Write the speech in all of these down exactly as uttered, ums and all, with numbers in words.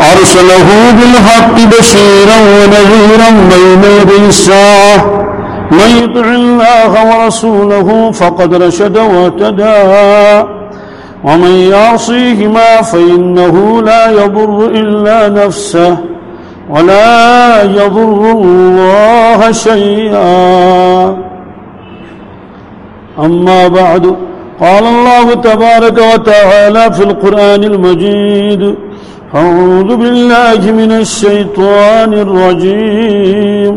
أرسله بالحق بشيرا ونذيرا بين يدي الساعة، من يطع الله ورسوله فقد رشد واهتدى، ومن يعصيهما فإنه لا يضر إلا نفسه ولا يضر الله شيئا. أما بعد، قال الله تبارك وتعالى في القرآن المجيد: أعوذ بالله من الشيطان الرجيم.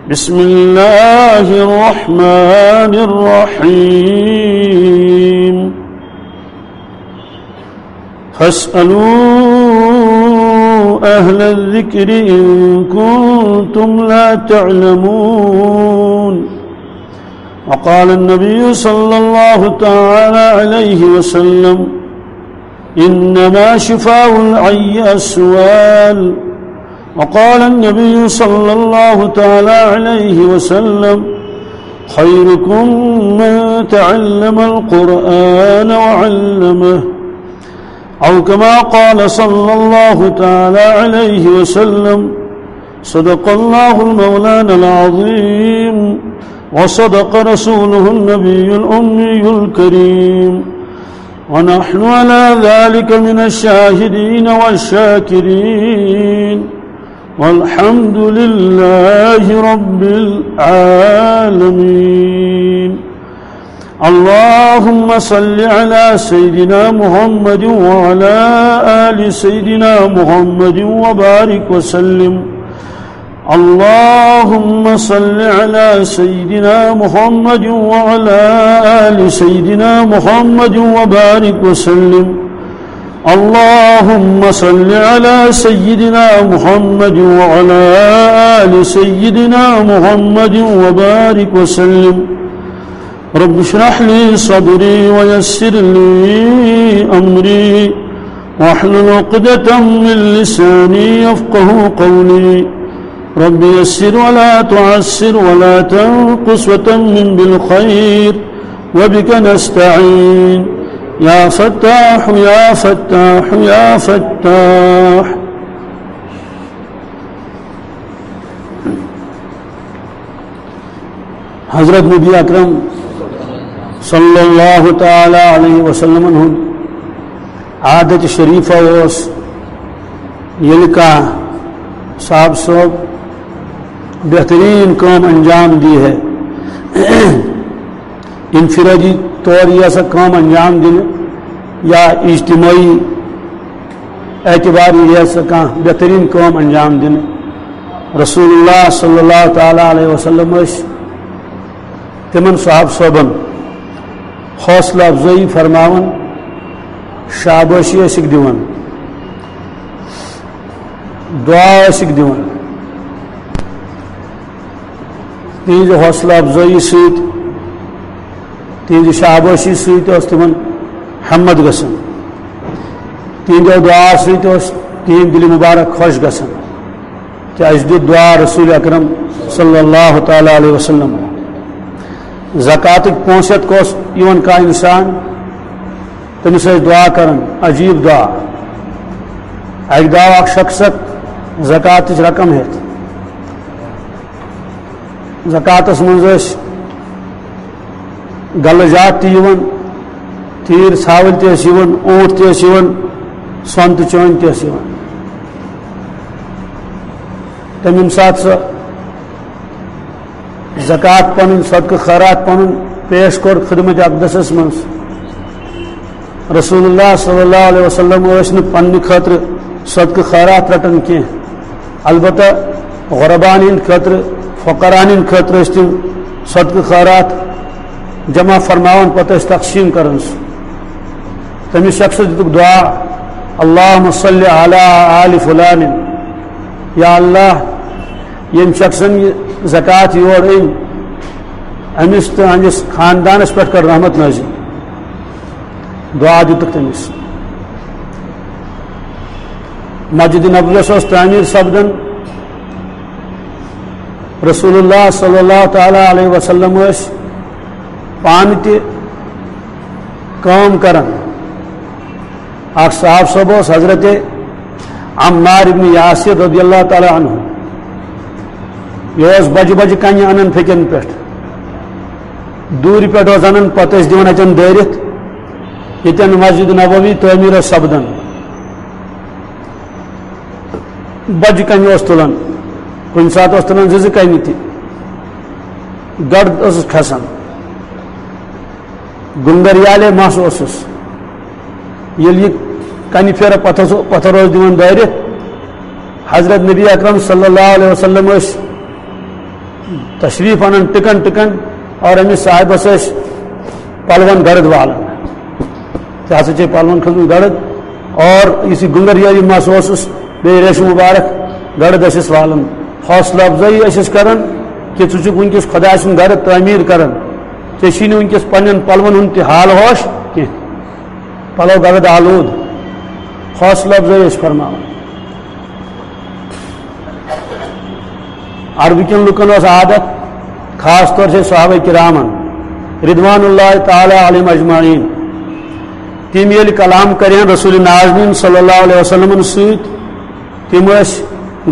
بسم الله الرحمن الرحيم. فاسألوا أهل الذكر إن كنتم لا تعلمون. وقال النبي صلى الله تعالى عليه وسلم: إنما شفاء العي السؤال. وقال النبي صلى الله تعالى عليه وسلم: خيركم من تعلم القرآن وعلمه، أو كما قال صلى الله تعالى عليه وسلم. صدق الله المولانا العظيم، وصدق رسوله النبي الأمي الكريم، ونحن على ذلك من الشاهدين والشاكرين، والحمد لله رب العالمين. اللهم صل على سيدنا محمد وعلى آل سيدنا محمد وبارك وسلم. اللهم صل على سيدنا محمد وعلى آل سيدنا محمد وبارك وسلم. اللهم صل على سيدنا محمد وعلى آل سيدنا محمد وبارك وسلم. رب اشرح لي صدري ويسر لي أمري واحلل عقدة من لساني يفقه قولي. رب يسر ولا تعسر ولا تنقص وتمم بالخير وبك نستعين. يا فتاح يا فتاح يا فتاح. حضرت نبی اکرم صلی اللہ تعالی علیہ وسلم ہند عادت شریفہ اوس، ییٚلہِ کانٛہہ صاحب صٲب بہترین کٲم انجام دی ہے، انفرادی طور یہِ ہسا کٲم انجام دِنہٕ یا اجتماعی اعتبار یہِ ہسا کانٛہہ بہترین کٲم انجام دِنہٕ، رسول اللہ صلی اللہ تعالی علیہ وسلم ٲسۍ تِمن صحابہ صٲبن حوصلہ افزٲیی فرماوان، شابٲشی ٲسِکھ دِوان، دعا ٲسِکھ دِوان۔ تِہنٛزِ حوصلہ افزٲیی سۭتۍ، تِہنٛزِ شابٲشی سۭتۍ اوس تِمن ہمت گژھان، تِہنٛدیو دعا سۭتۍ اوس تِہنٛدۍ دِلہِ مبارک خۄش گژھان۔ تہٕ اَسہِ دیُت دُعا رسول اکرم صلی اللہ تعالی علیہ وسلم۔ زکاتٕکۍ پونٛسہٕ ہٮ۪تھ اوس یِوان کانٛہہ اِنسان، تٔمِس ٲسۍ دُعا کران، عجیٖب دُعا۔ اَکہِ دۄہ آو اکھ شخص اکھ زکاتٕچ رقم ہٮ۪تھ۔ زکاتس منٛز ٲسۍ گلہٕ جات تہِ یِوان، تیٖر ژھاوٕلۍ تہِ ٲسۍ یِوان، اوٗنٛٹ تہِ ٲسۍ یِوان، سۄن تہٕ چٲنۍ تہِ ٲسۍ یِوان۔ تٔمۍ ییٚمہِ ساتہٕ سۄ زکات پنٕنۍ، صدقہٕ خٲرات پنُن پیش کوٚر خدمت اقدسس منٛز، رسول اللہ صلی اللہ علیہ وسلم ٲسۍ نہٕ پننہِ خٲطرٕ صدقہٕ خٲرات رٹان کینٛہہ، البتہ غربان ہٕنٛدِ خٲطرٕ، فقران ہٕنٛدِ خٲطرٕ ٲسۍ تِم صدقہٕ خٲرات جمع فرماوان، پتہٕ ٲسۍ تقسیٖم کران سُہ۔ تٔمِس شخصس دِتُکھ دعا، اللہم صل علی آل فلان، یا اللہ، ییٚمہِ شخصن یہِ زکات یور أنۍ، أمِس تہٕ أمِس خاندانس پٮ۪ٹھ کر رحمت نازل۔ دعا دِتُکھ تٔمِس۔ مسجد نبویس اوس تعمیٖر سپدان۔ رسول اللہ صلی اللہ تعالی علیہ وسلم ٲسۍ پانہٕ تہِ کٲم کران۔ اکھ صحابہٕ صٲب اوس حضرت عمار ابن یاسر رضی اللہ تعالیٰ عنہ، یہِ اوس بجہِ بجہِ کنہِ انان پھیٚکٮ۪ن پٮ۪ٹھ، دوٗرِ پٮ۪ٹھ اوس انان، پتہٕ ٲسۍ دِوان اتٮ۪ن دٲرِتھ، ییٚتٮ۪ن مسجد نبوی تعمیٖر ٲس سپدان۔ بجہِ کنہِ اوس تُلان، کُنہِ ساتہٕ اوس تُلان زٕ زٕ کنہِ تہِ، گڑد ٲسٕس کھسان۔ گُنگریالے مَس اوسُس۔ ییٚلہِ یہِ کنہِ پھیرٕ پتھر، پتھر اوس دِوان دٲرِتھ، حضرت نبی اکرم صلی اللہ علیہ وسلم ٲسۍ تشریف انان ٹکن ٹکن، اور أمِس صاحبس ٲسۍ پلون گڑد والان۔ ژےٚ ہسا چھے پلون کھٔژمٕژ گڑد، اور یُس یہِ گُنگریالی مَس اوسُس، بیٚیہِ ریشہِ مُبارک گڑد ٲسِس والان۔ حوصلہٕ افزٲیی ٲسِس کران کہِ ژٕ چھُکھ وٕنکیٚس خۄداے سُنٛد گرٕ تعمیٖر کران، ژےٚ چھی نہٕ وٕنکیٚس پننٮ۪ن پلون ہُنٛد تہِ حال ہوش کینٛہہ۔ پلو گڑد آلود، حوصلہٕ افزٲیی ٲسۍ فرماوان۔ عربہٕ کٮ۪ن لُکن اوس عادت، خاص طور چھِ صحابہ کرامن رضوان اللہ تعالیٰ علیہم اجمعین، تِم ییٚلہِ کلام کرن رسول نازنین صلی اللہ علیہ وسلمن سۭتۍ، تِم ٲسۍ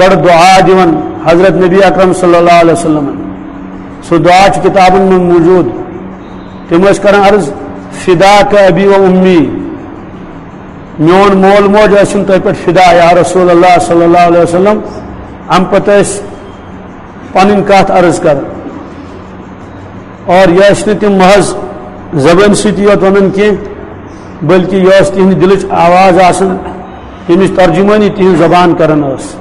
گۄڈٕ دعا دِوان حضرت نبی اکرم صلی اللہ علیہ وسلمن۔ سُہ دعا چھُ کِتابن منٛز موجود۔ تِم ٲسۍ کران عرض، "فداک ابی و امی"، میون مول موج ٲسِن تۄہہِ پٮ۪ٹھ فدا یا رسول اللہ صلی اللہ علیہ وسلم۔ امہِ پتہٕ ٲسۍ پنٕنۍ کتھ عرض کران۔ اور یہِ ٲسۍ نہٕ تِم محض زبٲنۍ سۭتی یوت ونان کینٛہہ، بلکہِ یہِ ٲس تِہنٛدِ دِلٕچ آواز آسان، ییٚمِچ ترجمٲنی تِہنٛز زبان کران ٲس۔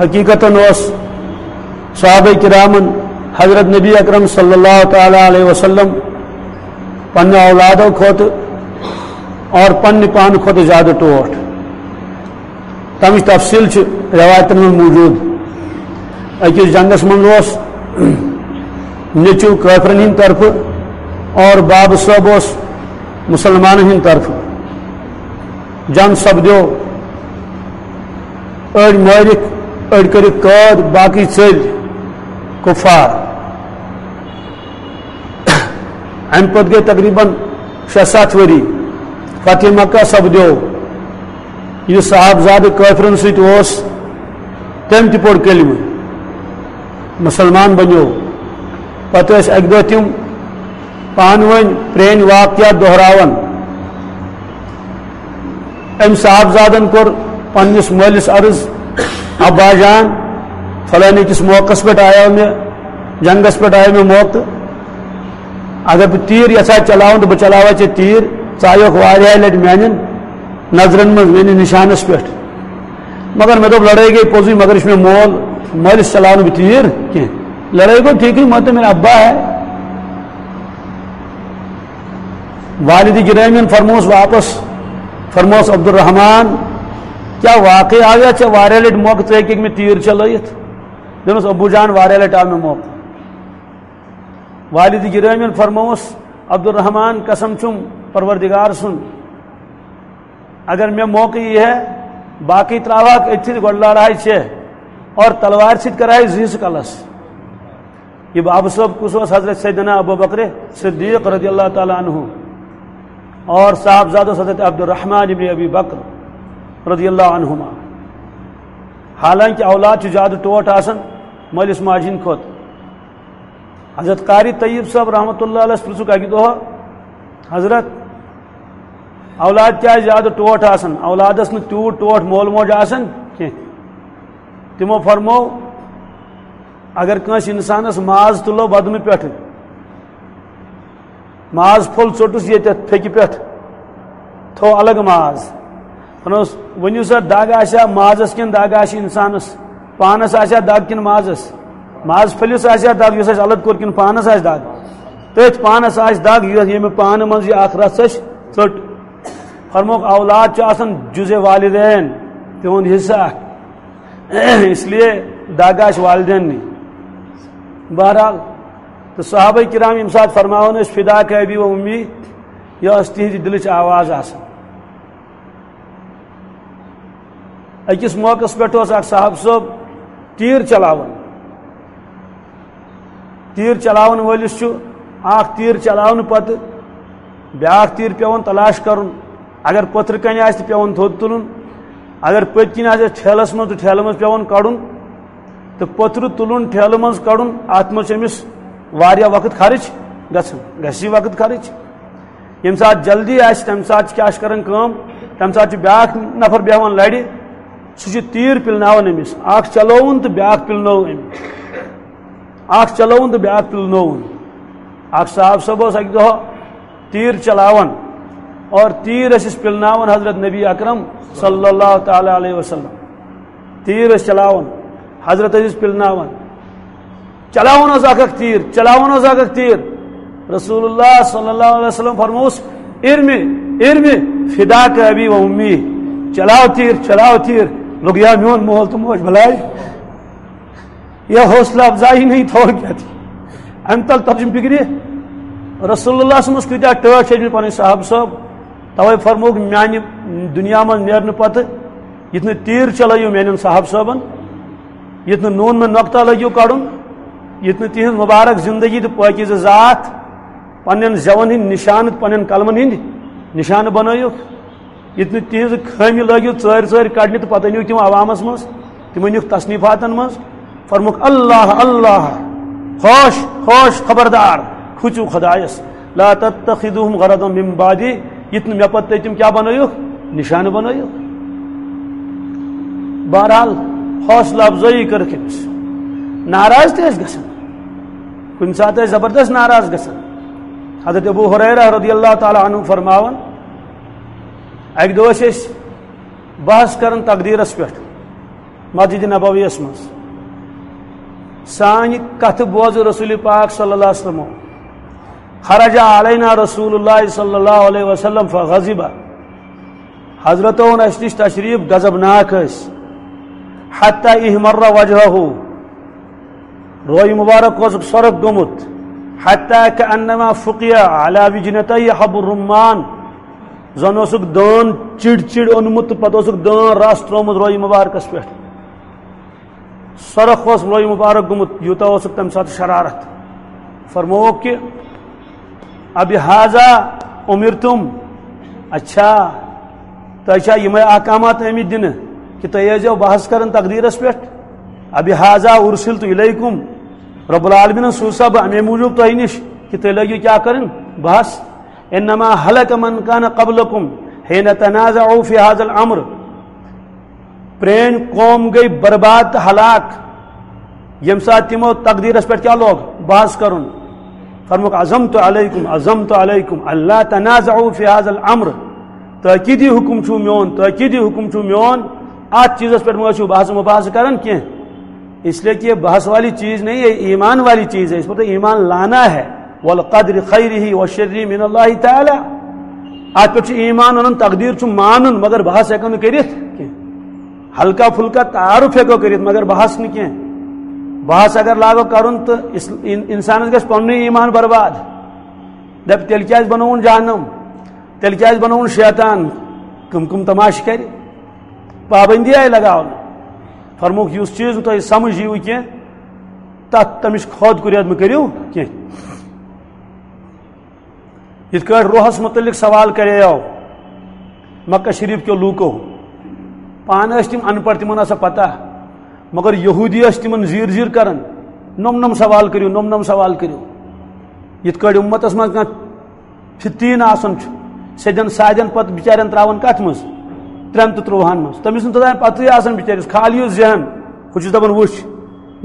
حقیقتاً اوس صحابہ کرامن حضرت نبی اکرم صلی اللہ تعالیٰ علیہ وسلم پننہِ اولادو کھۄتہٕ اور پننہِ پانہٕ کھۄتہٕ زیادٕ ٹوٹھ۔ تمِچ تفصیل چھِ روایتن منٛز موجود۔ أکِس جنگس منٛز اوس نیٚچو کٲفرن ہٕنٛدِ طرفہٕ اور بابہٕ صٲب اوس مسلمانن ہٕنٛدِ طرفہٕ۔ جنگ سپدیو، أڑۍ مٲرِکھ، أڑۍ کٔرِکھ قٲد، باقٕے ژٔلۍ کفار۔ امہِ پتہٕ گٔے تقریباً شےٚ ستھ ؤری۔ فتح مکہ سپدیو۔ یُس صاحبزادٕ کٲفرن سۭتۍ اوس، تٔمۍ تہِ پوٚر کلمہٕ، مسلمان بنیو۔ پتہٕ ٲسۍ اکہِ دۄہ تِم پانہٕ ؤنۍ پرٛٲنۍ واقعات دۄہراوان۔ أمۍ صاحبزادن کوٚر پننِس مٲلِس عرض، "ابا جان، فلٲنی کِس موقعس پٮ۪ٹھ آیو مےٚ، جنگس پٮ۪ٹھ آیو مےٚ موقعہٕ۔ اگر بہٕ تیٖر یژھا چلاوُن تہٕ بہٕ چلاوے ژےٚ تیٖر۔ ژٕ آیوکھ واریاہہِ لٹہِ میانٮ۪ن نظرن منٛز، میٲنِس نشانس پٮ۪ٹھ۔ مگر مےٚ دوٚپ، لڑٲے گٔے پوٚزُے، مگر یہِ چھُ مےٚ مول، مٲلِس چلاونہٕ بہٕ تیٖر کینٛہہ۔" لڑٲے گوٚو ٹھیٖکٕے، مگر تہٕ میرا ابا ہے۔ والد گرامی فرموس واپس، فرموس، "عبدالرحمان، کیا واقعی آو یا ژےٚ واریاہ لٹہِ موقعہٕ ژٕ ہیٚککھ مےٚ تیٖر چلٲیِتھ؟" دوٚپنس، "ابو جان، واریاہ لٹہِ آو مےٚ موقعہٕ۔" والد گرامی فرموس، "عبدالرحمان، قسم چھُم پروردگار سُنٛد، اگر مےٚ موقعہٕ یی ہے، باقٕے ترٛاوہاکھ أتھی، گۄڈٕ لڑہاے ژےٚ اور تلوارِ سۭتۍ کرہاے زٕ حصہٕ کلس۔" یہِ بابہٕ صٲب کُس اوس؟ حضرت سیدنا ابو بکر صدیق رضی اللہ تعالیٰ عنہ، اور صاحبزادٕ اوس حضرت عبدالرحمان ابن ابی بکر رضی اللہ عنہما۔ حالانکہ اولاد چھُ زیادٕ ٹوٹھ آسان مٲلِس ماجہِ ہِنٛدِ کھۄتہٕ۔ حضرت قاری طیب صٲب رحمتہ اللہ علیہ پرٛژھُکھ اَکہِ دۄہ، "حضرت، اولاد کیٛازِ زیادٕ ٹوٹھ آسان؟ اولادس نہٕ تیوٗت ٹوٹھ مول موج آسان کینٛہہ؟" تِمو فرموو، اگر کٲنٛسہِ انسانس ماز تُلو بدنہٕ پٮ۪ٹھٕ، ماز پھوٚل ژوٚٹُس ییٚتٮ۪تھ پھیٚکہِ پٮ۪ٹھ، تھوٚو الگ ماز۔ فرموس، ؤنِو سا، دگ آسیا مازس کِنہٕ دگ آسہِ انسانس؟ پانس آسیا دگ کِنہٕ مازس؟ ماز پھٔلِس آسیا دگ یُس اَسہِ الگ کوٚر کِنہٕ پانس آسہِ دگ؟ تٔتھۍ پانس آسہِ دگ یۄس، ییٚمہِ پانہٕ منٛز یہِ اکھ رژھ اَسہِ ژٔٹ۔ فرموکھ، اولاد چھُ آسان جزء والدین، تِہُنٛد حصہٕ اکھ۔ اس لیے دگ آسہِ والدینٕے۔ بہرحال، تہٕ صحابہ کرام ییٚمہِ ساتہٕ فرماوان ٲسۍ، "فداک ابی و امی"، یہِ ٲس تِہنٛزِ دِلٕچ آواز آسان۔ أکِس موقعس پٮ۪ٹھ اوس اکھ صاحب صٲب تیٖر چلاوان۔ تیٖر چلاون وٲلِس چھُ اکھ تیٖر چلاونہٕ پتہٕ بیٛاکھ تیٖر پٮ۪وان تلاش کرُن۔ اگر پٔتھرٕ کنہِ آسہِ، تہِ پٮ۪وان تھوٚد تُلُن۔ اگر پٔتۍ کِنۍ آسہِ اَسہِ ٹھیلَس منٛز تہٕ ٹھیلہٕ منٛز پٮ۪وان کَڑُن تہٕ پٔترٕ تُلُن، ٹھیلہٕ منٛز کَڑُن، اَتھ منٛز چھُ أمِس واریاہ وقت خرٕچ گژھان، گژھِ یہِ وقت خرٕچ۔ ییٚمہِ ساتہٕ جلدی آسہِ، تَمہِ ساتہٕ چھِ کیٛاہ چھِ کَران کٲم؟ تَمہِ ساتہٕ چھُ بیٛاکھ نفر بیٚہوان لَرِ، سُہ چھُ تیٖر پِلناوان أمِس، اَکھ چلووُن تہٕ بیٛاکھ پِلنوو أمۍ، اَکھ چلووُن تہٕ بیٛاکھ پِلنووُن۔ اَکھ صاحب صٲب اوس اَکہِ دۄہ تیٖر چلاوان اور تیٖر ٲسِس پِلناوان حضرت نبی اکرم صلی اللہ تعالیٰ علیہ وسلم۔ تیٖر ٲسۍ چلاوان، حضرت ٲسِس پِلناوان۔ چلاوان اوس اکھ اکھ تیٖر، چلاوان اوس اکھ اکھ تیٖر۔ رسول اللہ صلی اللہ علیہ وسلم فرموس، "ارمی، ارمی، فداک ابی و امی۔" چلاو تیٖر، چلاو تیٖر۔ لوٚگ یا میون مول تہٕ موج بلاے۔ یہ حوصلہ افزائی نہیں تو اور کیا تھی؟ امہِ تل ترجم فکرِ۔ رسول اللہ صلی اللہ علیہ وسلمس کۭتیاہ ٹٲٹھۍ چھِ ٲسمٕتۍ پنٕنۍ صحابہٕ صٲب۔ توے فرمووُکھ، میانہِ دُنیا منٛز نیرنہٕ پتہٕ یُتھ نہٕ تیٖر چلٲیِو میانٮ۪ن صحابہٕ صٲبن، یُتھ نہٕ نوٗن مےٚ نۄقطہ لٲگِو کڑُن، یُتھ نہٕ تِہنٛز مُبارک زندگی تہٕ پٲکیٖزٕ ذات پننٮ۪ن زٮ۪ون ہٕنٛدۍ نشانہٕ تہٕ پننٮ۪ن قلمن ہٕنٛدۍ نشانہٕ بنٲیِو۔ ییٚتہِ نہٕ تِہنٛزٕ خٲمی لٲگِو ژٲرۍ ژٲرۍ کڑنہِ تہٕ پتہٕ أنِو تِم عوامس منٛز، تِم أنِکھ تصنیفاتن منٛز۔ فرمووُکھ، "اللہ، اللہ، ہوش، ہوش، خبردار، کھوٗژِو خدایس، لا تتخذوہم غرضا من بعدی، ییٚتہِ نہٕ مےٚ پتہٕ تُہۍ تِم کیٛاہ بنٲیِکھ؟ نشانہٕ بنٲیِکھ۔" بہرحال، حوصلہ افزٲیی کٔرٕکھ أمِس۔ ناراض تہِ ٲسۍ گژھان، کُنہِ ساتہٕ ٲسۍ زبردست ناراض گژھان۔ حضرت ابو ہریرہ رضی اللہ تعالیٰ عنہ فرماوان، اکہِ دۄہ ٲسۍ أسۍ بحث کران تقدیرس پٮ۪ٹھ مسجد نبویس منٛز۔ سانہِ کتھٕ بوزٕ رسول پاک صلی اللہ علیہ وسلم۔ خرج علینا رسول اللہ صلی اللہ علیہ وسلم فغضب۔ حضرت اوٚن اسہِ نِش تشریف، غضبناک ٲسۍ۔ حتی احمر وجہہ، روی مبارک اوسُکھ سرخ گوٚمُت۔ حتی کأنما فقع علی وجنتیہ حب الرمان۔ زن اوسُکھ دٲن چِڑ چِڑ اوٚنمُت تہٕ پتہٕ اوسُکھ دٲن رس ترٛوومُت روی مبارکس پٮ۪ٹھ۔ سرخ اوس روی مبارک گوٚمُت، یوٗتاہ اوسُکھ تمہِ ساتہٕ شرارت۔ فرمووُکھ کہ، "ابہذا امرتم؟" اچھا، تۄہہِ چھا یِمے احکامات آمٕتۍ دِنہٕ کہ تُہۍ ٲسۍزیو بحث کران تقدیرس پٮ۪ٹھ؟ "ابہذا ارسلت الیکم؟" رب العالمینن سوٗز سا بہٕ امے موٗجوٗب تۄہہِ نِش کہ تُہۍ لٲگِو کیٛاہ کرٕنۍ؟ بحث۔ "انما ہلک من کان قبلکم حین تنازعوا فی ھذا الامر۔" پرٲنۍ قوم گٔے برباد تہٕ ہلاک، ییٚمہِ ساتہٕ تِمو تقدیرس پٮ۪ٹھ کیٛاہ لوگ؟ بحث کرُن۔ فرمووُکھ، "عزمت علیکم، عزمت علیکم، اللہ تنازعوا فی ھذا الامر۔" تاکیدی حکم چھُ میون، تاکیدی حکم چھُ میون، اتھ چیزس پٮ۪ٹھ مہ ٲسِو بحث و مباحثہ کران کینٛہہ۔ اس لیے کہ یہ بحث والی چیز نہیں ہے، ایمان والی چیز ہے، اس پر تو ایمان لانا ہے۔ والقدر خیرہ و شرہ من اللہ تعالی۔ اتھ پٮ۪ٹھ چھُ ایمان انُن، تقدیر چھُ مانُن، مگر بحث ہٮ۪کو نہٕ کٔرِتھ کینٛہہ۔ ہلکا پھلکا تعارف ہٮ۪کو کٔرِتھ، مگر بحث نہٕ کینٛہہ۔ بحث اگر لاگو کرُن تہٕ اس-، ان-، انسانس گژھِ پننُے ایمان برباد۔ دپہِ، "تیٚلہِ کیازِ بنووُن جہنم؟ تیٚلہِ کیازِ بنووُن شیطان؟" کم کم تماشہٕ کرِ، پابندی آیہِ لگاونہٕ۔ فرمووُکھ، یُس چیز نہٕ تۄہہِ سمجھ یِیوٕ کینٛہہ، تتھ تمِچ خود کُریت مہٕ کٔرِو کینٛہہ۔ یِتھ کٲٹھۍ روحس متعلق سوال کریو مکہ شریف کیو لوٗکو، پانہٕ ٲسۍ تِم ان پڑھ، تِمن ٲس سۄ پتہ، مگر یہودی ٲسۍ تِمن زیٖر زیٖر کران، "نوٚم نوٚم سوال کٔرِو، نوٚم نوٚم سوال کٔرِو۔" یِتھ کٲٹھۍ اُمتس منٛز کانٛہہ فِتیٖن آسان چھُ، سیٚدٮ۪ن سادٮ۪ن پتہٕ بِچارٮ۪ن ترٛاوان کتھ منٛز؟ ترٛٮ۪ن تہٕ ترٛوہن منٛز۔ تٔمِس چھُنہٕ توٚتام پتہٕے آسان بِچٲرِس، خالی یُس ذہن، ہُہ چھُس دپان، "وٕچھ،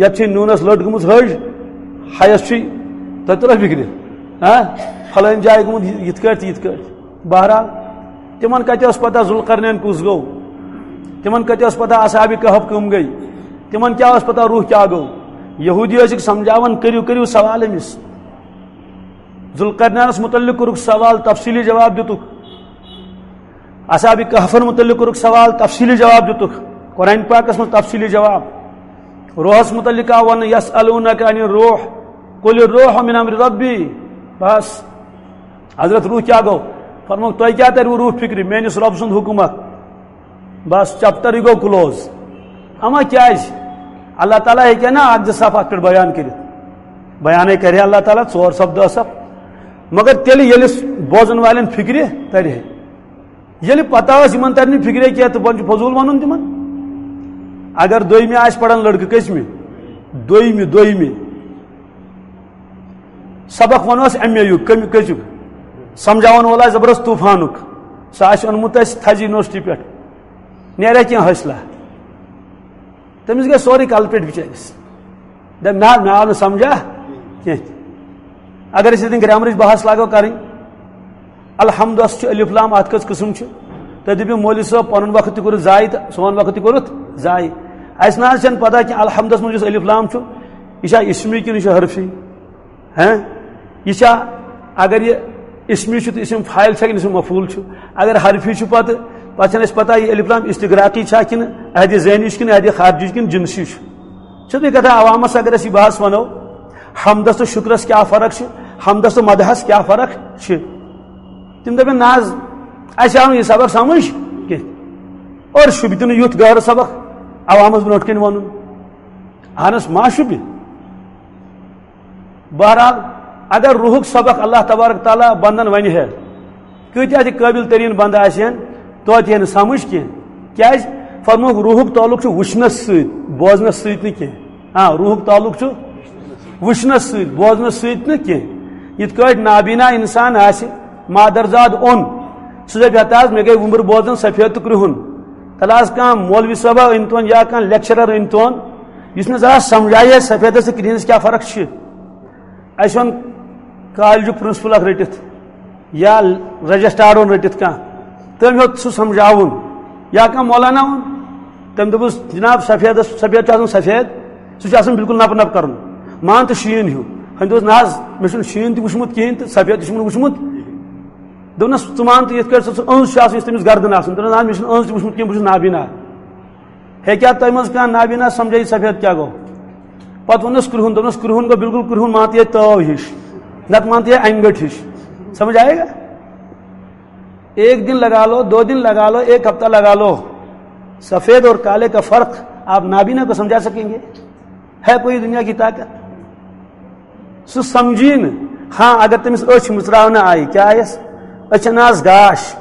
یتھ چھے نوٗنس لٔٹ گٔمٕژ ۂج، ہیس چھُے۔" تۄہہِ توٚرا فِکرِ؟ ہاں؟ فلٲنۍ جایہِ گوٚمُت یہِ-، یِتھ کٲٹھۍ تہٕ یِتھ کٲٹھۍ۔ بہرحال، تِمن کتہِ ٲس پتہ ذوالقرنین کُس گوٚو؟ تِمن کتہِ ٲس پتہ اصحاب کہف کٕم گٔے؟ تِمن کیٛاہ ٲس پتہ روح کیٛاہ گوٚو؟ یہودی ٲسِکھ سمجھاوان، "کٔرِو، کٔرِو سوال أمِس۔" ذوالقرنینس متعلق کوٚرُکھ سوال، تفصیلی جواب دِتُکھ۔ اصحاب کہفن متعلق کوٚرُکھ سوال، تفصیلی جواب دِتُکھ۔ قرآن پاکس منٛز تفصیلی جواب۔ روحس متعلق آو وننہٕ، "یسألونک عن الروح، قل الروح من امر ربی۔" بس، حضرت روح کیٛاہ گوٚو؟ فرمووُکھ، "تۄہہِ کیٛاہ تریوٕ روح فکرِ؟ میٲنِس رب سُنٛد حکم اکھ۔" بس، چیپٹرٕے گوٚو کلوز۔ اما کیٛازِ؟ اللہ تعالیٰ ہیٚکہِ نا اکھ زٕ صف اتھ پٮ۪ٹھ بیان کٔرِتھ؟ بیانے کرِ اللہ تعالیٰ ژور صف، دہ صف۔ مگر تیٚلہِ ییٚلہِ بوزن والٮ۪ن فکرِ ترِ ہے۔ ییٚلہِ پتہ ٲس یِمن ترِ نہٕ فِکرے کینٛہہ تہٕ وۄنۍ چھُ فضوٗل وَنُن تِمن۔ اگر دوٚیمہِ آسہِ پران لڑکہٕ، کٔژمہِ؟ دوٚیمہِ، دوٚیمہِ۔ سبق وَنوس ایم اے یُک، کٔمۍ، کٔژیُک؟ سمجھاوَن وول آسہِ زبردست طوٗفانُک، سُہ آسہِ اوٚنمُت اَسہِ تھزِ یونیورسٹی پٮ۪ٹھ، نیرِ کینٛہہ حٲصلہ؟ تٔمِس گژھِ سورُے کلہٕ پٮ۪ٹھ بِچٲرِس۔ دَپہِ، "نہ، مےٚ آو نہٕ سمجھا کینٛہہ۔" اگر أسۍ ییٚتٮ۪ن گرٛامرٕچ بحث لاگو کرٕنۍ، الحمدس چھُ الف لام، اتھ کٔژ قٕسم چھِ؟ تُہۍ دٔپِو، "مولوی صٲب، پنُن وقت تہِ کوٚرُتھ ضایع تہٕ سون وقت تہِ کوٚرُتھ ضایع۔" اسہِ نہ حظ چھنہٕ پتہ کہِ الحمدس منٛز یُس الف لام چھُ، یہِ چھا اسمی کِنہٕ یہِ چھُ حرفی؟ ہاں؟ یہِ چھا، اگر یہِ اسمی چھُ تہٕ اسم فاعل چھا کِنہٕ اسم مفعول چھُ؟ اگر حرفی چھُ پتہٕ، پتہٕ چھنہٕ اسہِ پتہ یہِ الف لام استغراقی چھا کِنہٕ عہدِ ذہنی چھُ کِنہٕ عہدِ خارجی چھُ کِنہٕ جنسی چھُ۔ چھُ تُہۍ کتھا عوامس اگر أسۍ یہِ بحث ونو، حمدس تہٕ شکرس کیٛاہ فرق چھِ، حمدس تہٕ مدحس کیٛاہ فرق چھِ؟ تِم دَپن، "نہ حظ، اَسہِ آو نہٕ یہِ سبق سمجھ کینٛہہ۔" اور شوٗبہِ تہِ نہٕ یُتھ گہرٕ سبق عوامس برونٛٹھ کَنہِ وَنُن۔ اہنس ما شوٗبہِ۔ بہرحال، اگر روحُک سبق اللہ تبارک تعالیٰ بندن ونہِ ہے، کۭتیاہ تہِ قٲبل تریٖن بندٕ آسہِ ہن، توتہِ یی نہٕ سمجھ کینٛہہ۔ کیازِ؟ فرمووُکھ، روحُک تعلق چھُ وٕچھنس سۭتۍ، بوزنس سۭتۍ نہٕ کینٛہہ۔ آ، روحُک تعلق چھُ وٕچھنس سۭتۍ، بوزنس سۭتۍ نہٕ کینٛہہ۔ یِتھ کٲٹھۍ نابینا انسان آسہِ، مادرزاد اوٚن، سُہ دَپہِ، "ہتا حظ، مےٚ گٔے وُمبٕر بوزان سفید تہٕ کرٛہُن۔" تَلہٕ حظ کانٛہہ مولوی صٲبا أنۍ تون یا کانٛہہ لیکچرر أنۍ تون، یُس مےٚ ذرا سمجھایہِ ہے سفیدس تہٕ کرٛہنِس کیٛاہ فرق چھِ۔ اَسہِ اوٚن کالجُک پرنسپل اکھ رٔٹِتھ یا رجسٹرار اوٚن رٔٹِتھ کانٛہہ، تٔمۍ ہیوٚت سُہ سمجھاوُن، یا کانٛہہ مولانا اوٚن، تٔمۍ دوٚپُس، "جناب، سفیدس، سفید چھُ آسان سفید، سُہ چھُ آسان بالکل نپہٕ نپہٕ کرُن، مان تہٕ شیٖن ہیوٗ۔" ہُمۍ دوٚپُس، "نہ حظ، مےٚ چھُنہٕ شیٖن تہِ وُچھمُت کِہیٖنۍ تہٕ سفید تہِ چھُم نہٕ وُچھمُت۔" دوٚپنَس، "ژٕ مان تہٕ یِتھ کٲٹھۍ سُہ، سُہ أنٛز چھُ آسان، یُس تٔمِس گردن آسان۔" دوٚپنَس، "نہ، مےٚ چھُنہٕ أنٛز تہِ وُچھمُت کینٛہہ، بہٕ چھُس نابینا۔" ہیٚکیٛاہ تۄہہِ منٛز کانٛہہ نابینا سمجھٲیِتھ سفید کیٛاہ گوٚو؟ پتہٕ ووٚننس کرٛہُن، دوٚپنس، "کرٛہُن گوٚو بالکل کرٛہُن، مان تہٕ یہِ تٲو ہِش، نتہٕ مان تہٕ یہِ انگٹھ ہِش۔" سمجھ آئے گا؟ ایک دن لگا لو، دو دن لگا لو، ایک ہفتہ لگا لو، سفید اور کالے کا فرق آپ نابینا کو سمجھا سکیں گے؟ ہے کوئی دنیا کی طاقت؟ سُہ سمجھی نہٕ۔ ہاں، اگر تٔمِس أچھ مٕژراونہٕ آیہِ، کیٛاہ آیَس؟ أچھن آس گاش۔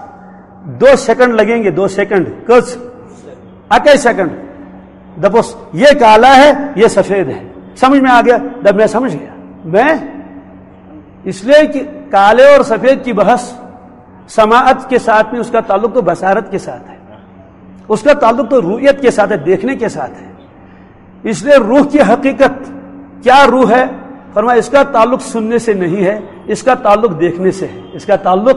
دو سیکنڈ لگیں گے، دو سیکنڈ۔ کٔژ؟ اَکے سیکنڈ۔ دَپوس، "یہ کالا ہے، یہ سفید ہے۔" سمجھ میں آ گیا؟ دَپ، "میں سمجھ گیا۔" میں، اس لیے کہ کالے اور سفید کی بحث سماعت کے ساتھ نہیں، اس کا تعلق تو بصارت کے ساتھ ہے، اس کا تعلق تو رؤیت کے ساتھ ہے، دیکھنے کے ساتھ ہے۔ اس لیے روح کی حقیقت کیا روح ہے؟ فرمایا، اس کا تعلق سننے سے نہیں ہے، اس کا تعلق دیکھنے سے ہے، اس کا تعلق۔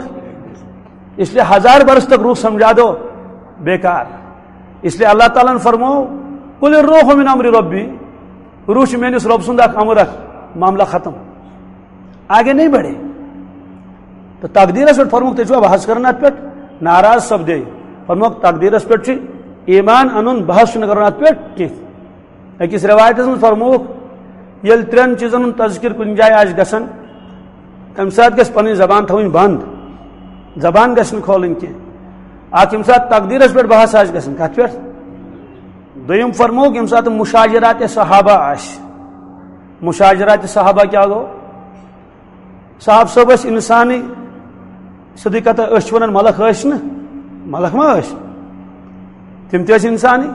اس لیے ہزار برس تک روح سمجھا دو، بیکار۔ اس لیے اللہ تعالیٰ نے فرماؤ، "قل الروح من امر ربی"، روح چھُ میٲنِس رۄب سُنٛد اکھ امر، اکھ معاملہ ختم، آگے نہیں بڑھے۔ تو تقدیرس پٮ۪ٹھ فرمووُکھ، تُہۍ چھِوا بحث کران اتھ پٮ۪ٹھ؟ ناراض سپدے۔ فرمووُکھ، تقدیرس پٮ۪ٹھ چھُ ایمان انُن، بحث چھُنہٕ کرُن اتھ پٮ۪ٹھ کینٛہہ۔ أکِس رِوایتَس منٛز فرمووُکھ، ییٚلہِ ترٛٮ۪ن چیٖزَن ہُنٛد تذکر کُنہِ جایہِ آسہِ گژھان، تَمہِ ساتہٕ گژھِ پَنٕنۍ زبان تھاوٕنۍ بنٛد، زبان گژھِ نہٕ کھولٕنۍ کینٛہہ۔ اَکھ، ییٚمہِ ساتہٕ تقدیٖرَس پٮ۪ٹھ بحث آسہِ گژھان، کَتھ پٮ۪ٹھ؟ دوٚیِم فرمووُکھ، ییٚمہِ ساتہٕ مُشاجرات صحابہ آسہِ، مُشاجرات صحابہ کیٛاہ گوٚو؟ صاحب صٲب ٲسۍ اِنسانٕے، سیوٚدُے کَتھا، أسۍ چھِ وَنان مَلَکھ ٲسۍ نہٕ، مَلَکھ ما ٲسۍ؟ تِم تہِ ٲسۍ اِنسانٕے۔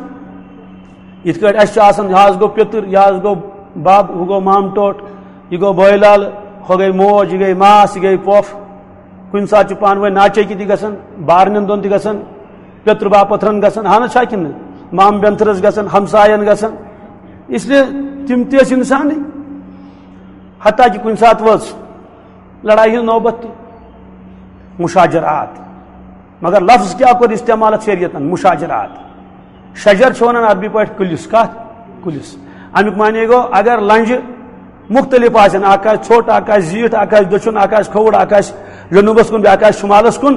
یِتھ کٲٹھۍ اَسہِ چھُ آسان، یہِ حظ گوٚو پیٚتٕر، یہِ حظ گوٚو بَب، ہُہ گوٚو مامہٕ ٹوٹھ، یہِ گوٚو بٲے لالہٕ، ہۄ گٔے موج، یہِ گٔے ماس، یہِ گٔے پۄپھ۔ کُنہِ ساتہٕ چھُ پانہٕ ؤنۍ ناچٲکی تہِ گژھان، بارنٮ۪ن دۄن تہِ گژھان، پیٚتٕر باپتھرَن گژھان، اَہَن حظ چھا کِنہٕ نہٕ؟ مامہٕ بیٚنتھٕرَس گژھان، ہمساین گژھان۔ اس لیے تِم تہِ ٲسۍ اِنسانٕے۔ حتیٰ کہ کُنہِ ساتہٕ وٲژ لڑایہِ ہٕنٛز نوبت تہِ، مشاجرات۔ مگر لفظ کیٛاہ کوٚر استعمال اَتھ شریعتن؟ مشاجرات۔ شجر چھِ وَنان عربی پٲٹھۍ کُلِس، کَتھ؟ کُلِس۔ اَمیُک معنی گوٚو، اگر لنجہِ مُختٔلِف آسن، اکھ آسہِ ژھوٚٹ، اکھ آسہِ زیٖٹھ، اکھ آسہِ دٔچھُن، اکھ آسہِ کھووُر، اکھ آسہِ جنوٗبس کُن، بیٛاکھ آسہِ شُمالس کُن،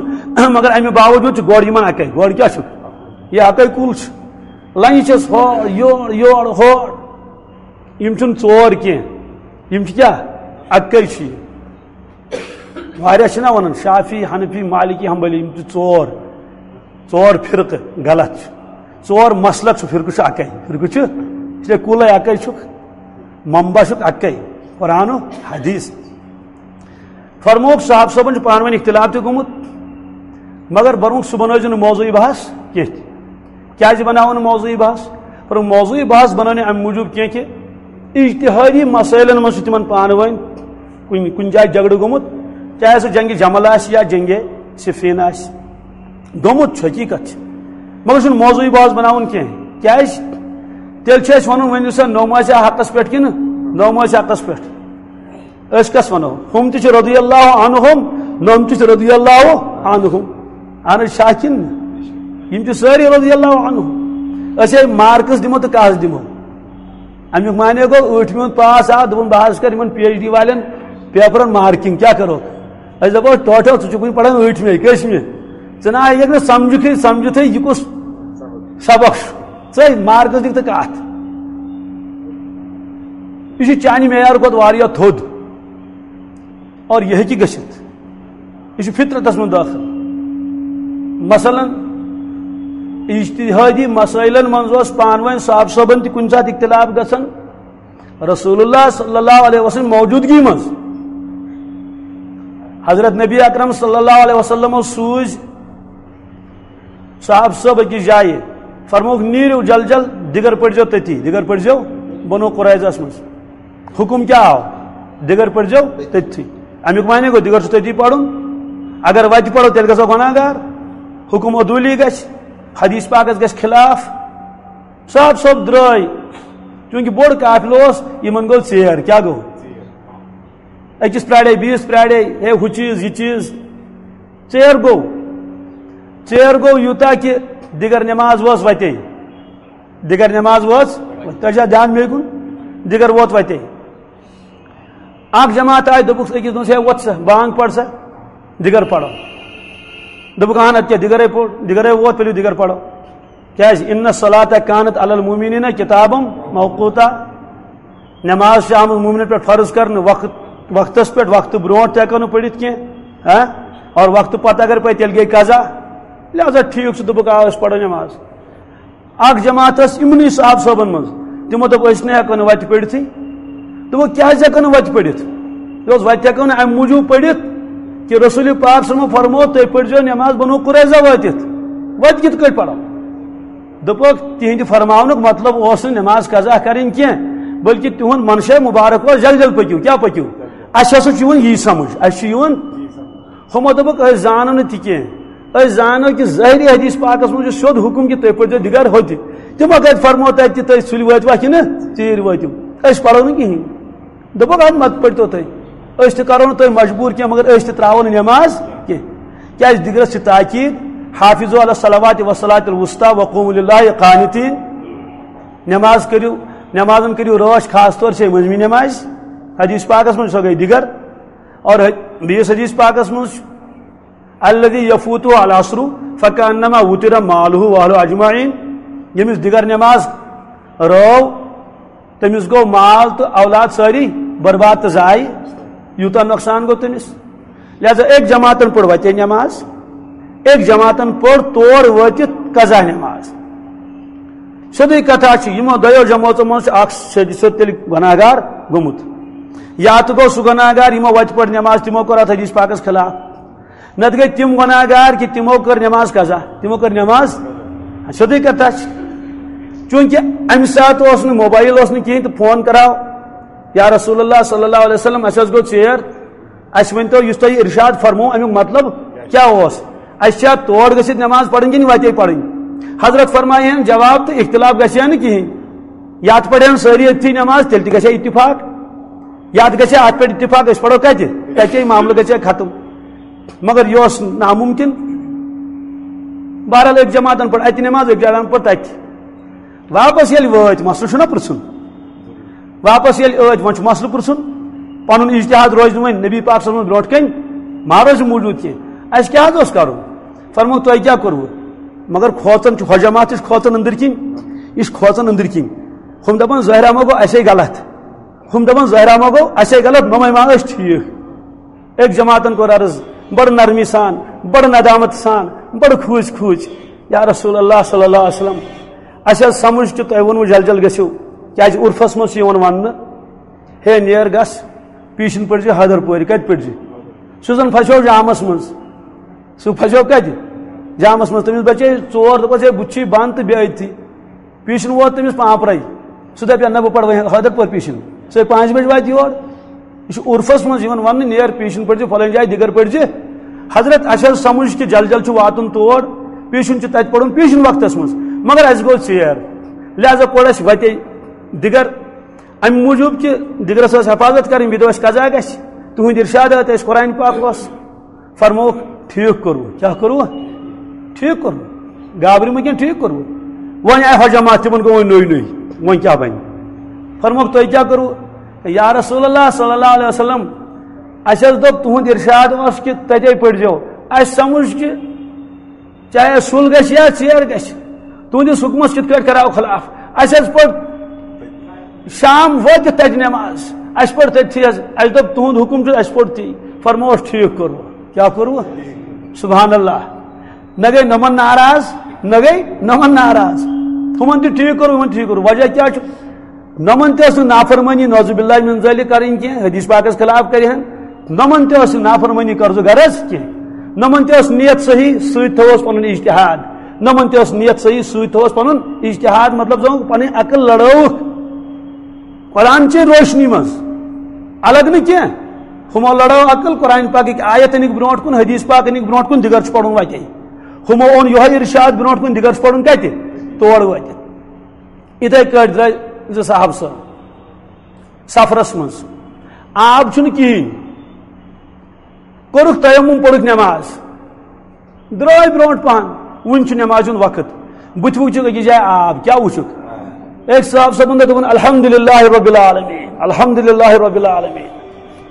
مگر اَمہِ باوجوٗد چھُ گۄڈٕ یِمن اَکے۔ گۄڈٕ کیٛاہ چھُ؟ یہِ اَکے کُل چھُ۔ لنجہِ چھَس ہورٕ یورٕ، یورٕ ہورٕ۔ یِم چھِنہٕ ژور کینٛہہ، یِم چھِ کیٛاہ؟ اَکٕے چھِ یہِ۔ واریاہ چھِنہ وَنان، شافعی، حنفی، مالکی، حنبلی، یِم چھِ ژور، ژور فرقہٕ غلط چھِ۔ ژور مسلک چھُ، فرقہٕ چھُ اَکٕے، فرقہٕ چھُ، اس لیے کُلَے اَکٕے چھُکھ، منبع چھُکھ اَکٕے، قرآن و حدیث۔ فرمووُکھ، صاحب صٲبن چھُ پانہٕ ؤنۍ اختلاف تہِ گوٚمُت۔ مگر برونٛٹھ سُہ بنٲوزِ نہٕ موضوعی بحث کینٛہہ تہِ۔ کیٛازِ بناوو نہٕ موضوعی بحث؟ پر موضوعی بحث بناونہٕ امہِ موٗجوٗب کینٛہہ کہِ اجتہادی مسٲیلن منٛز چھِ تِمن پانہٕ ؤنۍ کُنہِ، کُنہِ جایہِ جھگڑٕ گوٚمُت، چاہے سُہ جنگِ جمل آسہِ یا جنگِ صفین آسہِ۔ گوٚمُت چھُ، حقیٖقت چھِ، مگر چھُنہٕ موضوعی بحث بناوُن کینٛہہ۔ کیٛازِ؟ تیٚلہِ چھُ اَسہِ وَنُن، ؤنِو سا، نوٚم آسہِ حقس پٮ۪ٹھ کِنہٕ نوٚم آسہِ حقس پٮ۪ٹھ؟ أسۍ کس ونو؟ ہُم تہِ چھِ رضی اللہ عنہم، نوٚم تہِ چھِ رضی اللہ عنہم۔ اہن حظ، شاہ کِنہٕ؟ یِم چھِ سٲری رضی اللہ عنہم۔ أسۍ ہے مارکس دِمو تہٕ کس دِمو؟ امیُک معنی گوٚو، ٲٹھمہِ ہُنٛد پاس آو، دوٚپُن، بہٕ حظ کرٕ یِمن پی ایچ ڈی والٮ۪ن پیپرن مارکنگ، کیٛاہ کرو؟ أسۍ دپو، ٹوٹل، ژٕ چھُکھ وُنہِ پران ٲٹھمہِ، کٔژمہِ؟ ژٕ نہ آیکھ نہٕ سمجھُکھٕے، سمجھُتھٕے، یہِ کُس سبق چھُ؟ ژٕ مارکس دِکھ تہٕ کتھ۔ یہِ چھُ چانہِ معیار کھۄتہٕ واریاہ تھوٚد۔ اور یہِ ہیٚکہِ گٔژھِتھ۔ یہِ چھُ فطرتس منٛز دٲخل۔ مثلاً، اجتہادی مسائلن منٛز اوس پانہٕ ؤنۍ صاحب صٲبن تہِ کُنہِ ساتہٕ اختلاف گژھان رسول اللہ صلی اللہ علیہ وسلم موجودگی منٛز۔ حضرت نبی اکرم صلی اللہ علیہ وسلم سوٗزۍ صاحب صٲب أکِس جایہِ، فرمووُکھ، "نیٖرِو جل جل، دِگر پٔرۍزیو تٔتی، دِگر پٔرۍزیو بنو قریظس منٛز۔" حکم کیٛاہ آو؟ دِگر پٔرۍزیو تٔتھی۔ اَمیُک معنی گوٚو، دِگر چھُ تٔتی پَرُن۔ اگر وَتہِ پَرو، تیٚلہِ گژھو گۄناہ گار۔ حکم عدوٗلی گژھِ، حدیث پاکَس گژھِ خلاف۔ صاحب صٲب درٛاے، چوٗنٛکہِ بوٚڑ قافلہٕ اوس، یِمَن گوٚو ژیر۔ کیٛاہ گوٚو؟ أکِس پرٛاڑے، بیٚیِس پرٛاڑے، ہے، ہُہ چیٖز، یہِ چیٖز۔ ژیر گوٚو۔ ژیر گوٚو یوٗتاہ کہِ دِگر نٮ۪ماز وٲژ وَتے۔ دِگر نٮ۪ماز وٲژ، تۄہہِ چھا دھیان مے کُن؟ دِگر ووت وَتے۔ اکھ جماعت آیہِ، دوٚپُکھ أکِس دۄہَس، "ہے، وۄتھ سا، بانٛگ پَر سا، دِگر پَرو۔" دوٚپُکھ، "اَہَن، اَدٕ کیٛاہ، دِگرے پوٚر، دِگرے ووت، تُلِو دِگر پَرو۔" کیٛازِ؟ "ان الصلاۃ کانت علی المؤمنین کتابا موقوتا۔" نٮ۪ماز چھِ آمٕژ مومنن پٮ۪ٹھ فرض کرنہٕ، وقت، وقتس پٮ۪ٹھ، وقتہٕ برونٛٹھ تہِ ہٮ۪کو نہٕ پٔرِتھ کینٛہہ، ہاں؟ اور وقتہٕ پتہٕ اگر پَرِ، تیٚلہِ گٔے قضا۔ لہذا ٹھیٖک چھُ، دوٚپُکھ، آ، أسۍ پَرو نٮ۪ماز۔ اکھ جماعت ٲس یِمنٕے صاحب صٲبن منٛز، تِمو دوٚپ، "أسۍ نہٕ ہٮ۪کو نہٕ وَتہِ پٔرِتھٕے۔" دوٚپُکھ، "کیٛازِ ہٮ۪کو نہٕ وَتہِ پٔرِتھ؟" دوٚپُس، "وَتہِ ہٮ۪کو نہٕ اَمہِ موٗجوٗب پٔرِتھ کہِ رسول پاک صٲبن فرموو، تُہۍ پٔرۍزیو نٮ۪ماز بنو قریظہ وٲتِتھ، وَتہِ کِتھ کٲٹھۍ پَرو؟" دوٚپُکھ، تِہنٛدِ فرماونُک مطلب اوس نہٕ نٮ۪ماز قضا کَرٕنۍ کینٛہہ، بلکہِ تِہُنٛد منشا مبارک اوس، "جل جل پٔکِو۔" کیٛاہ پٔکِو؟ اَسہِ ہسا چھُ یِوان یی سمجھ، اَسہِ چھُ یِوان ہُمو دوٚپُکھ، "أسۍ زانو نہٕ تہِ کینٛہہ۔ أسۍ زانو کہِ ظٲہری حدیث پاکس منٛز چھُ سیوٚد حُکم کہِ تُہۍ پٔرۍزیو دِگر ہوٚتہِ۔" تِمو کتہِ فرمو تتہِ تہِ، تُہۍ سُلہِ وٲتوا کِنہٕ ژیٖرۍ وٲتِو؟ أسۍ پرو نہٕ کِہیٖنۍ۔ دوٚپُکھ، "اَدٕ مت پٔرۍتو تُہۍ۔ أسۍ تہِ کرو نہٕ تُہۍ مجبوٗر کینٛہہ، مگر أسۍ تہِ ترٛاوو نہٕ نٮ۪ماز کینٛہہ۔" کیٛازِ دِگرس چھِ تاکید، "حافظوا علی الصلوات والصلاۃ الوسطی وقوموا للہ قانتین۔" نٮ۪ماز کٔرِو، نٮ۪مازن کٔرِو رٲچھ، خاص طور چھے مٔنٛزمہِ نٮ۪مازِ۔ حدیث پاکس منٛز سۄ گٔے دِگر۔ اور بیٚیِس حدیث پاکس منٛز چھُ، "الذی یفوتہ العصر فکانما وتر مالہ واہلہ اجمعین"، ییٚمِس دِگر نٮ۪ماز رٲو، تٔمِس گوٚو مال تہٕ اولاد سٲری برباد تہٕ ضایع، یوٗتاہ نۄقصان گوٚو تٔمِس۔ لہذا أکۍ جماعتن پٔر وتے نٮ۪ماز، أکۍ جماعتن پٔر تور وٲتِتھ قضا نٮ۪ماز۔ سیوٚدُے کتھا چھِ، یِمو دۄیو جمٲژو منٛز چھُ اکھ سیوٚد سیوٚد تیٚلہِ گۄناہ گار گوٚمُت۔ یا تہٕ گوٚو سُہ گۄناہ گار، یِمو وتہِ پٔر نٮ۪ماز، تِمو کوٚر اتھ حدیث پاکس خلاف۔ نتہٕ گٔے تِم گۄناہ گار کہِ تِمو کٔر نٮ۪ماز قضا، تِمو کٔر نٮ۪ماز۔ سیوٚدُے کتھا چھِ۔ چوٗنٛکہِ امہِ ساتہٕ اوس نہٕ موبایل، اوس نہٕ کِہیٖنۍ، تہٕ فون کراو، "یا رسول اللہ صلی اللہ علیہ وسلم، اَسہِ حظ گوٚو ژیر، اَسہِ ؤنۍ تو، یُس تۄہہِ ارشاد فرموو، اَمیُک مطلب کیٛاہ اوس؟ اَسہِ چھا تور گٔژھِتھ نٮ۪ماز پرٕنۍ کِنہٕ وَتے پرٕنۍ؟" حضرت فرمایہِ ہن جواب تہٕ اختلاف گژھِ ہا نہٕ کِہیٖنۍ۔ یا تہِ پرِ ہن سٲری أتھی نٮ۪ماز، تیٚلہِ تہِ گژھِ ہا اتفاق۔ یا تہِ گژھِ ہا اتھ پٮ۪ٹھ اتفاق، أسۍ پرو کتہِ؟ تتے معاملہٕ گژھِ ہا ختم۔ مگر یہِ اوس ناممکن۔ بہرحال، أکۍ جماعتن پٔر اتہِ نٮ۪ماز، أکۍ جماعتن پٔر تتہِ۔ واپس ییٚلہِ وٲتۍ، مسلہٕ چھُنہ پرٛژھُن۔ واپس ییٚلہِ ٲتۍ، وۄنۍ چھُ مسلہٕ پرٛژھُن۔ پنُن اجتہاد روزِ نہٕ وۄنۍ نبی پاک صلی اللہ علیہ وسلم برونٛٹھ کَنہِ، ما روزِ موٗجوٗد کینٛہہ۔ اَسہِ کیٛاہ حظ اوس کَرُن؟ فرموو، "تۄہہِ کیٛاہ کوٚروٕ؟" مگر کھوژان چھُ، ہۄ جماعت تہِ چھِ کھوژان أنٛدٕرۍ کِنۍ، یہِ چھِ کھوژان أنٛدٕرۍ کِنۍ۔ ہُم دَپان، "ظٲہرا ما گوٚو اَسے غلط؟" ہُم دَپان، "ظٲہرا ما گوٚو اَسے غلط، نۄمَے ما ٲسۍ ٹھیٖک؟" أکۍ جماعتن کوٚر عرض، بڑٕ نرمی سان، بڑٕ ندامت سان، بڑٕ کھوٗژۍ کھوٗژۍ، "یا رسول اللہ صلی اللہ علیہ وسلم، اَسہِ حظ سمجھ کہِ تۄہہِ ووٚنوٕ جل جل گٔژھِو، کیٛازِ عُرفس منٛز چھُ یِوان وننہٕ، ہے نیر گژھ، پیٖشِن پٔرزِ حیدر پورِ۔" کتہِ پٔرزِ؟ سُہ زن پھسیو جامس منٛز۔ سُہ پھسیو کتہِ؟ جامس منٛز، تٔمِس بچے ژور، دوٚپُس، "ہے، بُتھِ چھُے بنٛد تہٕ بیٚیہِ أتھی۔" پیٖشن ووت تٔمِس پانٛپرے۔ سُہ دپہِ، "نہ، بہٕ پرٕ وۄنۍ حٲدر پٲٹھۍ پیٖشن۔" سُہ پانٛژِ بجہِ واتہِ یور۔ یہِ چھُ عرفس منٛز یِوان وننہٕ، "نیر پیٖشن پٔرزِ فلٲنۍ جایہِ، دِگر پٔرزِ۔" حضرت، اسہِ حظ سمجھ کہِ جل جل چھُ واتُن تور، پیٖشن چھُ تتہِ پرُن پیٖشن وقتس منٛز، مگر اسہِ گوٚو ژیر، لہذا پوٚر اسہِ وتے دِگر۔ امہِ موٗجوٗب کہِ دِگرس ٲس حفاظت کرٕنۍ، بیٚیہِ دۄہ اسہِ قضا گژھِ، تُہُنٛد ارشاد ٲتۍ اسہِ قرآن پاک اوس۔ فرمووُکھ، "ٹھیٖک کوٚروٕ۔" کیٛاہ کوٚروٕ؟ ٹھیٖک کوٚروٕ۔ گابرِ مہٕ کینٛہہ، ٹھیٖک کوٚروٕ۔ وۄنۍ آیہِ حجامات، تِمن گوٚو وۄنۍ نوٚے نوٚے، وۄنۍ کیٛاہ بنہِ؟ فرمووُکھ، "تُہۍ کیٛاہ کوٚروٕ؟" "یا رسول اللہ صلی اللہ علیہ وسلم، اسہِ حظ دوٚپ، تُہُنٛد ارشاد اوس کہِ تتے پٔرزیو۔ اسہِ سمجھ کہِ چاہے سُل گژھِ یا ژیر گژھِ، تُہنٛدِس حُکمس کِتھ کٲٹھۍ کرو خلاف؟ اسہِ حظ پٔر شام وٲتِتھ تتہِ نماز، اسہِ پٔر تٔتھی حظ، اسہِ دوٚپ، تُہُنٛد حُکم چھُ، اسہِ پوٚر تی۔" فرمووُس، "ٹھیٖک کوٚروٕ۔" کیٛاہ کوٚروٕ؟ سبحان اللہ۔ نہ گٔے نۄمن ناراض، نہ گٔے نۄمن ناراض۔ ہُمن تہِ ٹھیٖک کوٚروٕ، ہُمن ٹھیٖک کوٚروٕ۔ وجہ کیٛاہ چھُ؟ نۄمن تہِ ٲس نہٕ نافرمٲنی، نعوذ باللہ من ذالک، کرٕنۍ کینٛہہ، حدیث پاکس خلاف کرِ ہن۔ نۄمن تہِ ٲس نہٕ نافرمٲنی قرض و غرض کینٛہہ۔ نۄمن تہِ ٲس نیت صحیح، سۭتۍ تھووس پنُن اجتہاد۔ نۄمن تہِ ٲس نیت صحیح، سۭتۍ تھووس پنُن اجتہاد، مطلب زن پنٕنۍ عقل لڑٲوٕکھ قرآن چہِ روشنی منٛز، الگ نہٕ کینٛہہ۔ ہُمو لڑٲو عقل، قرآن پاکٕکۍ آیت أنِکھ برونٛٹھ کُن، حدیث پاک أنِکھ برونٛٹھ کُن، دِگر چھُ پرُن وتے۔ ہُمو اوٚن یِہوٚے ارشاد برونٛٹھ کُن، دِگر چھُ پرُن کتہِ؟ تور وٲتِتھ۔ یِتھے کٲٹھۍ درٛاے زٕ صحابہٕ صٲب سفرس منٛز، آب چھُنہٕ کِہیٖنۍ، کوٚرُکھ تیمم، پوٚرُکھ نماز، درٛاے برونٛٹھ پہن، وُنہِ چھُ نمازِ ہُنٛد وقت، بُتھِ وُچھُکھ أکِس جایہِ آب، کیٛاہ وُچھُکھ؟ أکۍ صاحب صٲبُن دوٚپ، دوٚپُن، "الحمدللہ رب العالمین، الحمدللہ رب العالمین۔"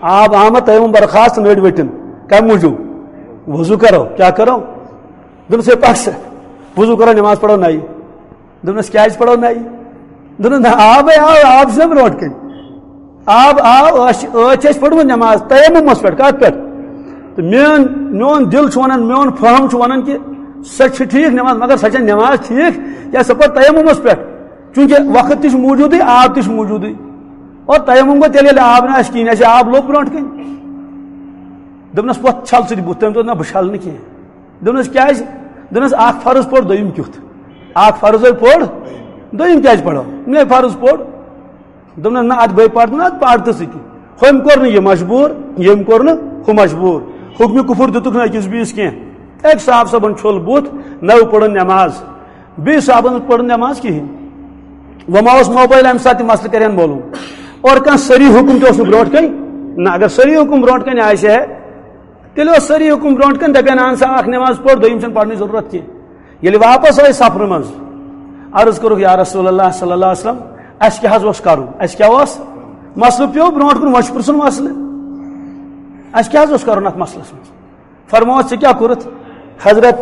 آب آمد، تیمم برخاست، نٔرۍ ؤٹِن۔ کمہِ موٗجوٗب؟ وضو کرو، کیٛاہ کرو؟ دوٚپنَس، "ہے پَکھ سا، وضو کرو، نماز پرو نَیہِ۔" دوٚپنَس، "کیٛازِ پرو نَیہِ؟" دوٚپنَس، "نہ، آبے آو، آب چھُنہ برونٛٹھ کَنہِ۔ آب آو، ٲس، ٲدۍ چھِ اَسہِ پٔرمٕژ نماز تیممس پٮ۪ٹھ۔" کَتھ پٮ۪ٹھ؟ تہٕ میون، میون دِل چھُ وَنان، میون فہم چھُ وَنان کہِ سۄ چھِ ٹھیٖک نماز، مگر سۄ چھےٚ نماز ٹھیٖک، کیٛازِ سۄ پٔر تیممس پٮ۪ٹھ؟ چوٗنٛکہِ وقت تہِ چھُ موٗجوٗدٕے، آب تہِ چھُ موٗجوٗدٕے۔ اور تیمم گوٚو تیٚلہِ، ییٚلہِ آب نہٕ آسہِ کِہیٖنۍ، اَسہِ آب لوٚب برونٛٹھ کَنہِ۔ دوٚپنَس، "وۄتھ، چھَل ژٕ تہِ بُتھ۔" تٔمۍ دوٚپ، "نہ، بہٕ چھَلہٕ نہٕ کینٛہہ۔" دوٚپنَس، "کیٛازِ؟" دوٚپنَس، "اَکھ فرض پوٚر، دوٚیِم کیُتھ؟ اَکھ فرض ہے پوٚر، دوٚیِم کیٛازِ پَرو؟ مےٚ فرض پوٚر۔" دوٚپنَس، "نہ، اَتھ بٔے پَرٕ نہٕ، اَتھ پَر تہٕ سۭتی۔" ہُمۍ کوٚر نہٕ یہِ مجبوٗر، ییٚمۍ کوٚر نہٕ ہُہ مجبوٗر۔ حُکمِ کُفُر دِتُکھ نہٕ أکِس بیٚیِس کینٛہہ۔ أکۍ صاحب صٲبَن چھوٚل بُتھ، نٔو پٔرٕن نٮ۪ماز، بیٚیہِ صاحبَن پٔر نہٕ نٮ۪ماز کِہیٖنۍ۔ وۄنۍ ما اوس موبایل اَمہِ ساتہٕ تہِ مسلہٕ کَرِ ہن معلوٗم؟ اور کانٛہہ صحیح حُکُم تہِ اوس نہٕ برونٛٹھ کَنہِ۔ نہ، اگر صحیح حُکُم برونٛٹھ کَنہِ آسہِ ہے، تیٚلہِ اوس صحیح حُکُم برونٛٹھ کَنہِ، دَپہِ ہن، "اَہن سا، اَکھ نٮ۪ماز پٔر، دوٚیِم چھَنہٕ پَرنٕچ ضروٗرت کینٛہہ۔" ییٚلہِ واپس آے سفرٕ منٛز، عرض کوٚرُکھ، "یا رسول اللہ صلی اللہ علیہ وسلم، اَسہِ کیٛاہ حظ اوس کَرُن؟ اَسہِ کیٛاہ اوس؟ مسلہٕ پیوٚو برونٛٹھ کُن، وۄنۍ چھُ پرٛژھُن مسلہٕ۔ اَسہِ کیٛاہ حظ اوس کَرُن اَتھ مسلَس منٛز؟" فرمووُس، "ژےٚ کیٛاہ کوٚرُتھ؟" "حضرت،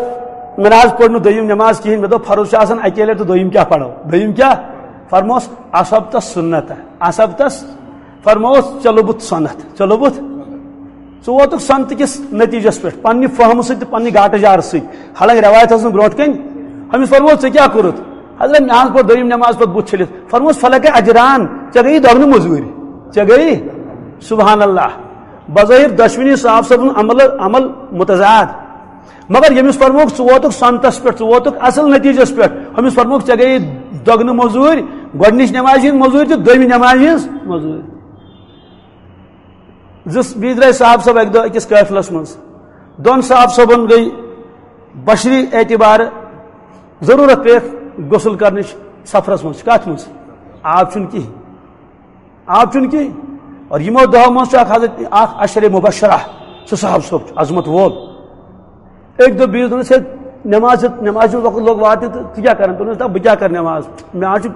مےٚ نہ حظ پٔر نہٕ دوٚیِم نٮ۪ماز کِہیٖنۍ، مےٚ دوٚپ فرض چھُ آسان اَکے لَٹہِ تہٕ دوٚیِم کیٛاہ پَرو؟ دوٚیِم کیٛاہ؟" فرمووُس، "اصبتس سنت، اصبتس۔" فرمووُس، "ژےٚ لوٚبُتھ سۄنتھ، ژےٚ لوٚبُتھ۔" ژٕ ووتُکھ سۄنتہٕ کِس نتیٖجس پٮ۪ٹھ پننہِ فہمہٕ سۭتۍ تہٕ پننہِ گاٹہٕ جارٕ سۭتۍ۔ حالانکہ رٮ۪وایت ٲس نہٕ برونٛٹھ کَنہِ۔ أمِس فرمووُس، "ژےٚ کیٛاہ کوٚرُتھ؟" حضرت، مےٚ حظ پوٚر دوٚیِم نٮ۪ماز پتہٕ بُتھ چھٔلِتھ۔ فرمووُس، "فلک اجران، ژےٚ گٔیی دۄگنہٕ مٔزوٗرۍ، ژےٚ گٔیی۔" سبحان اللہ۔ بظٲہِر دۄشوٕنی صاحب صٲبُن عمل، عمل متضاد۔ مگر ییٚمِس فرمووُکھ، "ژٕ ووتُکھ سۄنتس پٮ۪ٹھ، ژٕ ووتُکھ اصل نتیٖجس پٮ۪ٹھ"، أمِس فرمووُکھ، "ژےٚ گٔیی دۄگنہٕ مٔزوٗرۍ، گۄڈٕنِچ نٮ۪مازِ ہِنٛز مٔزوٗرۍ تہٕ دوٚیمہِ نٮ۪مازِ ہِنٛز مٔزوٗرۍ۔" زٕ بیٚیہِ درٛاے صاحب صٲب اَکہِ دۄہ أکِس قٲفلَس منٛز۔ دۄن صاحب صٲبَن گٔے بشری اعتبارٕ ضروٗرت پیٚیَکھ غسل کرنٕچ سفرَس منٛز۔ کَتھ منٛز؟ آب چھُنہٕ کِہیٖنۍ۔ آب چھُنہٕ کِہیٖنۍ۔ اور یِمو دۄہو منٛز چھُ اَکھ حضرت، اَکھ عشرِ مبشرہ، سُہ صاحب صٲب چھُ عظمت وول۔ أکۍ دوٚپ بیٚیِس، دوٚپنَس، "ہے، نٮ۪ماز چھِ، نٮ۪ماز چھُ وقت لوٚگ واتنہِ تہٕ ژٕ کیٛاہ کران؟" دوٚپنَس، "دَپ بہٕ کیٛاہ کرٕ نٮ۪ماز؟ مےٚ حظ چھُ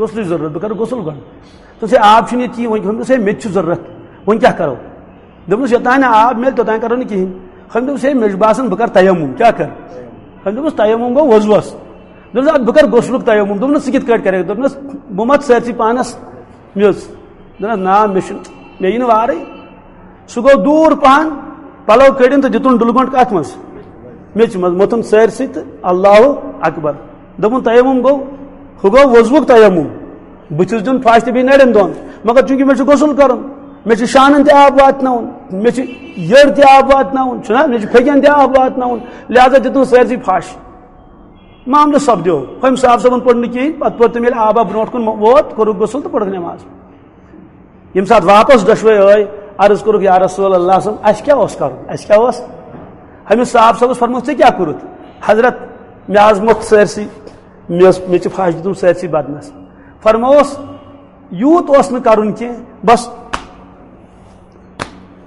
غسلٕچ ضروٗرت، بہٕ کرٕ غسل گۄڈٕ۔" دوٚپُس، "ہے، آب چھُنہٕ ییٚتہِ کِہیٖنۍ۔" وۄنۍ دوٚپمَس، "ہے، مےٚ تہِ چھُ ضروٗرت، وۄنۍ کیٛاہ کرو؟" دوٚپمَس، "یوٚتام نہٕ آب میلہِ، توٚتام کرو نہٕ کِہیٖنۍ۔" أمۍ دوٚپُس، "ہے، مےٚ چھُ باسان بہٕ کرٕ تیمم، کیٛاہ کرٕ؟" أمۍ دوٚپُس، "تیمم گوٚو وضوٗوَس۔" دوٚپُس، "اَدٕ بہٕ کرٕ غسلُک تیمم۔" دوٚپنَس، "ژٕ کِتھ کٲٹھۍ کرکھ؟" دوٚپنَس، "بہٕ مَتھٕ سٲرسٕے پانَس میٚژ۔" دوٚپنَس، "نہ، مےٚ چھُنہٕ، مےٚ یِنہٕ وارٕے۔" سُہ گوٚو دوٗر پہن، پلو کٔڑِن تہٕ دِتُن ڈُلہٕ گۄنٛڈ کتھ منٛز؟ میٚژِ منٛز۔ موٚتھُن سٲرسٕے تہٕ اللہ اکبر۔ دوٚپُن، "تیمم گوٚو، ہُہ گوٚو وضوُک تیمم۔ بُتھِس دیُن پھش تہٕ بیٚیہِ نرٮ۪ن دۄن۔ مگر چوٗنٛکہِ مےٚ چھُ غسل کرُن۔" مےٚ چھُ شانن تہِ آب واتناوُن، مےٚ چھُ یٔڑ تہِ آب واتناوُن، چھُنہ، مےٚ چھُ پھیٚکٮ۪ن تہِ آب واتناوُن، لہذا دِتُن سٲرسٕے پھش۔ معاملہٕ سپدیو، ہُمۍ صاحب صٲبن پوٚر نہٕ کِہیٖنۍ، پتہٕ پوٚر تٔمۍ ییٚلہِ آب آب برونٛٹھ کُن ووت، کوٚرُکھ غسل تہٕ پٔرٕکھ نٮ۪ماز۔ ییٚمہِ ساتہٕ واپس دۄشوے ٲے، عرض کوٚرُکھ، "یا رسول اللہ صلی اللہ علیہ وسلم، اَسہِ کیٛاہ اوس کرُن؟ اَسہِ کیٛاہ اوس؟" ہُمِس صاحب صٲبس فرموو، "ژےٚ کیٛاہ کوٚرُتھ؟" "حضرت، مےٚ آز موٚتھ سٲرسٕے، مےٚ ٲس، مےٚ چھِ پھش دِتمُت سٲرسٕے بدنس۔" فرمووُس، یوٗت اوس نہٕ کرُن کینٛہہ، بس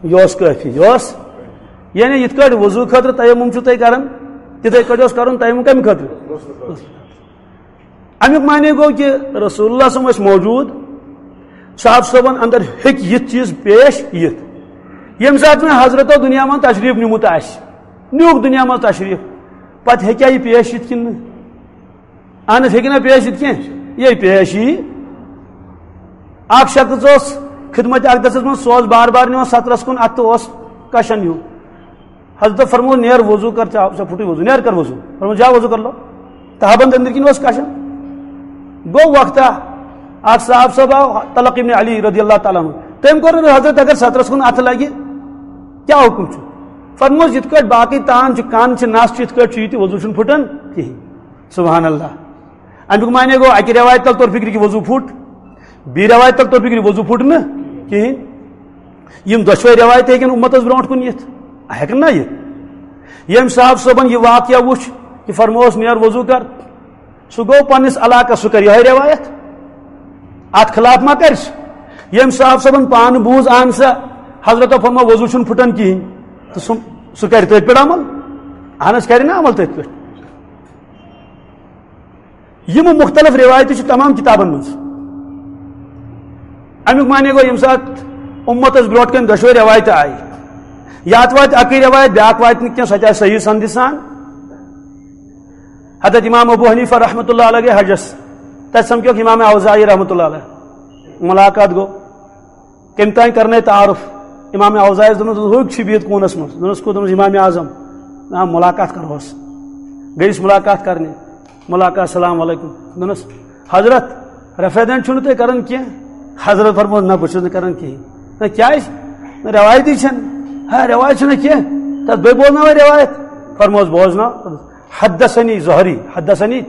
یہِ اوس کٲفی، یہِ اوس، یعنی یِتھ کٲٹھۍ وضوٗ خٲطرٕ تیمم چھُو تُہۍ کران، تِتھے کٲٹھۍ اوس کرُن تیمم کمہِ خٲطرٕ؟ امیُک معنی گوٚو کہِ رسول اللہ صلی اللہ علیہ وسلم ٲسۍ موجود، صاحب صٲبن اندر ہیٚکہِ یِتھ چیٖز پیش یِتھ۔ ییٚمہِ ساتہٕ نہٕ حضرتو دُنیا منٛز تشریف نیوٗمُت آسہِ، نیوٗکھ دُنیا منٛز تشریف، پتہٕ ہیٚکیٛاہ یہِ پیش یِتھ کِنہٕ نہٕ؟ اہن حظ، ہیٚکہِ نہ پیش یِتھ کینٛہہ؟ یہِ پیش یی۔ اکھ شخص اوس خدمت اقدسس منٛز، سُہ اوس بار بار نِوان سترس کُن اتھٕ، اوس کشان ہیوٗ۔ حضرت فرموو، "نیر وضو کر، ژےٚ، ژےٚ پھُٹُے وضو، نیر کر وضو۔" فرموو، "جا وضو کر لو۔" تہبند أنٛدرۍ کِنۍ اوس کشان۔ گوٚو وقتہ، اکھ صاحب صٲب آو، طلق ابن علی رضی اللہ تعالیٰ عنہ۔ تٔمۍ کوٚر حضرت، اگر سترس کُن اتھٕ لگہِ، کیٛاہ حُکم چھُ؟ فرمووُس، یِتھ کٲٹھۍ باقٕے تان چھِ، کن چھِ، نس چھِ، یِتھ کٲٹھۍ چھُ یہِ تہِ وضو چھُنہٕ پھُٹان کِہیٖنۍ۔ سبحان اللہ۔ اَمیُک معنی گوٚو، اَکہِ رٮ۪وایتہِ تل توٚر فِکرِ کہِ وضوٗ پھُٹ، بیٚیہِ رٮ۪وایتہِ تل توٚر فِکرِ وضوٗ پھُٹ نہٕ کِہیٖنۍ۔ یِم دۄشوَے رٮ۪وایتہٕ ہیٚکن اُمتس برونٛٹھ کُن یِتھ، ہیٚکن نہ یِتھ؟ ییٚمۍ صاحب صٲبن یہِ واقعہ وُچھ، یہِ فرمووُس، "نیر وضوٗ کر"، سُہ گوٚو پننِس علاقس، سُہ کرِ یِہوٚے رٮ۪وایت، اتھ خلاف ما کرِ سُہ؟ ییٚمۍ صاحب صٲبن پانہٕ بوٗز، اہن سا، حضرتو فرموو، وضوٗ چھُنہٕ پھُٹان کِہیٖنۍ، تہٕ سُہ، سُہ کرِ تٔتھۍ پٮ۪ٹھ عمل؟ اہن حظ، کرِ نہ عمل تٔتھۍ پٮ۪ٹھ۔ یِم مُختلف رِوایتہٕ چھِ تمام کِتابَن منٛز۔ اَمیُک معنی گوٚو، ییٚمہِ ساتہٕ اُمتَس برونٛٹھ کَنہِ دۄشوَے رِوایتہٕ آیہِ، یا تہٕ واتہِ اَکٕے رِوایت، بیٛاکھ واتہِ نہٕ کینٛہہ، سۄ تہِ آسہِ صحیح سندِ سان۔ حضرت امام ابو حنیفہ رحمۃ اللہ علیہ گٔے حجس، تَتہِ سَمکھیوکھ امام اوزاعی رحمۃ اللہ علیہ، مُلاقات گوٚو۔ کٔمۍ تام کرنٲے تعارُف؟ امام اوزاعیس دوٚپنَس، "ہُہ چھُ بِہِتھ کوٗنَس منٛز۔" دوٚپنَس، "کوٚت؟" دوٚپنَس، "امام اعظم۔" "آ، مُلاقات کَرہوس۔" گٔیَس مُلاقات کرنہِ۔ مُلاقات، "السلام علیکم۔" دوٚپنَس، "حضرت، رفع دین چھُو نہٕ تُہۍ کران کینٛہہ؟" حضرت فرموو، "نہ، بہٕ چھُس نہٕ کران کِہیٖنۍ۔" "نہ، کیٛازِ؟" "نہ، رٮ۪وایتی چھَنہٕ۔" "ہا، رٮ۪وایت چھَنہٕ کینٛہہ، تَتھ بیٚیہِ بوزناوَے رٮ۪وایت؟" فرمووُس، "بوزناو۔" حدثني زهري، حدثني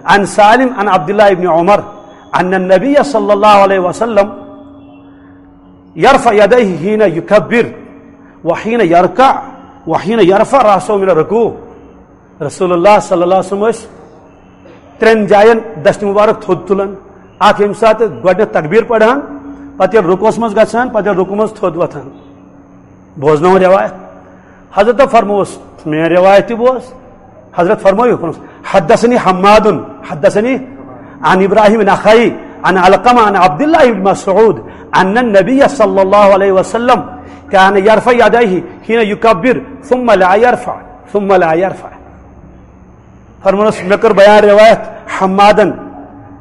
عن سالم عن عبد الله بن عمر أن النبي صلى الله عليه وسلم يرفع يديه حين يكبر وحين يركع وحين يرفع رأسه من الركوع۔ رسول اللہ صلی اللہ علیہ وسلم ٲسۍ ترٛٮ۪ن جاین دستہِ مبارک تھوٚد تُلان، اکھ ییٚمہِ ساتہٕ گۄڈٕنٮ۪تھ تکبیر پران، پتہٕ ییٚلہِ رکوعس منٛز گژھان، پتہٕ ییٚلہِ رکوع منٛز تھوٚد وۄتھان۔ بوزناوُن رٮ۪وایت۔ حضرت فرمووُس، "میٲنۍ رٮ۪وایت تہِ بوز۔" حضرت فرمٲیِو، فرمووُس، "حدثني حماد، حدثني عن إبراهيم النخعي عن علقمة عن عبد الله بن مسعود أن النبي صلى الله عليه وسلم كان يرفع يديه حين يكبر ثم لا يرفع، ثم لا يرفع۔" فرمووُس، مےٚ کٔر بیان رٮ۪وایت حمادن،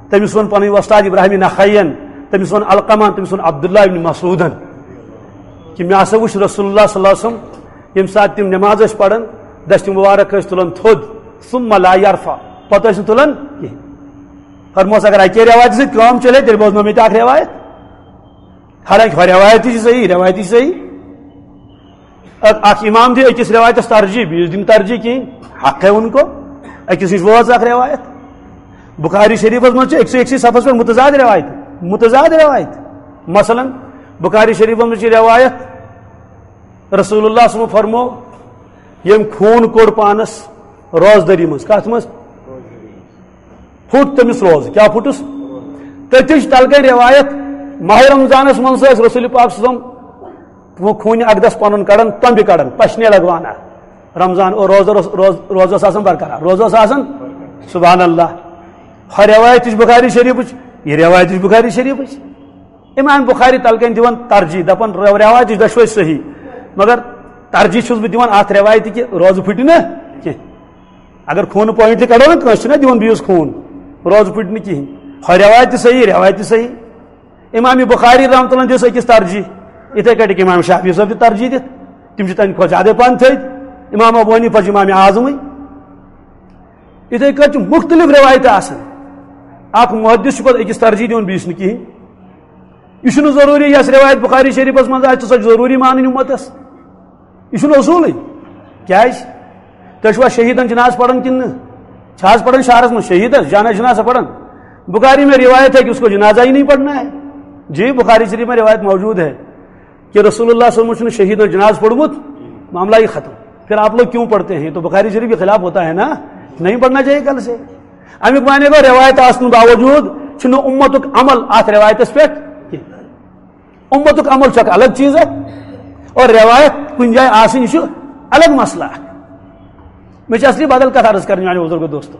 تٔمِس ووٚن پنٕنۍ وۄستاد ابراہیم نخعین، تٔمِس ووٚن علقمہ، تٔمِس ووٚن عبداللہ ابن مسعودن کہِ مےٚ ہسا وُچھ رسول اللہ صلی اللہ علیہ وسلم ییٚمہِ ساتہٕ تِم نٮ۪ماز ٲسۍ پران، دستہِ مُبارک ٲسۍ تُلان تھوٚد، ثم لا يرفع، پتہٕ ٲسۍ نہٕ تُلان کِہیٖنۍ۔ فرموس، اگر اَکے رٮ۪وایتہِ سۭتۍ کٲم چلے، تیٚلہِ بوزنٲو مےٚ تہِ اکھ رٮ۪وایت۔ حالانکہِ ہۄ رٮ۪وایت تہِ چھِ صحیح، رٮ۪وایت تہِ چھِ صحیح۔ اکھ، اکھ امام دِ أکِس رٮ۪وایتس ترجیح، بیٚیِس دِنہٕ ترجیح کِہیٖنۍ، حقے ان کو، أکِس نِش وٲژ اکھ رٮ۪وایت۔ بخاری شریفس منٛز چھِ أکسٕے أکسٕے صفس پٮ۪ٹھ متضاد رٮ۪وایت، متضاد رٮ۪وایت۔ مثلاً، بخاری شریفس منٛز چھِ رٮ۪وایت، رسول اللہ صلی اللہ علیہ وسلم فرمو، ییٚمۍ خوٗن کوٚڑ پانس روزدٔری منٛز۔ کتھ منٛز؟ پھُٹ تٔمِس روزٕ۔ کیٛاہ پھُٹُس؟ تٔتھۍ چھِ تلہٕ کَنۍ رٮ۪وایت، ماہِ رمضانس منٛز ٲسۍ رسول پاک صلی اللہ علیہ وسلم خوٗنہِ اقدس پنُن کڑان، تۄمبہِ کڑان، پشنے لگوانا۔ رمضان او روزٕ، روز، روز، روزٕ اوس آسان برقرار، روزٕ اوس آسان۔ سبحان اللہ۔ ہۄ رٮ۪وایت تہِ چھِ بخاری شریفٕچ، یہِ رٮ۪وایت تہِ چھِ بخاری شریفٕچ۔ امام بخاری تلہٕ کَنۍ دِوان ترجیح، دپان، "رو-، رٮ۪وایت تہِ چھِ دۄشوے صحیح، مگر ترجیح چھُس بہٕ دِوان اتھ رٮ۪وایتہِ کہِ روزٕ پھُٹہِ نہٕ کینٛہہ۔" اگر خوٗنہٕ point تہِ کڑو نا، کٲنٛسہِ چھُنہ دِوان بیٚیِس خوٗن، روزٕ پھُٹہِ نہٕ کِہیٖنۍ۔ ہۄ رٮ۪وایت تہِ صحیح، رٮ۪وایت تہِ صحیح۔ امام بخاری رحمۃ اللہ دِژ أکِس ترجیح، یِتھے کٲٹھۍ امام شافعی صٲب تہِ ترجیح دِتھ، تِم چھِ تَمہِ کھۄتہٕ زیادَے پَہَن تھٔدۍ۔ امام ابو حنیفہ چھُ امام اعظمٕے۔ یِتھے کٲٹھۍ چھِ مُختٔلِف رٮ۪وایتہٕ آسان، اکھ محدث چھُ پَتہٕ أکِس ترجیح دِوان، بیٚیِس نہٕ کِہیٖنۍ۔ یہِ چھُنہٕ ضروٗری یۄس رِوایت بُخاری شریٖفَس منٛز آسہِ، سۄ چھِ ضروٗری مانٕنۍ اُمتَس۔ یہِ چھُنہٕ اصوٗلٕے۔ کیٛازِ؟ تُہۍ چھِوا شہیٖدَن جنازٕ پَران کِنہٕ نہٕ؟ چھِ آز پَران شہرَس منٛز شہیٖدَس جانا جنازہ پَران؟ بخاری میں روایت ہے کہ اس کو جنازہ ہی نہیں پڑھنا ہے۔ جی، بخاری شریف میں روایت موجود ہے کہ رسول اللہ صلی اللہ علیہ وسلم چھُنہٕ شہیٖدَن جنازٕ پوٚرمُت، معاملہ ہی ختم۔ پھر آپ لوگ کیوں پڑھتے ہیں؟ تو بخاری شریف کے خلاف ہوتا ہے نا، نہیں پڑھنا چاہیے کل سے۔ اَمیُک معنی گوٚو، رِوایت آسنہٕ باوجوٗد چھُنہٕ اُمتُک عمل اَتھ رِوایتَس پٮ۪ٹھ کینٛہہ۔ اُمتُک عمل چھُ اکھ الگ چیٖز اکھ، اور رِوایت کُنہِ جایہِ آسٕنۍ، یہِ چھُ الگ مسئلہ اکھ۔ مےٚ چھِ اصلی بدل کتھ عرض کرٕنۍ، میانیو بزرگو دوستو۔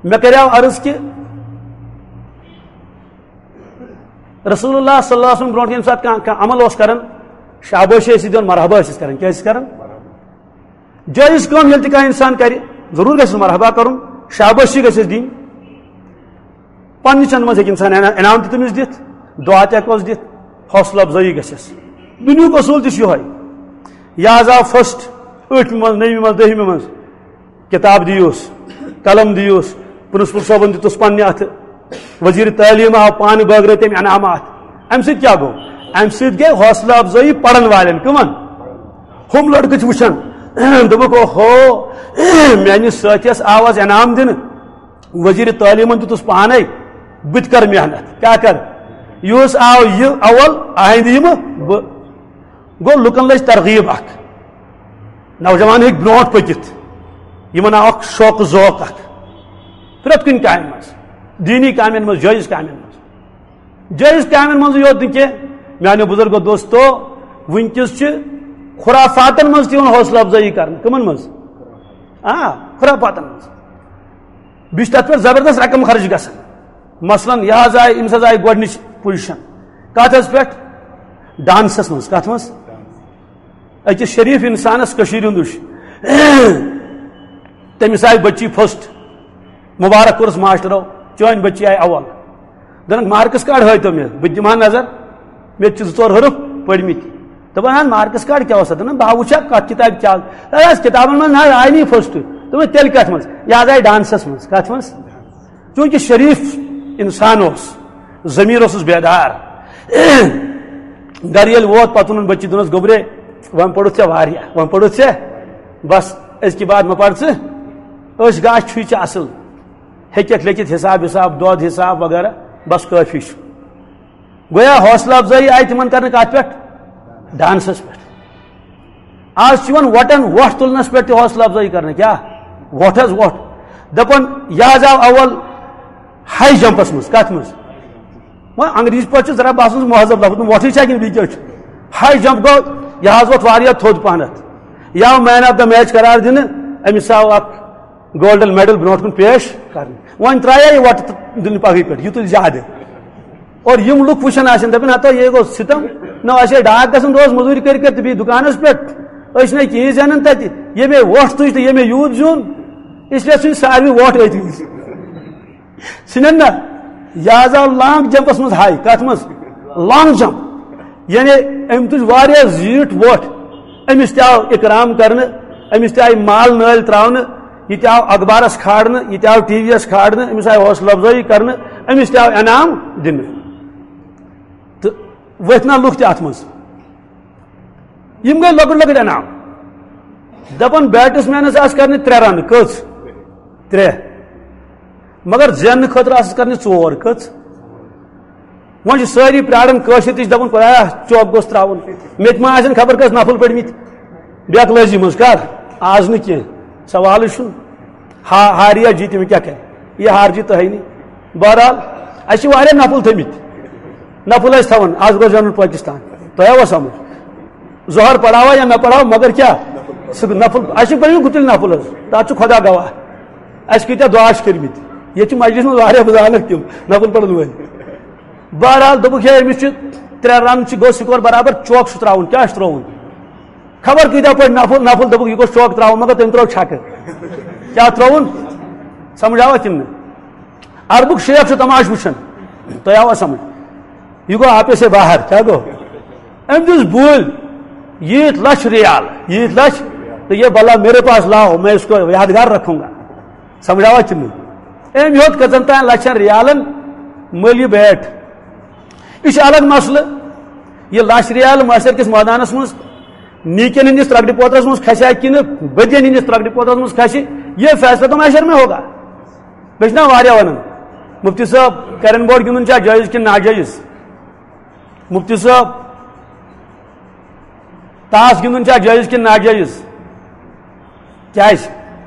مےٚ کریاو عرض کہِ رسول اللہ صلی اللہ علیہ وسلم برونٛٹھ ییٚمہِ ساتہٕ کانٛہہ، کانٛہہ عمل اوس کران، شابٲشی ٲسِس دِوان، مرحبا ٲسِس کران۔ کیٛاہ ٲسِس کران؟ جٲیِز کٲم ییٚلہِ تہِ کانٛہہ اِنسان کَرِ، ضروٗر گژھٮ۪س مرحبا کَرُن، شابٲشی گژھٮ۪س دِنۍ۔ پنٛنہِ چَندٕ منٛز ہیٚکہِ اِنسان انا-، انعام تہِ تٔمِس دِتھ، دُعا تہِ ہٮ۪کوس دِتھ، حوصلہٕ افزٲیی گژھٮ۪س۔ دُنیُک اصوٗل تہِ چھُ یِہوٚے۔ یہِ حظ آو فٔسٹ، ٲٹھمہِ منٛز، نٔومہِ منٛز، دٔہمہِ منٛز۔ کِتاب دِیوس، قلم دِیوس، پرنسپل صٲبن دِتُس پننہِ اتھٕ، وزیر تعلیٖم آو پانہٕ بٲگرٲوۍ تٔمۍ انعامات۔ امہِ سۭتۍ کیٛاہ گوٚو؟ امہِ سۭتۍ گٔے حوصلہٕ افزٲیی پرن والٮ۪ن۔ کٕمن؟ ہُم لڑکہٕ چھِ وٕچھان، دوٚپُکھ، اوہو، میٲنِس سٲتھیس آو از انعام دِنہٕ، وزیر تعلیٖمن دِتُس پانے، بہٕ تہِ کرٕ محنت۔ کیٛاہ کرٕ؟ یُس آو یہِ اول، آیندٕ یِمہٕ بہٕ۔ گوٚو، لُکن لٔج ترغیب اکھ، نوجوان ہیٚکۍ برونٛٹھ پٔکِتھ، یِمن آو اکھ شوق ذوق اکھ پرٛٮ۪تھ کُنہِ کامہِ منٛز، دیٖنی کامٮ۪ن منٛز، جٲیِز کامٮ۪ن منٛز۔ جٲیِز کامٮ۪ن منٛزٕے یوت نہٕ کینٛہہ، میانیو بزرگو دوستو، وٕنکیٚس چھِ خرافاتن منٛز تہِ یِوان حوصلہٕ افزٲیی کرنہٕ۔ کٕمن منٛز؟ آ، خرافاتن منٛز۔ بیٚیہِ چھِ تتھ پٮ۪ٹھ زبردست رقم خرٕچ گژھان۔ مثلاً، یہِ حظ آیہِ، أمِس حظ آیہِ گۄڈٕنِچ پوزیشن۔ کتھ حظ پٮ۪ٹھ؟ ڈانسس منٛز۔ کتھ منٛز؟ أکِس شریٖف اِنسانَس کٔشیٖرِ ہُنٛد وٕچھ۔ تٔمِس آیہِ بٔچی فٔسٹ۔ مُبارک کوٚرُس ماسٹرو، چٲنۍ بٔچی آیہِ اول۔ دوٚپُن، مارکس کارڈ ہٲیتو مےٚ، بہٕ تہِ دِمہٕ ہا نظر۔ مےٚ تہِ چھِ زٕ ژور حرف پٔرمٕتۍ۔ دوٚپُن، اہن، مارکس کارڈ کیٛاہ اوس اَتھ؟ دوٚپُن، بہٕ ہا وٕچھِ ہا کَتھ کِتابہِ کیٛاہ آسہِ۔ اَتھ آسہِ کِتابَن منٛز نہ حظ آیہِ نہٕ یہِ فٔسٹ۔ دوٚپُن، تیٚلہِ کَتھ منٛز؟ یہِ حظ آیہِ ڈانسَس منٛز۔ کَتھ منٛز؟ چوٗنٛکہِ شریٖف اِنسان اوس، ضمیٖر اوسُس بیدار۔ گرٕ ییٚلہِ ووت، پتہٕ ووٚنُن بٔچی، دوٚپنَس، گوٚبرے، وۄنۍ پوٚرُتھ ژےٚ واریاہ، وۄنۍ پوٚرُتھ ژےٚ، بس، أزکہِ بعد مہ پَر ژٕ۔ أچھ گاش چھُے ژےٚ اَصٕل، ہیٚکٮ۪کھ لیٚکھِتھ حِساب وِساب، دۄد حِساب وغیرہ، بس کٲفی چھُ۔ گویا حوصلہٕ افزٲیی آیہِ تِمن کرنہٕ کتھ پٮ۪ٹھ؟ ڈانسس پٮ۪ٹھ۔ آز چھِ یِوان وۄٹن وۄٹھ تُلنس پٮ۪ٹھ تہِ حوصلہٕ افزٲیی کرنہٕ۔ کیٛاہ؟ وۄٹھ حظ وۄٹھ۔ دپان، یہِ حظ آو اول ہاے جمپس منٛز۔ کتھ منٛز؟ وۄنۍ انگریزی پٲٹھۍ چھُ ذرا باسان سُہ مہذب لفظ، وۄٹھٕے چھا کِنہٕ بیٚیہِ کیٛاہ چھُ؟ ہاے جمپ گوٚو، یہِ حظ ووٚتھ واریاہ تھوٚد پہنتھ۔ یہِ آو مین آف دا میچ قرار دِنہٕ، أمِس آو اکھ گولڈن میڈل برونٛٹھ کُن پیش کرنہٕ۔ وۄنۍ ترٛایے یہِ وۄٹہٕ تہٕ دِنہٕ پگہٕے پٮ۪ٹھ، یُتُے زیادٕ۔ اور یِم لُکھ وٕچھان آسن، دپن، ہتو، یہِ گوٚو ستم۔ نہ آسہِ ہے ڈاکھ گژھُن دۄہس مزوٗرۍ کٔرۍ کٔرۍ تہٕ بیٚیہِ دُکانس پٮ۪ٹھ۔ أسۍ چھِنہٕ کِہیٖنۍ زینان تتہِ۔ ییٚمے وۄٹھ تُج تہٕ ییٚمے یوٗت زیوٗن، اس لیے ژھٕنۍ ساروٕے وۄٹھ أتھی۔ ژھٕنن نہ۔ یہِ حظ آو لانگ جمپس منٛز ہاے۔ کتھ منٛز؟ Long jump. یعنی أمۍ تُج واریاہ زیٖٹھ وۄٹھ۔ أمِس تہِ آو اکرام کرنہٕ، أمِس تہِ آیہِ مال نٲلۍ تراونہٕ، یہِ تہِ آو اخبارس کھارنہٕ، یہِ تہِ آو ٹی وی یس کھارنہٕ، أمِس آیہِ حوصلہٕ افزٲیی کرنہٕ، أمِس تہِ آو انعام دِنہٕ۔ تہٕ ؤتھۍ نا لُکھ تہِ اتھ منٛز۔ یِم گٔے لۄکٕٹۍ لۄکٕٹۍ انعام۔ دپان، بیٹس مینس آسہٕ کرنہِ ترٛےٚ رنہٕ۔ کٔژ؟ ترٛےٚ۔ مگر زیننہٕ خٲطرٕ آسس کرنہِ ژور۔ کٔژ؟ وۄنۍ چھِ سٲری پراران، کٲشِر تہِ چھِ دپان، خدایا، چوک گوٚژھ تراوُن۔ مےٚ تہِ ما آسن خبر کٔژ نفل پٔرمٕتۍ بیکلٲزی منٛز۔ کر؟ آز نہٕ کینٛہہ، سوالٕے چھُنہٕ۔ ہا-، ہار یا جیٖت، تٔمِس کیٛاہ کرِ؟ یہِ ہار جیٖت تۄہے نہٕ۔ بہرحال، اَسہِ چھِ واریاہ نفل تھٲمٕتۍ۔ نفل ٲسۍ تھاوان، آز گوٚو زینُن پٲکِستان۔ تۄہہِ آوا سمجھ؟ ظہر پڑھاوا یا نہ پڑھاوا، مگر کیٛاہ؟ سُہ نفل، اَسہِ چھِ پٔرمٕتۍ گُتٕلۍ نفل حظ۔ تَتھ چھُ خۄدا گواہ۔ اَسہِ کۭتیٛاہ دُعا چھِ کٔرمٕتۍ۔ ییٚتہِ چھِ مجلِس منٛز واریاہ، بہٕ زانَکھ تِم نفل پرن وٲلۍ۔ بہرحال دوٚپُکھ، ہے، أمِس چھِ ترٛےٚ رن چھِ، گوٚو سکور برابر، چوک چھُ ترٛاوُن۔ کیٛاہ چھُ ترٛاوُن؟ خبر کۭتیٛاہ پٲٹھۍ نفل، نفل دوٚپُکھ، یہِ گوٚژھ چوک ترٛاوُن، مگر تٔمۍ ترٛٲو چھکہٕ۔ کیٛاہ ترٛٲوُن؟ سمجھ آوا کِنہٕ نہٕ؟ عربُک شیخ چھُ تماشہٕ وٕچھان۔ تۄہہِ آوا سمجھ؟ یہِ گوٚو آپے سے باہر۔ کیٛاہ گوٚو؟ أمۍ دِژ بوٗلۍ ییٖتۍ لچھ ریال، ییٖتۍ لچھ، تو یہ بلا میرے پاس لاؤ، میں اس کو یادگار رکھوں گا۔ سمجھ آوا کِنہٕ نہٕ؟ أمۍ ہیوٚت کٔژن تام لچھن ریالن مٔلۍ یہِ بیٹ۔ یہِ چھُ الگ مسلہٕ۔ یہِ لچھ ریال محشر کِس مٲدانس منٛز نیکین ہٕنٛدِس ترکڑِ پوترس منٛز کھسہِ ہا کِنہٕ بدین ہٕنٛدِس ترکڑِ پوترس منٛز کھسہِ، یہ فیصلہ تو محشر میں ہوگا۔ بیٚیہِ چھِنہ واریاہ ونان، مفتی صٲب، کیرم بورڈ گِنٛدُن چھا جٲیز کِنہٕ ناجٲیز؟ مفتی صٲب، تاس گِنٛدُن چھا جٲیز کِنہٕ ناجٲیز؟ کیازِ؟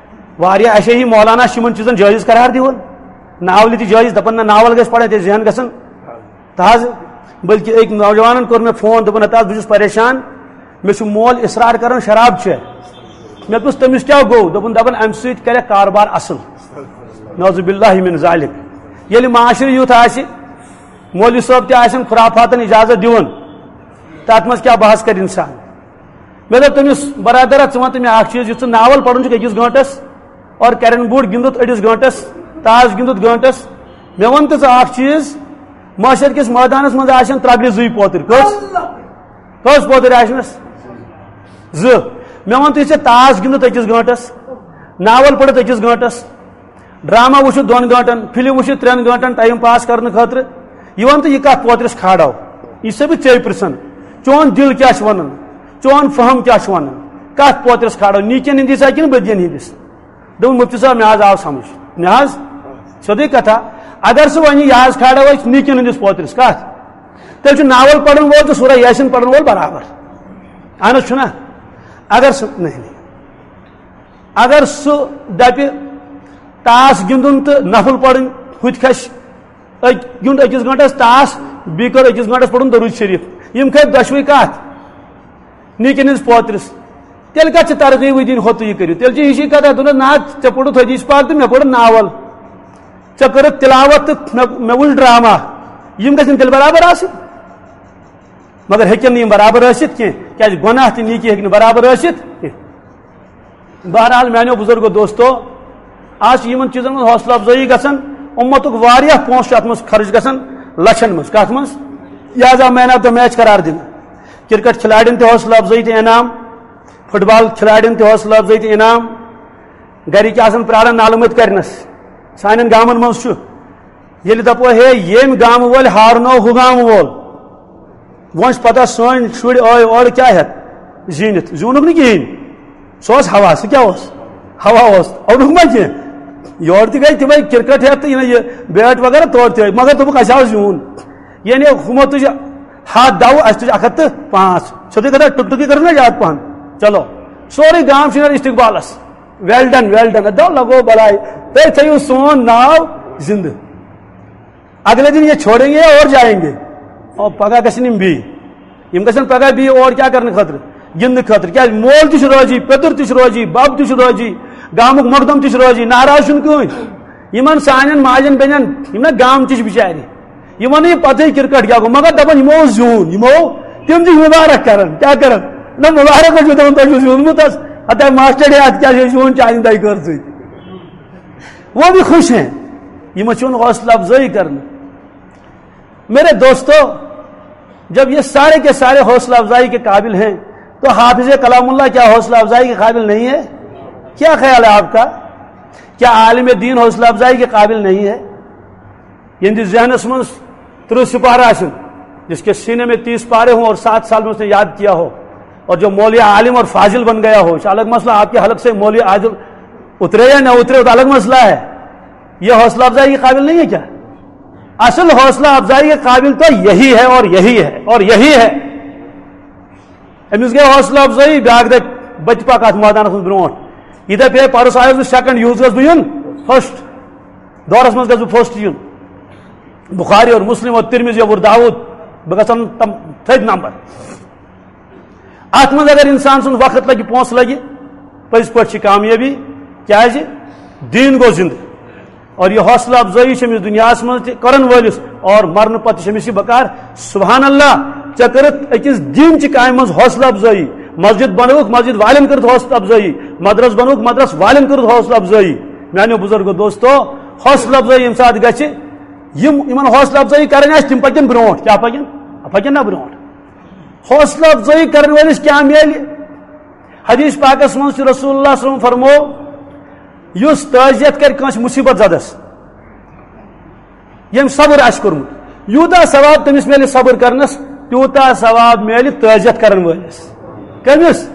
واریاہ اَسہِ ہی مولانا چھِ یِمن چیٖزن جٲیز قرار دِوان۔ ناولہِ تہِ جٲیز، دَپان نہ، ناول گژھِ پَرٕنۍ، تیٚلہِ ذہن گژھن تازٕ۔ بلکہِ أکۍ نوجوانن کوٚر مےٚ فون، دوٚپُن، "ہتا حظ، بہٕ چھُس پریشان، مےٚ چھُ مول اصرار کران شراب چےٚ۔" مےٚ دوٚپُس، "تٔمِس کیٛاہ گوٚو؟" دوٚپُن، "دَپان، اَمہِ سۭتۍ کرٮ۪کھ کاربار اَصٕل۔" نعوذ باللہ من ذالک۔ ییٚلہِ معاشرٕ یُتھ آسہِ، مولوی صٲب تہِ آسن خرافاتن اجازت دِوان، تتھ منٛز کیٛاہ بحث کرِ انسان؟ مےٚ دوٚپ تٔمِس، "برادرا، ژٕ وَن تہٕ مےٚ اکھ چیٖز، یُتھ ژٕ ناول پرُن چھُکھ أکِس گٲنٹس اور کیرم بورڈ گِنٛدُتھ أڑِس گٲنٹس، تاش گِنٛدُتھ گٲنٹس، مےٚ وَن تہٕ ژٕ اکھ چیٖز، محشر کِس مٲدانس منٛز آسن ترٛکرِ زٕے پوتٕرۍ، کٔژ؟ کٔژ پوتٕرۍ آسنس؟ زٕ۔ مےٚ وَن تہٕ، یہِ ژےٚ تاش گِنٛدُتھ أکِس گٲنٹس، ناول پٔرِتھ أکِس گٲنٹس، ڈرامہ وٕچھِتھ دۄن گٲنٹن، فلم وٕچھِتھ ترٛٮ۪ن گٲنٹن ٹایم پاس کرنہٕ خٲطرٕ، یہِ وَن تہٕ، یہِ کتھ پوترِس کھالو؟ یہِ چھُسے بہٕ ژےٚ پرژھان، چون دل کیٛاہ چھُ ونان، چون فہم کیٛاہ چھُ ونان، کتھ پوترِس کھالو، نیکین ہٕنٛدِس ہا کِنہٕ بدین ہٕنٛدِس؟" دوٚپُن، "مفتی صٲب، مےٚ حظ آو سمجھ، مےٚ حظ سیوٚدُے کتھا، اگر سُہ وۄنۍ یہِ حظ کھالو أسۍ نیکین ہٕنٛدِس پوترِس، کتھ، تیٚلہِ چھُ ناول پرن وول تہٕ سورہ یاسین پرن وول برابر۔ اہن حظ چھُنہ؟ اگر سُہ، نہیں، نہیں، اگر سُہ دپہِ تاس گِنٛدُن تہٕ نفل پرٕنۍ، ہُتہِ کھسہِ أکۍ گیُنٛد أکِس گٲنٛٹس تاس، بیٚیہِ کٔر أکِس گٲنٛٹس پرُن درود شریف، یِم کھٔتۍ دۄشوے کتھ نیکین ہٕنٛدِس پوترِس۔ تیٚلہِ کتھ چھِ ترغیبٕے دِنۍ ہوٚتُے یہِ کٔرِو؟ تیٚلہِ چھِ ہِشی کتھ، دوٚپنس، "نہ، ژےٚ پوٚرُتھ حدیث پاک تہٕ مےٚ پوٚر ناول، ژےٚ کٔرٕتھ تلاوت تہٕ مےٚ، مےٚ وُچھ ڈرامہ، یِم گژھن تیٚلہِ برابر آسٕنۍ؟" مگر ہیٚکن نہٕ یِم برابر ٲسِتھ کینٛہہ، کیازِ گۄناہ تہٕ نیکی ہیٚکہِ نہٕ برابر ٲسِتھ کینٛہہ۔ بہرحال، میانیو بزرگو دوستو، آز چھِ یِمن چیٖزن منٛز حوصلہٕ افزٲیی گژھان، اُمتُک واریاہ پونٛسہٕ چھُ اتھ منٛز خرٕچ گژھان، لچھن منٛز۔ کتھ منٛز؟ لہذا مین آف دا میچ قرار دِنہٕ، کرکٹ کھلاڑٮ۪ن تہِ حوصلہٕ افزٲیی تہٕ انعام، فٹ بال کھلاڑٮ۪ن تہِ حوصلہٕ افزٲیی تہٕ انعام۔ گرِکۍ آسان پراران نالہٕ مٔتۍ کرنس۔ سانٮ۪ن گامن منٛز چھُ، ییٚلہِ دَپو، "ہے، ییٚمۍ گامہٕ وٲلۍ ہارنو ہُہ گامہٕ وول"، وۄنۍ چھِ پتہ سٲنۍ شُرۍ ٲے اورٕ کیٛاہ ہٮ۪تھ زیٖنِتھ؟ زیوٗنُکھ نہٕ کِہیٖنۍ۔ سُہ اوس ہوا، سُہ کیٛاہ اوس؟ ہوا اوس، اوٚنُکھ ما کینٛہہ؟ یورٕ تہِ گٔے تِمَے کرکٹ ہٮ۪تھ تہٕ یہِ نہ یہِ بیٹ وغیرہ تورٕ تہِ ٲے، مگر دوٚپُکھ، "اَسہِ آو زیوٗن"۔ یعنی ہُمو تُج ہَتھ دَو، اَسہِ تُج اَکھ ہَتھ تہٕ پانٛژھ۔ چھُ تُہۍ کَران ٹُک ٹُکی کٔرٕو نہ زیادٕ پَہَن؟ چلو، سورُے گام چھُ نیران استقبالَس۔ "Well done, well done"، دَو لَگو بَلاے، تُہۍ تھٲیِو سون ناو زِندٕ۔ اگلے دن یہ چھوڑیں گے اور جائیں گے، اور پگاہ گژھن یِم بیٚیہِ۔ یِم گژھن پگاہ بیٚیہِ اور کیٛاہ کرنہٕ خٲطرٕ؟ گِنٛدنہٕ خٲطرٕ۔ کیٛازِ؟ مول تہِ چھُ رٲضی، پیٚتُر تہِ چھُ رٲضی، بب تہِ چھُ رٲضی، گامُک مقدم تہِ چھُ رٲضی، ناراض چھُنہٕ کٕہٕنۍ۔ یِمن سانٮ۪ن ماجٮ۪ن بیٚنٮ۪ن، یِم نا گامچہِ چھِ بِچارِ، یِمن نہٕ یہِ پتہٕے کرکٹ کیٛاہ گوٚو، مگر دپان یِمو اوس زیوٗن، یِمو، تِم تہِ چھِ مُبارک کران۔ کیٛاہ کران؟ نہ، مُبارک حظ چھُ دپان، "تۄہہِ چھُو زیوٗنمُت حظ، ہتہ ماسٹر ہے، اتھ کیٛاہ چھِ أسۍ زیوٗن چانہِ دۄیہِ خٲر سۭتۍ؟" وہ بھی خوش ہیں، یِمن چھِ یِوان حوصلہ افزٲیی کرنہٕ۔ میرے دوستو، جب یہ سارے کے سارے حوصلہ افزائی کے قابل ہیں، تو حافظ کلام اللہ کیا حوصلہ افزائی کے قابل نہیں ہے؟ کیا خیال ہے آپ کا؟ کیا عالم دین حوصلہ افزائی کے قابل نہیں ہے؟ یِہنٛدِس ذہنس منٛز ترٕٛہ سپارٕ آسن، جس کے سینے میں تیس پارے ہوں اور سات سال میں اس نے یاد کیا ہو، اور جو مولوی عالم اور فاضل بن گیا ہو، یہ الگ مسئلہ، آپ کے حلق سے مولوی عادل اترے یا نہ اترے، وہ تو الگ مسئلہ ہے۔ یہ حوصلہ افزائی کے قابل نہیں ہے کیا؟ اصل حوصلہ افزائی کے قابل تو یہی ہے اور یہی ہے اور یہی ہے۔ أمِس گٔے حوصلہ افزٲیی، بیٛاکھ دَپہِ، "بہٕ تہِ پَکہٕ اَتھ مٲدانَس منٛز برٛونٛٹھ۔" یہِ دَپہِ، "ہے، پَرُس آیوس بہٕ سیکنڈ، یِہُس گژھٕ بہٕ یُن فٔسٹ، دورَس منٛز گژھٕ بہٕ فٔسٹ یُن۔" بخاری اور مسلم اور ترمذی اور داؤد، بہٕ گژھٕ اَنُن تِم تھٔدۍ نمبر۔ اَتھ منٛز اگر اِنسان سُنٛد وقت لَگہِ، پونٛسہٕ لَگہِ، پٔزۍ پٲٹھۍ چھِ کامیٲبی، کیٛازِ؟ دیٖن گوٚو زِنٛدٕ۔ اور یہِ حوصلہ افزٲیی چھِ أمِس دُنیاہَس منٛز تہِ کرن وٲلِس، اور مرنہٕ پتہٕ چھِ أمِس یہِ بکار، سبحان اللہ، ژےٚ کٔرٕتھ أکِس دیٖن چہِ کامہِ منٛز حوصلہ افزٲیی، مسجد بنٲوٕکھ، مسجد والٮ۪ن کٔرٕتھ حوصلہ افزٲیی، مدرس بنٲوٕکھ، مدرس والٮ۪ن کٔرٕتھ حوصلہ افزٲیی۔ میانیو بزرگو دوستو، حوصلہ افزٲیی ییٚمہِ ساتہٕ گژھِ، یِم، یِمن حوصلہ افزٲیی کرٕنۍ آسہِ، تِم پکن برونٛٹھ۔ کیٛاہ پکن؟ پکن نا برونٛٹھ۔ حوصلہ افزٲیی کرن وٲلِس کیٛاہ میلہِ؟ حدیث پاکس منٛز چھُ رسول اللہ صلی اللہ علیہ وسلم فرمو، یُس تعزیت کرِ کٲنٛسہِ مصیبت زدس، ییٚمۍ صبر آسہِ کوٚرمُت، یوٗتاہ ثواب تٔمِس میلہِ صبر کرنس، تیوٗتاہ ثواب میلہِ تعزیت کرن وٲلِس۔ کٔمِس؟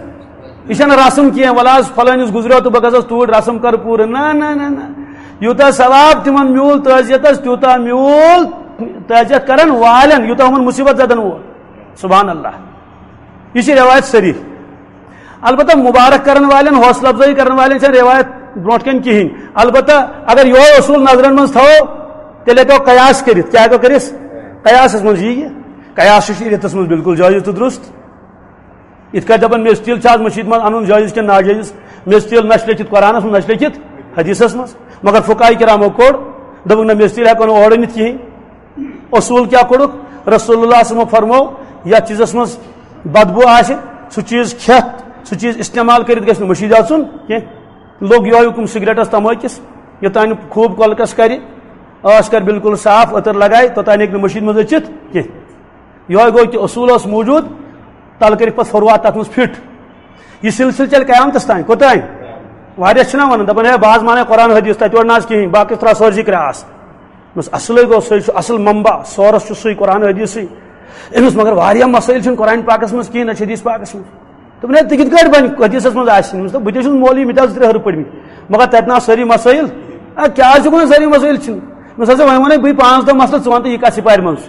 یہِ چھَنہٕ رسم کینٛہہ، وَلہٕ حظ فلٲنِس گُزریو تہٕ بہٕ گژھس توٗرۍ رسم کرٕ پوٗرٕ۔ نہ، نہ، نہ، نہ۔ یوٗتاہ ثواب تِمن میوٗل تعزیتس، تیوٗتاہ میوٗل تعزیت کرن والٮ۪ن، یوٗتاہ یِمن مُصیبت زدن وول۔ سبحان اللہ۔ یہِ چھِ رِوایت صحیح۔ البتہ مبارک کرن والٮ۪ن، حوصلہ افزٲیی کرن والٮ۪ن چھَنہٕ رِوایت برونٛٹھ کَنہِ کِہیٖنۍ۔ البتہ اگر یِہوٚے اصوٗل نظرن منٛز تھاوو، تیٚلہِ ہیٚکو قیاس کٔرِتھ۔ کیٛاہ ہیٚکو کٔرِتھ؟ قیاسس منٛز یی یہِ۔ قیاس چھُ شریعتس منٛز بالکل جٲیز تہٕ درست۔ یِتھ کٲٹھۍ دَپان، میٚژِ تیٖل چھا آز مٔشیٖد منٛز اَنُن جٲیز کِنہٕ ناجٲیز؟ میٚژِ تیٖل نہ چھِ لیٚکھِتھ قرآنس منٛز، نہ چھِ لیٚکھِتھ حدیثس منٛز۔ مگر فقہاء کرامو کوٚڑ، دوٚپُکھ، نہ، میٚژِ تیٖل ہیٚکو نہٕ اورٕ أنِتھ کِہیٖنۍ۔ اصوٗل کیٛاہ کوٚڑُکھ؟ رسول اللہ صلی اللہ علیہ وسلمو فرموو، یَتھ چیٖزَس منٛز بدبو آسہِ، سُہ چیٖز کھٮ۪تھ، سُہ چیٖز استعمال کٔرِتھ گژھِ نہٕ مٔشیٖد اژُن کینٛہہ۔ لوٚگ یِہوٚے حُکُم سگریٹَس، تمٲکِس، یوٚتام نہٕ خوٗب کۄلکَس کَرِ، ٲس کَرِ بالکل صاف، عطر لگایہِ، توٚتام ہیٚکہِ نہٕ مٔشیٖد منٛز أژِتھ کینٛہہ۔ یِہوٚے گوٚو کہِ اصوٗل اوس موٗجوٗد، تَلہٕ کٔرِکھ پَتہٕ فروعات تَتھ منٛز فِٹ۔ یہِ سلسلہٕ چلہِ قیامتس تام۔ کوٚتام؟ واریاہ چھِنہ وَنان، دَپان، ہے، بہٕ حظ مانَے قرآن حدیث، تَتہِ اورٕ نہ حظ کِہیٖنۍ، باقٕے ترٛاو سٲرسٕے کرٛاس۔ بس اصلٕے گوٚو، سُے چھُ اصل منبع، سورس چھُ سُے قرآن حدیثٕے۔ أمِس مگر واریاہ مسٲیِل چھِنہٕ قرآن پاکس منٛز کِہیٖنۍ، نہ چھِ حدیث پاکس منٛز۔ دوٚپُن، ہے، تہِ کِتھ کٲٹھۍ بَنہِ؟ حدیثس منٛز آسہِ نہٕ۔ أمِس دوٚپ، بہٕ تہِ چھُس مولوی، مےٚ تہِ حظ زٕ ترٛےٚ ہٕرٕ پٔرمٕتۍ۔ مگر تَتہِ نہ آسہٕ سٲری مسٲیِل۔ آ، کیٛاہ حظ چھُکھ وَنان سٲری مسٲیِل چھِنہٕ؟ أمِس ہسا وۄنۍ وَنے بٕے پانٛژھ دَہ مسلہٕ، ژٕ وَن تہٕ یہِ کَتھ سِپارِ منٛز؟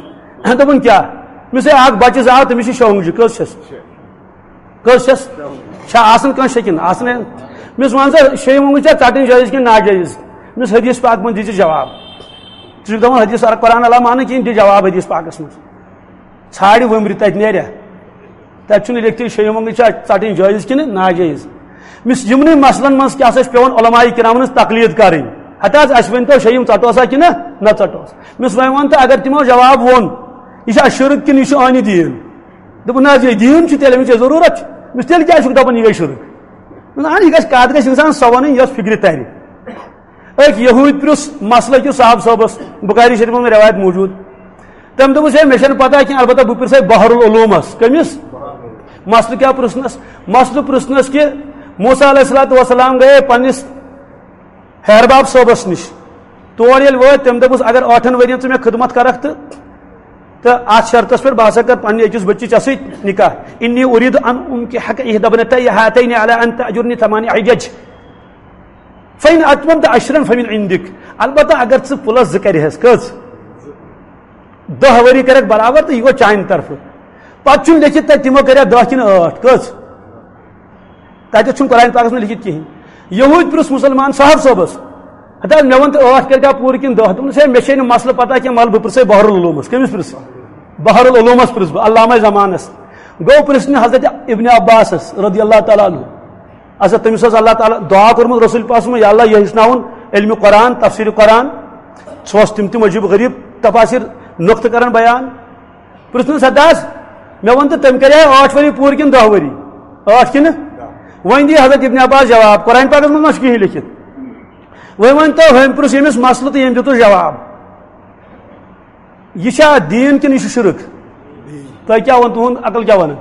دوٚپُن، کیٛاہ؟ أمِس ہے اکھ بَچہٕ زاو، تٔمِس چھِ شونٛگجہِ، کٔژ چھَس؟ کٔژ چھَس؟ چھا آسان کٲنٛسہِ شیٚکِن؟ آسان ہے۔ مےٚ وَن سا، شیٚیِم مۄنٛگُن چھا ژَٹٕنۍ جٲیِز کِنہٕ ناجٲیِز؟ مےٚ وَن حدیث پاک منٛز دِژ جواب۔ ژٕ چھُکھ دَپان حدیث، اگر قرآن علاوٕ مانہٕ کِہیٖنۍ، دِ جواب حدیث پاکَس منٛز۔ ژھانٛڈِ وٕمرِ تَتہِ نیرِ۔ تَتہِ چھُنہٕ لیکھتھٕے شیٚیِم مۄنٛگُن چھا ژَٹٕنۍ جٲیِز کِنہٕ ناجٲیِز۔ مِس یِمنٕے مسلن منٛز کیٛاہ سا چھِ پٮ۪وان علماء کرامن ہٕنٛز تقلید کرٕنۍ؟ ہتا حظ، اَسہِ ؤنۍ تو شیٚیِم ژَٹوسا کِنہٕ نہ ژَٹوس؟ مِس وۄنۍ وَن تہٕ اگر تِمو جواب ووٚن، یہِ چھا شرک کِنہٕ یہِ چھُ ٲنہِ دیٖن؟ دوٚپُن، نہ حظ، یہِ دیٖن چھُ، تیٚلہِ أمِس یہِ ضروٗرت چھِ۔ مِس تیٚلہِ کیٛازِ چھُکھ دَپان یہِ گٔے شرک؟ نہ، یہِ گژھِ، کَتھ گژھِ اِنسان سۄ وَنٕنۍ یۄس فِکرِ تَرِ۔ أکۍ یہوٗدۍ پرُژھ مسلہٕ أکِس صاحب صٲبس، بخاری شریف منٛز روایت موجود۔ تٔمۍ دوٚپُس، ہے، مےٚ چھَنہٕ پتہ کینٛہہ، البتہ بہٕ پرٛژھے بحر العلومس۔ کٔمِس؟ مسلہٕ کیٛاہ پرٛژھنس؟ مسلہٕ پرٛژھنس کہِ موسیٰ علیہ الصلوۃ والسلام گٔیے پننِس ہیرباب صٲبس نِش۔ تور ییٚلہِ وٲتۍ، تٔمۍ دوٚپُس، اگر ٲٹھن ؤرین ژٕ مےٚ خدمت کرکھ تہٕ، تہٕ اتھ شرطس پٮ۪ٹھ بہٕ ہسا کرٕ پننہِ أکِس بچی ژےٚ سۭتۍ نکاح۔ انی ارید ان انکحک احدی ابنتی ہاتین علی ان تأجرنی ثمانیہ حجج۔ فإن أتممت عشرا فمن عندك۔ البتہ اگر ژٕ پلس زٕ کرِہس، کٔژ؟ دہ ؤری کرکھ برابر تہٕ یہِ گوٚو چانہِ طرفہٕ۔ پتہٕ چھُنہٕ لیکھِتھ تتہِ تِمو کریکھ دہ کِنہٕ ٲٹھ، کٔژ؟ تتہِ چھُنہٕ قرآن پاکس منٛز لیکھِتھ کِہیٖنۍ۔ یہوٗدۍ پرُژھ مسلمان صاحب صٲبس، ہتا مےٚ ووٚن تہٕ ٲٹھ کٔرۍ کیٛاہ پوٗرٕ کِنہٕ دہ؟ دوٚپُن، ہے، مےٚ چھے نہٕ مسلہٕ پتہ کینٛہہ، مگر بہٕ پرٛژھے بحر العلومس۔ کٔمِس پرٛژھ؟ بحر العلومس پرٛژھ بہٕ، علامہ زمانس۔ گوٚو پرٛژھنہِ حضرت ابن عباسس رضی اللہ تعالیٰ عنہ۔ اچھا، تٔمِس اوس اللہ تعالیٰ دعا کوٚرمُت رسول پاک صلی اللہ علیہ وسلم، یا اللہ، یہِ ہیٚچھناوُن علمِ قرآن، تفسیر قرآن۔ سُہ اوس تِم تِم عجیب غریب تفاسیر نقطہٕ کران بیان۔ پرٛژھنَس، حضرت، مےٚ وَن تہٕ، تٔمۍ کَرے ٲٹھ ؤری پوٗرٕ کِنہٕ دَہ ؤری؟ ٲٹھ کِنہٕ؟ وۄنۍ دِیہِ حضرت ابن عباس جواب، قرآن پاکَس منٛز ما چھُ کِہیٖنۍ لیکھِتھ؟ وۄنۍ ؤنۍ تو، ہُمۍ پرٛژھ ییٚمِس مسلہٕ تہٕ ییٚمۍ دیُتُس جواب۔ یہِ چھا دیٖن کِنہٕ یہِ چھُ شرک؟ تۄہہِ کیٛاہ ووٚن، تُہُنٛد عقل کیٛاہ وَنان؟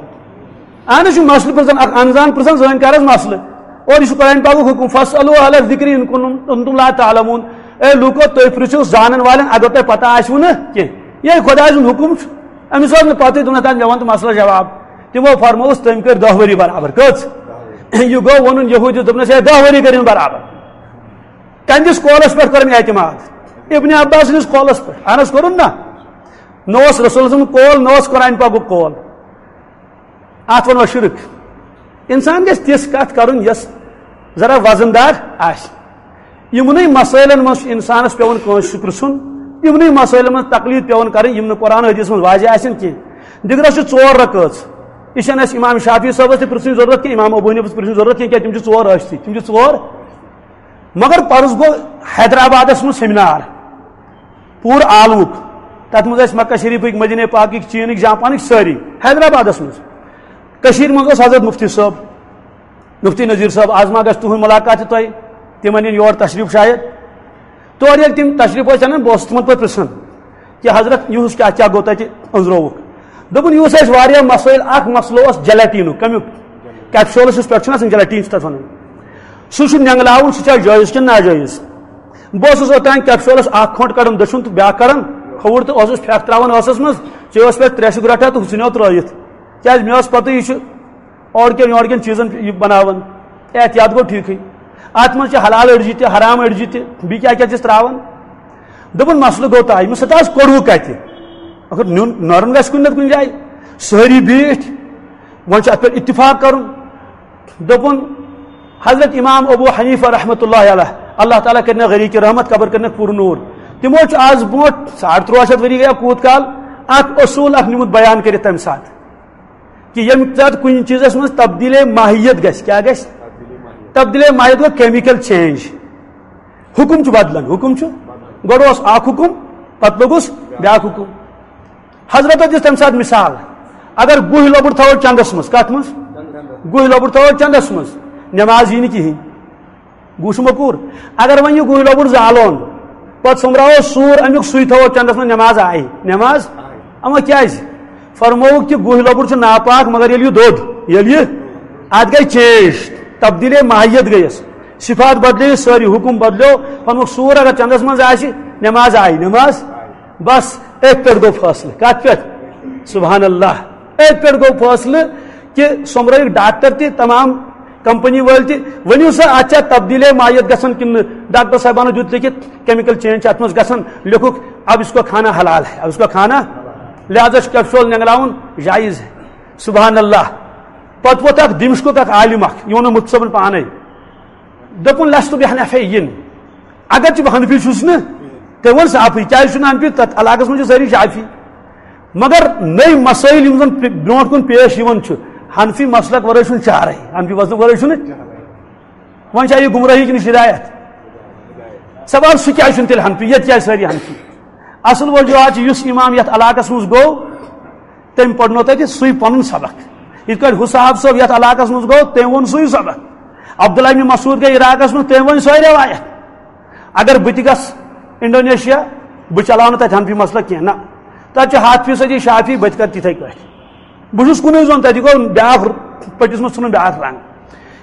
اہن حظ، چھُ مسلہٕ پرٛژھان، اکھ انزان پرٛژھان زٲنکارس مسلہٕ۔ اور یہِ چھُ قرآن پاکُک حُکُم، "فاسألوا اہل الذکر ان کنتم، کنتم لا تعلمون"۔ اے لوٗکو، تُہۍ پرٛژھِو زانن والٮ۪ن اگر تۄہہِ پتہ آسِوٕ نہٕ کینٛہہ۔ یہِ خۄداے سُنٛد حُکُم چھُ۔ أمِس اوس نہٕ پتہٕے، دوٚپُن، "ہتا، مےٚ وَن تہٕ مسلہٕ جواب۔" تِمو فرمووُس، تٔمۍ کٔرۍ دَہ ؤری برابر۔ کٔژ؟ یہِ گوٚو وَنُن یہوٗدیَس، دوٚپنَس، "ہے، دَہ ؤری کٔرِن برابر۔" کَمہِ دِس قولَس پٮ۪ٹھ کوٚرُن اعتماد؟ ابن عباس سٕنٛدِس قولَس پٮ۪ٹھ۔ اہن حظ کوٚرُن نا؟ نہ اوس رسول سُنٛد قول، نہ اوس قرآن پاکُک قول۔ اتھ ونو شرک۔ انسان گژھِ تِژھ کتھ کرُن یۄس ذرا وزن دار آسہِ۔ یِمنٕے مسٲیلن منٛز چھُ انسانس پٮ۪وان کٲنٛسہِ پرژھُن، یِمنٕے مسٲیلن منٛز تقلید پٮ۪وان کرٕنۍ یِم نہٕ قرآن حدیث منٛز واضح آسن کینٛہہ۔ دِگرس چھِ ژور رکٲژ۔ یہِ چھنہٕ اسہِ امام شافعی صٲبس تہِ پرژھٕنۍ ضرورت کینٛہہ، امام ابو حنیفس پرژھٕنۍ ضرورت کینٛہہ، کیٛازِ تِم چھِ ژور رٲچھتٕے، تِم چھِ ژور۔ مگر پرُس گوٚو حیدرآبادس منٛز سیمینار، پوٗرٕ عالمُک۔ تَتھ منٛز ٲسۍ مکہ شریٖفٕکۍ، مدینہ پاکٕکۍ، چیٖنٕکۍ، جاپانٕکۍ، سٲری حیدرآبادَس منٛز۔ کٔشیٖرِ منٛز اوس حضرت مُفتی صٲب، مُفتی نذیٖر صٲب، آز ما گژھِ تُہُنٛد مُلاقات تہِ تۄہہِ؟ تِمَن یِن یور تشریٖف شاید۔ تورٕ ییٚلہِ تِم تشریٖف ٲسۍ اَنان، بہٕ اوسُس تِمَن پَتہٕ پرٛژھان کہِ حضرت، یِہُس کیٛاہ کیٛاہ گوٚو تَتہِ أنٛزرووُکھ؟ دوٚپُن، یِہُس ٲسۍ واریاہ مسٲیِل، اَکھ مسلہٕ اوس جیلاٹیٖنُک، کَمیُک؟ کیپسولَس یُس پٮ۪ٹھ چھُنہ آسان، جیلاٹیٖن چھِ تَتھ وَنان۔ سُہ چھُ نٮ۪نٛگلاوُن، سُہ چھا جٲیِز کِنہٕ ناجٲیِز؟ بہٕ اوسُس اوٚتام کیپسولس اکھ کھۄنٛٹ کڑان دٔچھُن تہٕ بیٛاکھ کڑان کھووُر تہٕ اوسُس پھٮ۪کھ ترٛاوان ٲسَس منٛز، چیٚیوس پٮ۪ٹھ ترٛیشہِ گرٛٹھا تہٕ ہُہ ژھٕنیو ترٛٲیِتھ۔ کیٛازِ؟ مےٚ ٲس پَتہ یہِ چھُ اورٕ کٮ۪ن یورٕ کٮ۪ن چیٖزَن یہِ بَناوان۔ احتیاط گوٚو ٹھیٖکھٕے۔ اَتھ منٛز چھِ حلال أڑجہِ تہِ، حرام أڑجہِ تہِ، بیٚیہِ کیٛاہ کیٛاہ چھِس ترٛاوان؟ دوٚپُن، مسلہٕ گوٚو تۄہہِ، مےٚ سۭتۍ آز کوٚڑوٕ کَتہِ؟ مگر نیُن نرُن گژھِ کُنہِ نَتہٕ کُنہِ جایہِ۔ سٲری بیٖٹھۍ، وۄنۍ چھُ اَتھ پٮ۪ٹھ اتفاق کَرُن۔ دوٚپُن، حضرت امام ابو حنیفہ رحمۃ اللہ علیہ، اللہ تعالیٰ کٔرِنَکھ غریق رحمت، قبر کٔرِنَکھ پُر نوٗر۔ تِمو چھُ آز برونٛٹھ ساڑ تُرٛواہ شیٚتھ ؤری گٔیا کوٗت کال اکھ اصوٗل اکھ نیوٗمُت بیان کٔرِتھ تَمہِ ساتہٕ، کہِ ییٚمہِ ساتہٕ کُنہِ چیٖزَس منٛز تبدیٖلی ماہیت گژھِ، کیٛاہ گژھِ؟ تبدیٖلی ماہیت گوٚو chemical change۔ حُکُم چھُ بدلان، حُکُم چھُ، گۄڈٕ اوس اکھ حُکُم، پتہٕ لوٚگُس بیٛاکھ حُکُم۔ حضرت دِژ تَمہِ ساتہٕ مثال، اگر گُہہ لۄبُر تھاوو چندس منٛز، کتھ منٛز؟ گُہہ لۄبُر تھاوو چندس منٛز، نماز یی نہٕ کِہیٖنۍ۔ گوٚو چھُ مکوٗر۔ اگر وۄنۍ یہِ گُہہ لۄبُر زالون، پتہٕ سوٚمبراوو سوٗر امیُک، سُے تھاوو چندس منٛز، نماز آیہِ؟ نماز؟ اما کیٛازِ؟ فرمووُکھ کہِ گُہہ لۄبُر چھُ ناپاک، مگر ییٚلہِ یہِ دوٚد، ییٚلہِ یہِ، اتھ گٔے change، تبدیٖلی ماہیت گٔیَس، صفات بدلییہِ سٲری، حُکُم بدلیو۔ فرمووُکھ سوٗر اگر چندس منٛز آسہِ، نماز آیہِ، نماز؟ بس، أتھۍ پٮ۪ٹھ گوٚو فٲصلہٕ۔ کتھ پٮ۪ٹھ؟ سبحان اللہ۔ أتھۍ پٮ۪ٹھ گوٚو فٲصلہٕ کہِ سوٚمبرٲیِکھ ڈاکٹر تہِ، تمام کمپنی وٲلۍ تہِ، ؤنِو سا، اتھ چھا تبدیٖلی ماہیت گژھان کِنہٕ نہٕ؟ ڈاکٹر صٲبانو دیُت لیکھِتھ، chemical change چھِ اتھ منٛز گژھان، لیوٚکھُکھ، اب اس کو کھانا حلال ہے، اب اس کو کھانا، لہذا چھُ capsule نینگراوُن جائز ہے۔ سبحان اللہ۔ پتہٕ ووت اکھ دمشقُک اکھ عالم اکھ، یہِ ووٚن مُفتی صٲبن پانے۔ دوٚپُن، "لست بحنفی"، اگرچہِ بہٕ حنفی چھُس نہٕ، تٔمۍ ووٚن صافٕے، کیٛازِ چھُنہٕ حنفی؟ تتھ علاقس منٛز چھِ سٲری شافی۔ مگر نٔے مسٲیل یِم زن پے-، برونٛٹھ کُن پیش یِوان چھُ، حنفی مسلک ورٲے چھُنہٕ چارے، حنفی مسلک ورٲے چھُنہٕ۔ وۄنۍ چھا یہِ گمراہی کِنہٕ ہدایت؟ سوال، سُہ کیٛازِ چھُنہٕ تیٚلہِ حنفی؟ ییٚتہِ کیٛازِ سٲری حنفی؟ اصل وجوہات چھِ، یُس امام یتھ علاقس منٛز گوٚو، تٔمۍ پرنو تتہِ سُے پنُن سبق۔ یِتھ کٲٹھۍ حُسہٕ صٲب یتھ علاقس منٛز گوٚو، تٔمۍ ووٚن سُے سبق۔ عبداللہ ابن مسعود گٔے عراقس منٛز، تٔمۍ ؤنۍ سۄے روایت۔ اگر بہٕ تہِ گژھٕ انڈونیشیا، بہٕ چلاو نہٕ تتہِ حنفی مسلک کینٛہہ، نہ۔ تتہِ چھِ ہتھ فیصدی شافی، بہٕ تہِ کرٕ تِتھے کٲٹھۍ۔ بہٕ چھُس کُنُے زوٚن، تتہِ گوٚو بیٛاکھ، پٔٹِس منٛز ژھُنُن بیٛاکھ رنگ۔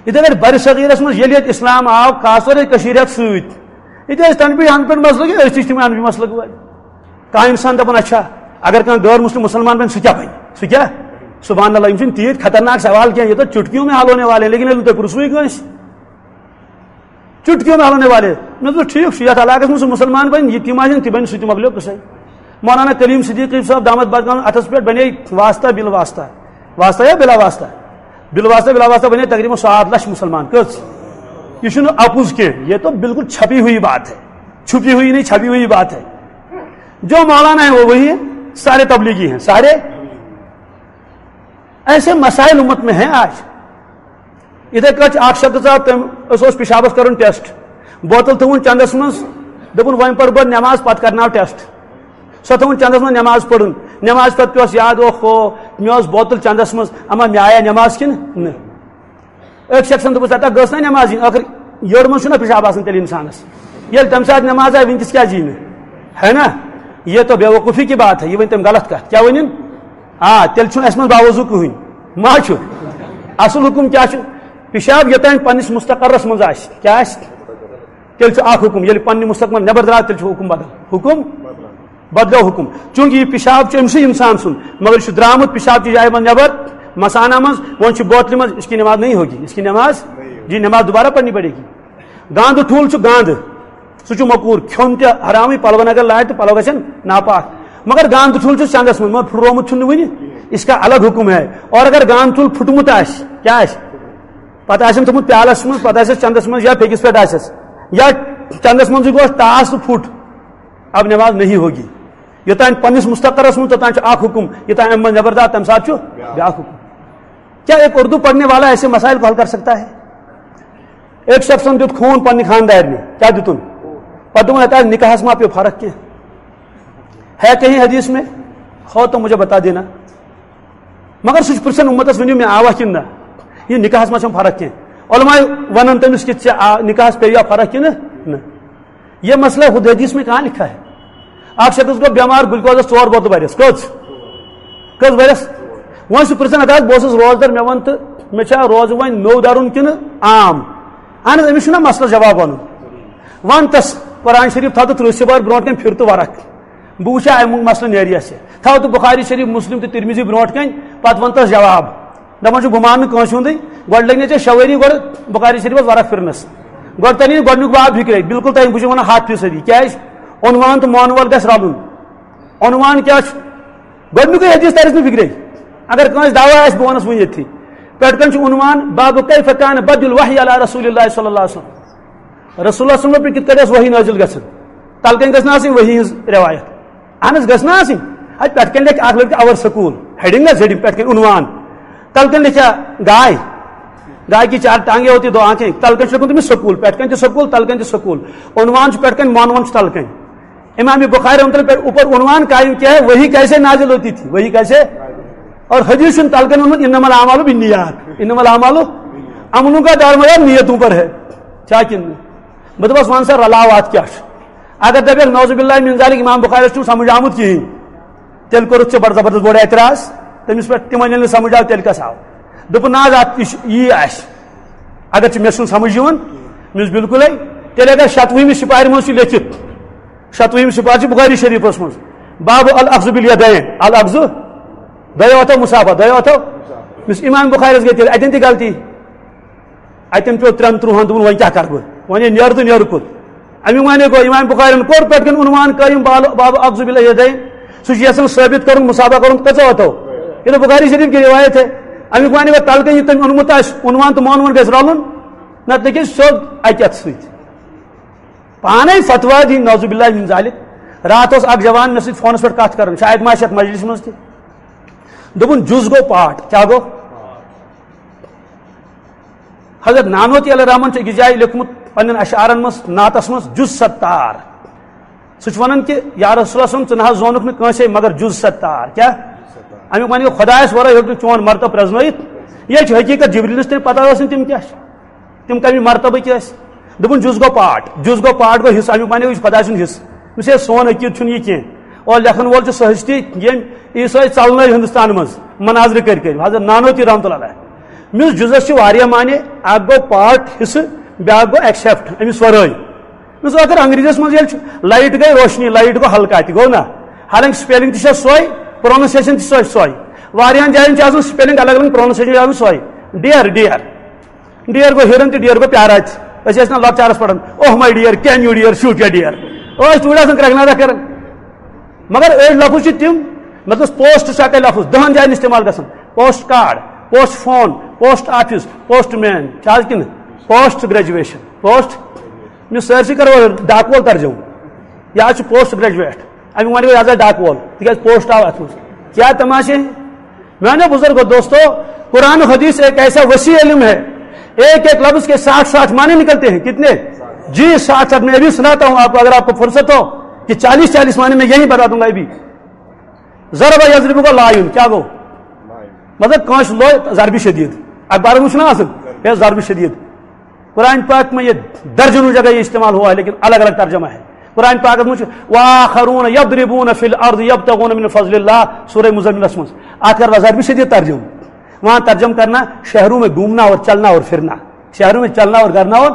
یِتھے کٲٹھۍ برِ صغیٖرس منٛز ییٚلہِ ییٚتہِ اسلام آو، خاص طور ییٚتہِ کٔشیٖرِ ہٮ۪تھ سۭتۍ، ییٚتہِ ٲسۍ تنہٕ پیٚٹھۍ ہنہٕ پٮ۪ٹھ مسلک، أسۍ تہِ چھِ تِم ہنہٕ پٮ۪ٹھۍ مسلک وٲلۍ۔ کانٛہہ انسان دپان، اچھا، اگر کانٛہہ غٲر مسلم مسلمان بنہِ، سُہ کیٛاہ بنہِ؟ سُہ کیٛاہ؟ سبحان اللہ، یِم چھِنہٕ تیٖتۍ خطرناک سوال کینٛہہ، یہِ تو چُٹکیوں میں حل ہونے والے ہیں، لیکن ییٚلہِ نہٕ تُہۍ پرٛژھوٕے کٲنٛسہِ، چُٹکیوں میں حل ہونے والے۔ مےٚ دوٚپ، ٹھیٖک چھُ، یتھ علاقس منٛز سُہ مسلمان بنہِ، یہِ تِم آسن، تہِ بنہِ سُہ تہِ مۄکلیو قصے۔ مولانا کلیم صدیقی صٲب دامت برکاتہٕ اتھس پٮ۪ٹھ بنے واسطہ بِل واسطہ، واسطہ یا بِلا واسطہ؟ بِل واسطہ، بِلا واسطہ بنے تقریباً ساٹھ لچھ مسلمان۔ کٔژ؟ یہ چھُنہٕ اپُز کینٛہہ، یہ تو بالکل چھپی ہوئی بات ہے، چھپی ہوئی نہیں، چھپی ہوئی بات ہے۔ جو مولانا ہے وہ وہی ہے، سارے تبلیغی ہیں، سارے۔ ایسے مسائل امت میں ہیں آج۔ یِتھے کٲٹھۍ چھُ اکھ شخص آو، تٔمۍ، أسۍ اوس پِشابس کرُن ٹیسٹ، بوتل تھٲوٕن چندس منٛز، دوٚپُن، "وۄنۍ پرٕ بہٕ نٮ۪ماز، پتہٕ کرناو ٹیسٹ۔" سۄ تھٲوٕن چندس منٛز نٮ۪ماز پرُن، نٮ۪ماز پتہٕ پیوس یاد، اوہ ہو، مےٚ ٲس بوتل چندس منٛز، اما مےٚ آیا نٮ۪ماز کِنہٕ نہٕ؟ أکۍ شخصن دوٚپُس، "ہتا گٔژھ نا نٮ۪ماز یِنۍ، ٲخٕر یٔڑ منٛز چھُنہ پِشاب آسان تیٚلہِ انسانس، ییٚلہِ تمہِ ساتہٕ نٮ۪ماز آیہِ، وٕنکیٚس کیٛازِ یی نہٕ؟ ہے نا؟ یہ تو بیوقوفی کی بات ہے، یہ ؤنۍ تٔمۍ غلط کتھ، کیٛاہ ؤنِن؟ آ، تیٚلہِ چھُنہٕ اَسہِ منٛز باوضوٗ کٕہٕنۍ، ما چھُ؟ اصل حُکُم کیٛاہ چھُ؟ پِشاب یوٚتام پننِس مستقرس منٛز آسہِ، کیٛاہ آسہِ؟ تیٚلہِ چھُ اکھ حُکُم، ییٚلہِ پننہِ مستقبل نٮ۪بر درٛاو، تیٚلہِ چھُ حُکُم بدل۔ حُکُم بدلیو حُکُم۔ چوٗنٛکہِ یہِ پِشاب چھُ أمۍ سٕے اِنسان سُنٛد، مگر یہِ چھُ درٛامُت پِشاب چہِ جایہِ منٛز نٮ۪بر، مثانہ منٛز، وۄنۍ چھُ بوتلہِ منٛز، اس کی نماز نہیں ہوگی، اس کی نماز، جی، نماز دوبارہ پڑھنی پڑے گی۔ گانٛدٕ ٹھوٗل چھُ گانٛدٕ، سُہ چھُ مکروٗہ، کھیوٚن تہِ حرامٕے، پلون اگر لارِ تہٕ پلو گژھن ناپاک۔ مگر گانٛدٕ ٹھوٗل چھُ چندس منٛز، مگر پھُٹرومُت چھُنہٕ وُنہِ، اس کا الگ حُکم ہے۔ اور اگر گانٛدٕ ٹھوٗل پھُٹمُت آسہِ، کیٛاہ آسہِ؟ پتہٕ آسن تھوٚمُت پیالس منٛز، پتہٕ آسٮ۪س چندس منٛز یا پھیٚکِس پٮ۪ٹھ آسٮ۪س، یا چندس منٛزٕے گوٚو ٹاس تہٕ پھُٹ، اب نماز نہیں ہوگی۔ یوٚتام پننِس مستقرس منٛز، توٚتام چھُ اکھ حُکُم، یوٚتام امہِ منٛز نٮ۪بر درٛاو، تمہِ ساتہٕ چھُ بیٛاکھ حُکُم۔ کیا ایک اردو پڑھنے والا ایسے مسائل کو حل کر سکتا ہے؟ ایک شخصن دیُت خوٗن پننہِ خاندارنہِ، کیا دیُتُن؟ پتہٕ دوٚپُن، "ہتا نکاحس ما پیٚو فرق کینٛہہ؟ ہے کہیں حدیث میں ہو تو مجھے بتا دینا۔" مگر سُہ چھُ پرژھان اُمتس، "ؤنِو مےٚ آوا کِنہٕ نہ؟ یہِ نکاحس ما چھم فرق کینٛہہ؟" علماء ونان تٔمِس کہِ، "ژےٚ آ-، نکاحس پیٚیہِ یا فرق کِنہٕ نہ؟" یہ مسئلہ خود حدیث میں کہاں لکھا ہے؟ اکھ شخص گوٚو بٮ۪مار، گلوکوزس ژور بوتلہٕ بٔرِس۔ کٔژ؟ کٔژ بٔرِس؟ وۄنۍ چھُ پرژھان، ہتا بہٕ اوسُس روزدر، مےٚ وَن تہٕ، مےٚ چھا روزٕ وۄنۍ نوٚو درُن کِنہٕ عام؟ اہن حظ، أمِس چھُنہ مسلس جواب ونُن۔ ون تس قرآن شریف تھاو تہٕ ترٕٛہ سِپار برونٛٹھ کَنہِ پھِر تہٕ ورق۔ بہٕ وٕچھا اَمیُک مسلہٕ نیرِ یَس یہِ۔ تھاو تہٕ بُخاری شریٖف، مُسلِم تہٕ تِرمِذی برونٛٹھ کَنۍ، پَتہٕ وَن تَس جواب۔ دَپان چھُ، بہٕ مانہٕ نہٕ کٲنٛسہِ ہُنٛدُے، گۄڈٕ لٔگۍ نہٕ ژےٚ شےٚ ؤری گۄڈٕ بُخاری شریٖفَس ورق پھِرنَس۔ گۄڈٕ تَرِ نہٕ گۄڈٕنیُک باب فِکرے، بِلکُل تَرِ، بہٕ چھُس وَنان ہَتھ فیٖصدی۔ کیٛازِ؟ عنوان تہٕ معنوَل گژھِ رَلُن۔ عنوان کیٛاہ چھُ؟ گۄڈٕنیُکُے حدیث تَرِ نہٕ فِکرے۔ اگر کٲنٛسہِ دعویٰ آسہِ، بہٕ وَنَس وۄنۍ ییٚتھی۔ پٮ۪ٹھ کَنۍ چھُ عنوان، باب کیف کان بدء الوحی علی رسول اللہ صلی اللہ علیہ وسلم۔ رسول اللہ صلی اللہ علیہ وسلم پٮ۪ٹھ کِتھ کٔنۍ ٲس وحی نٲزِل گژھان؟ تَلہٕ کَنۍ گٔژھ نہٕ آسٕنۍ وحی ہٕنٛز رِوایت۔ اہن حظ، گٔژھ نہٕ آسٕنۍ۔ اَتہِ پٮ۪ٹھ کَنۍ لیکھِ اَکھ لٔڑکہٕ اور سکوٗل، ہیڈنگ حظ، ہیڈنگ پٮ۪ٹھ کَنۍ عنوان۔ تَلہٕ کَنۍ لیکھِ ہا گاے، گاے کی چار ٹانگیں ہوتی، دو آنکھیں۔ تَلہٕ کَنۍ چھُ لیوٚکھمُت تٔمِس سکوٗل، پٮ۪ٹھ کَنۍ تہِ سکوٗل، تَلہٕ کَنۍ تہِ سکوٗل۔ عنوان چھُ پٮ۪ٹھ کَنۍ، معنوان چھُ تَلہٕ کَنۍ۔ امام بخاری رحمۃ اللہ پٮ۪ٹھ اوپر عنوان قائم کیا ہے، وہی کیسے نازل ہوتی تھی، وہی کیسے؟ اور حدیث چھُنہٕ تَلہٕ کَنۍ ووٚنمُت، انما الاعمال بالنیات، انما الاعمال، عملوں کا دارمدار نیتوں پر ہے، چھا کِنہٕ نہٕ؟ بہٕ دَپَس، وَن سا، رلاو اَتھ کیٛاہ چھُ؟ اگر دَپٮ۪کھ، نعوذ باللہ من ذالک، امام بخاری چھُنہٕ سمجھ آمُت کِہیٖنۍ، تیٚلہِ کوٚرُتھ ژےٚ بڑٕ زبردست بوٚڑ اعتراض تٔمِس پٮ۪ٹھ۔ تِمن ییٚلہِ نہٕ سمجھ آو، تیٚلہِ کَس آو؟ دوٚپُن، نہ حظ، اَتھ یہِ چھُ، یی آسہِ۔ اگر ژےٚ مےٚ چھُنہٕ سمجھ یِوان، مےٚ چھُ بِلکُلٕے، تیٚلہِ اگر شَتوُہمہِ سِپارِ منٛز چھُ لیٚکھِتھ، شَتوُہِم سِپار چھِ بُخاری شریٖفَس منٛز، باب الاخذ بالیدین، الاخذ، دۄیو اَتھو مُصافہ، دۄیو اَتھو۔ یُس امام بخاریَس گٔے تیٚلہِ اَتٮ۪ن تہِ غلطی۔ اَتٮ۪ن پیوٚو ترٛٮ۪ن ترٛوہَن، دوٚپُن، وۄنۍ کیٛاہ کَرٕ بہٕ؟ وۄنۍ یہِ نیرٕ تہٕ نیرٕ کوٚت؟ اَمیُک معنی گوٚو، امام بخاریَن کوٚر پٮ۪ٹھ کَنۍ عنوان قٲیِم، بال-، باب الاخذ بالیدین۔ سُہ چھُ یَژھان ثٲبِت کَرُن، مُصافہ کَرُن کٔژو اَتھو؟ یہِ نہٕ بُخاری شریٖف کی روایت ہے۔ اَمیُک معنی گوٚو، تَلہٕ کَنۍ یہِ تٔمۍ اوٚنمُت آسہِ، عنوان تہٕ معنوان گژھِ رَلُن، نَتہٕ لیٚکھِ سیوٚد اَکہِ اَتھٕ سۭتۍ۔ پانے فتوا دی، نعوذ باللہ من ذالک۔ راتھ اوس اکھ جوان مےٚ سۭتۍ فونس پٮ۪ٹھ کتھ کران، شاید ما آسہِ یتھ مجلسہِ منٛز تہِ۔ دوٚپُن، جُز گوٚو پاٹ۔ کیٛاہ گوٚو؟ حضرت نانوتی علیہ الرحمن چھُ أکِس جایہِ لیوٚکھمُت پننٮ۪ن اشعارن منٛز، نعتس منٛز، جُز ستار۔ سُہ چھُ ونان کہِ، یا رسول اللہ صلی اللہ علیہ وسلم، ژٕ نہ حظ زونُکھ نہٕ کٲنٛسے مگر جُز ستار۔ کیٛاہ؟ امیُک معنی گوٚو، خدایس ورٲے ہیوٚک نہٕ چون مرتبہٕ پرزنٲیِتھ۔ یہِ چھِ حقیقت، جبریلس تہِ پتہ ٲس نہٕ تِم کیٛاہ چھِ۔ تِم کَمہِ مرتبٕکۍ ٲسۍ؟ دوٚپُن، جُز گوٚو پاٹ، جُز گوٚو پاٹ گوٚو حصہٕ، اَمیُک معنی گوٚو، یہِ چھُ خۄداے سُنٛد حصہٕ۔ مےٚ چھُ سون عقیٖد چھُنہٕ یہِ کینٛہہ۔ اور لیکھن وول چھُ سُہ ہستی، ییٚمۍ عیسٲے ژَلنٲے ہِندُستان منٛز، مناظرٕ کٔرۍ کٔرۍ، حضرت نانوتی رحمتہ اللہ علیہ۔ مےٚ اوس جُزَس چھِ واریاہ معنی، اَکھ گوٚو پاٹ، حصہٕ، بیٛاکھ گوٚو ایکسیپٹ، أمِس وَرٲے۔ مےٚ اوس اگر انگریزیَس منٛز ییٚلہِ چھُ، لایٹ گٔے روشنی، لایٹ گوٚو ہلکا تہِ، گوٚو نا؟ حالانکہ سپیلنگ تہِ چھےٚ سۄے، پروننسیشن تہِ چھےٚ سۄے۔ واریاہن جاین چھِ آسان سپیلنگ الگ الگ، پروننسیشن چھِ آسان سۄے۔ ڈیر، ڈیر۔ ڈیر گوٚو ہیرن تہٕ ڈیر گوٚو پیارا تہِ۔ أسۍ ٲسۍ نہٕ لۄکچارس پران، "Oh my dear, can you dear, shoot your dear۔" ٲسۍ توٗرۍ آسان کرٛٮ۪کھ نادہ کران۔ مگر أڑۍ لفظ چھِ تِم، مطلب، پوسٹ چھُ اکے لفظ دہن جاین استعمال گژھان۔ Post card, post phone, post office, postman, چھا حظ کِنہٕ؟ پوسٹ گریجویشن، پوسٹ، یِم سٲرسٕے کرو ڈاکوول ترجمہٕ۔ یا چھُ پوسٹ گریجویٹ، اَمیُک معنی گوٚو یہِ ہسا ڈاکوول، تِکیازِ پوسٹ آو اتھ منٛز۔ کیا تماشے ہیں؟ میانو بزرگو، دوستو، قرآن و حدیث ایک ایسا وسیع علم ہے، ایک ایک لفظ کے ساٹھ ساٹھ معنی نکلتے ہیں۔ کتنے؟ جی، ساٹھ ساٹھ۔ میں ابھی سناتا ہوں آپ کو، اگر آپ کو فرصت ہو، کہ چالیس چالیس معنی میں یہی بتا دوں گا ابھی۔ ضرب یضرب کو لایون، کیا گو؟ مطلب، کٲنٛسہِ لوے ضربِ شدید۔ اخبار منٛز چھُنہ آسان، ہے، ضربِ شدید۔ قرآن پاک میں یہ درجنوں جگہ یہ استعمال ہوا ہے، لیکن الگ الگ ترجمہ ہے۔ قرآن پاک میں، "وآخرون یضربون فی الارض یبتغون من فضل اللہ"، سورہ مزملس منٛز۔ آخر وزار بھی شدید ترجمہ۔ وہاں ترجمہ کرنا شہروں میں گھومنا اور چلنا اور پھرنا، شہروں میں چلنا اور کرنا اور،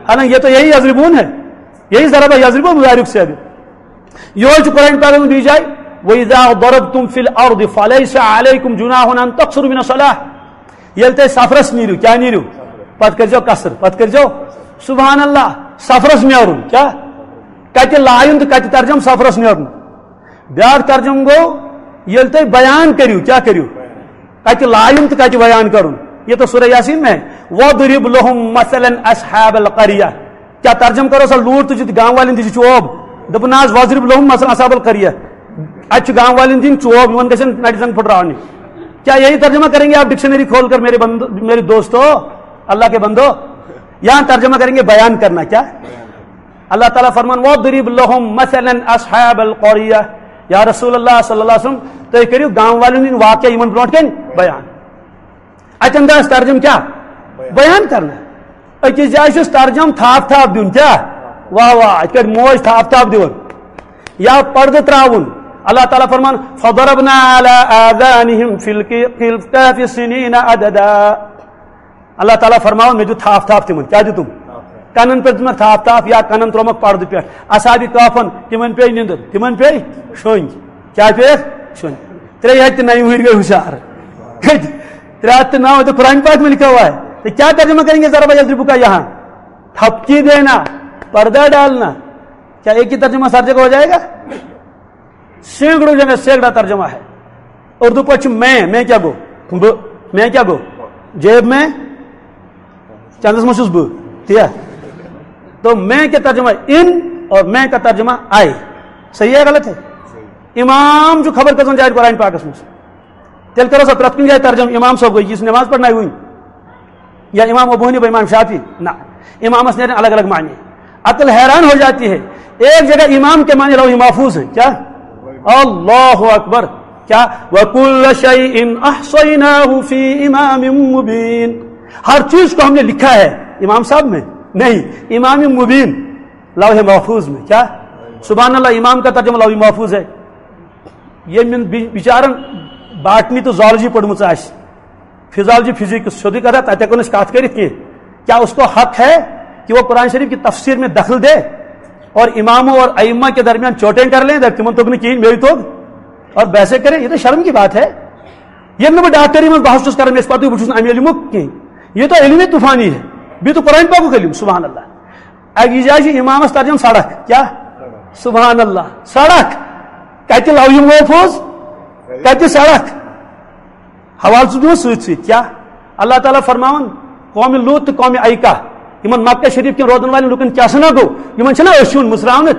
حالانکہ یہ تو یہی یضربون ہے، یہی ضرب یضرب مضارب سے ابھی۔ یہ قرآن پاک میں دی جائے، "وَإِذَا ضَرَبْتُمْ فِي الْأَرْضِ فَلَيْسَ عَلَيْكُمْ جُنَاحٌ أَن تَقْصُرُوا مِنَ الصَّلَاةِ"۔ ییٚلہِ تُہۍ سفرس نیٖرِو، کیٛاہ نیٖرِو؟ پتہٕ کٔرۍزیو قصر، پتہٕ کٔرۍزیو۔ سبحان اللہ، سفرس نیرُن، کیٛاہ؟ کتہِ لایُن تہٕ کتہِ ترجم؟ سفرس نیرُن۔ بیٛاکھ ترجم گوٚو، ییٚلہِ تُہۍ بیان کٔرِو، کیٛاہ کٔرِو؟ کتہِ لایُن تہٕ کتہِ بیان کرُن؟ یہ تو سورہ یاسین میں ہے۔ "وَاضْرِبْ لَهُمْ مَثَلًا أَصْحَابَ الْقَرْيَةِ"۔ کیا ترجمہ کرو سا، لوٗر تُجِتھ گام والٮ۪ن دِژ چوب؟ دوٚپُن، "نہ حظ، وَاضْرِبْ لَهُمْ مَثَلًا أَصْحَابَ الْقَرْيَةِ"۔ اَتہِ چھُ گام والٮ۪ن دِنۍ چوب، یِمن گژھن نَرِ زنٛگ پھٕٹراونہِ۔ کیا یہی ترجمہ کریں گے آپ ڈکشنری کھول کر، میرے بندو، میرے دوستو، اللہ کے بندو؟ یہاں ترجمہ کریں گے بیان کرنا، کیا؟ اللہ تعالیٰ فرمان، "وَاضْرِبْ لَهُمْ مَثَلًا أَصْحَابَ الْقَرْيَةِ"۔ یا رسول اللہ صلی اللہ علیہ وسلم، تُہۍ کٔرِو گام والٮ۪ن ہٕنٛدۍ واقعہ یِمن برونٛٹھ کَنہِ بیان۔ اتہِ انداز ترجم کیا؟ بیان کرنا۔ أکِس جایہِ چھُس ترجم تھاپ تھاپ دیُن، کیا؟ واہ واہ، اتہِ کٲٹھۍ موج تھاپ تھاپ دِوان۔ یا پردٕ تراوُن۔ اللہ تعالیٰ فرمان، "فَضَرَبْنَا عَلَىٰ آذَانِهِمْ فِي الْكَ-، فِي الْكَهْفِ سِنِينَ عَدَدًا"۔ اللہ تعالیٰ فرماوان، مےٚ دیُت تھاپ تھاپ تِمن۔ کیا دیُتُم؟ کنن پٮ۪ٹھ دِژمَکھ تھپھ تھپھ یا کنن ترٛوومَکھ پردٕ پٮ۪ٹھ۔ اصحاب کہفن، تِمن پیٚیہِ نِندٕر، تِمن پیٚیہِ شۄنٛگۍ۔ کیٛاہ پیٚیَکھ؟ شۄنٛگۍ۔ ترٛیٚیہِ ہَتہِ تہٕ نَیہِ وُہٕرۍ گٔے ہُشار۔ کٔتۍ؟ ترٛےٚ ہَتھ تہٕ نَو، تو قرآن پاک میں لکھا ہوا ہے۔ تو کیا ترجمہ کریں گے؟ ضرب یضرب کا یہاں تھپکی دینا، پردہ ڈالنا، کیا ایک ہی ترجمہ سر جگہ ہو جائے گا؟ سینکڑوں جگہ سینکڑا ترجمہ ہے۔ اردو پٲٹھۍ چھُ میں، میں کیا گوٚو؟ بہٕ۔ میں کیا گوٚو؟ جیب میں؟ چندس منٛز چھُس بہٕ۔ تی ہا؟ تو میں کا ترجمہ ان اور میں کا ترجمہ آئی۔ صحیح ہے، غلط ہے؟ امام چھُ خبر کٔژَن جایَن قرآن پاکس منٛز۔ تیٚلہِ کرو سا پرٛٮ۪تھ کُنہِ جایہِ ترجمہٕ، امام صٲب گوٚو، یُس نماز پرناوِ وٕنۍ۔ یا امام ابو حنیفہ، امام شافعی، نہ، امامس نیرن الگ الگ معنی۔ عقل حیران ہو جاتی ہے۔ ایک جگہ امام کے معنی لوح محفوظ ہے۔ کیا؟ اللہ اکبر۔ کیا؟ وَكُلَّ شَيْءٍ أَحْصَيْنَاهُ فِي إِمَامٍ مُّبِينٍ۔ ہر چیز کو ہم نے لکھا ہے امام صاحب میں؟ نہیں، امام مبین، لوح محفوظ میں۔ کیا؟ سبحان اللہ، امام کا ترجمہ لوح محفوظ ہے۔ ییٚمۍ بِ-، بِچارن باٹنی تہٕ زالجی پٔرمٕژ آسہِ، فزیالجی، فزکس، سیوٚدُے کتھا، تتہِ ہٮ۪کو نہٕ أسۍ کتھ کٔرِتھ کینٛہہ۔ کیا اس کو حق ہے کہ وہ قرآن شریف کی تفسیر میں دخل دے اور اماموں اور ائمہ کے درمیان چوٹیں کر لیں، دپہِ تِمن توٚگ نہٕ کِہیٖنۍ، مےٚ توٚگ، اور بحثیں کریں؟ یہ تو شرم کی بات ہے۔ ییٚلہِ نہٕ بہٕ ڈاکٹری منٛز بحث چھُس کران، مےٚ چھُ پتہٕ بہٕ چھُس نہٕ اَمہِ علمُک کینٛہہ۔ یہ تو علم طوفانی ہے، بیٚیہِ تو قرآن پاکُک علم، سبحان اللہ۔ اکہِ جایہِ چھُ امامس ترجمہٕ سڑک، کیا؟ سبحان اللہ، سڑک۔ کتہِ لوح محفوظ، کتہِ سڑک؟ حوالہٕ چھُ دِوان سۭتۍ سۭتۍ۔ کیا؟ اللہ تعالیٰ فرماوان، قوم لوط تہٕ قوم ایکا، یِمن مکہ شریف کٮ۪ن روزن والٮ۪ن لُکن کیٛاہ سا نہ گوٚو؟ یِمن چھِنہ أچھ یُن مُژراونہٕ؟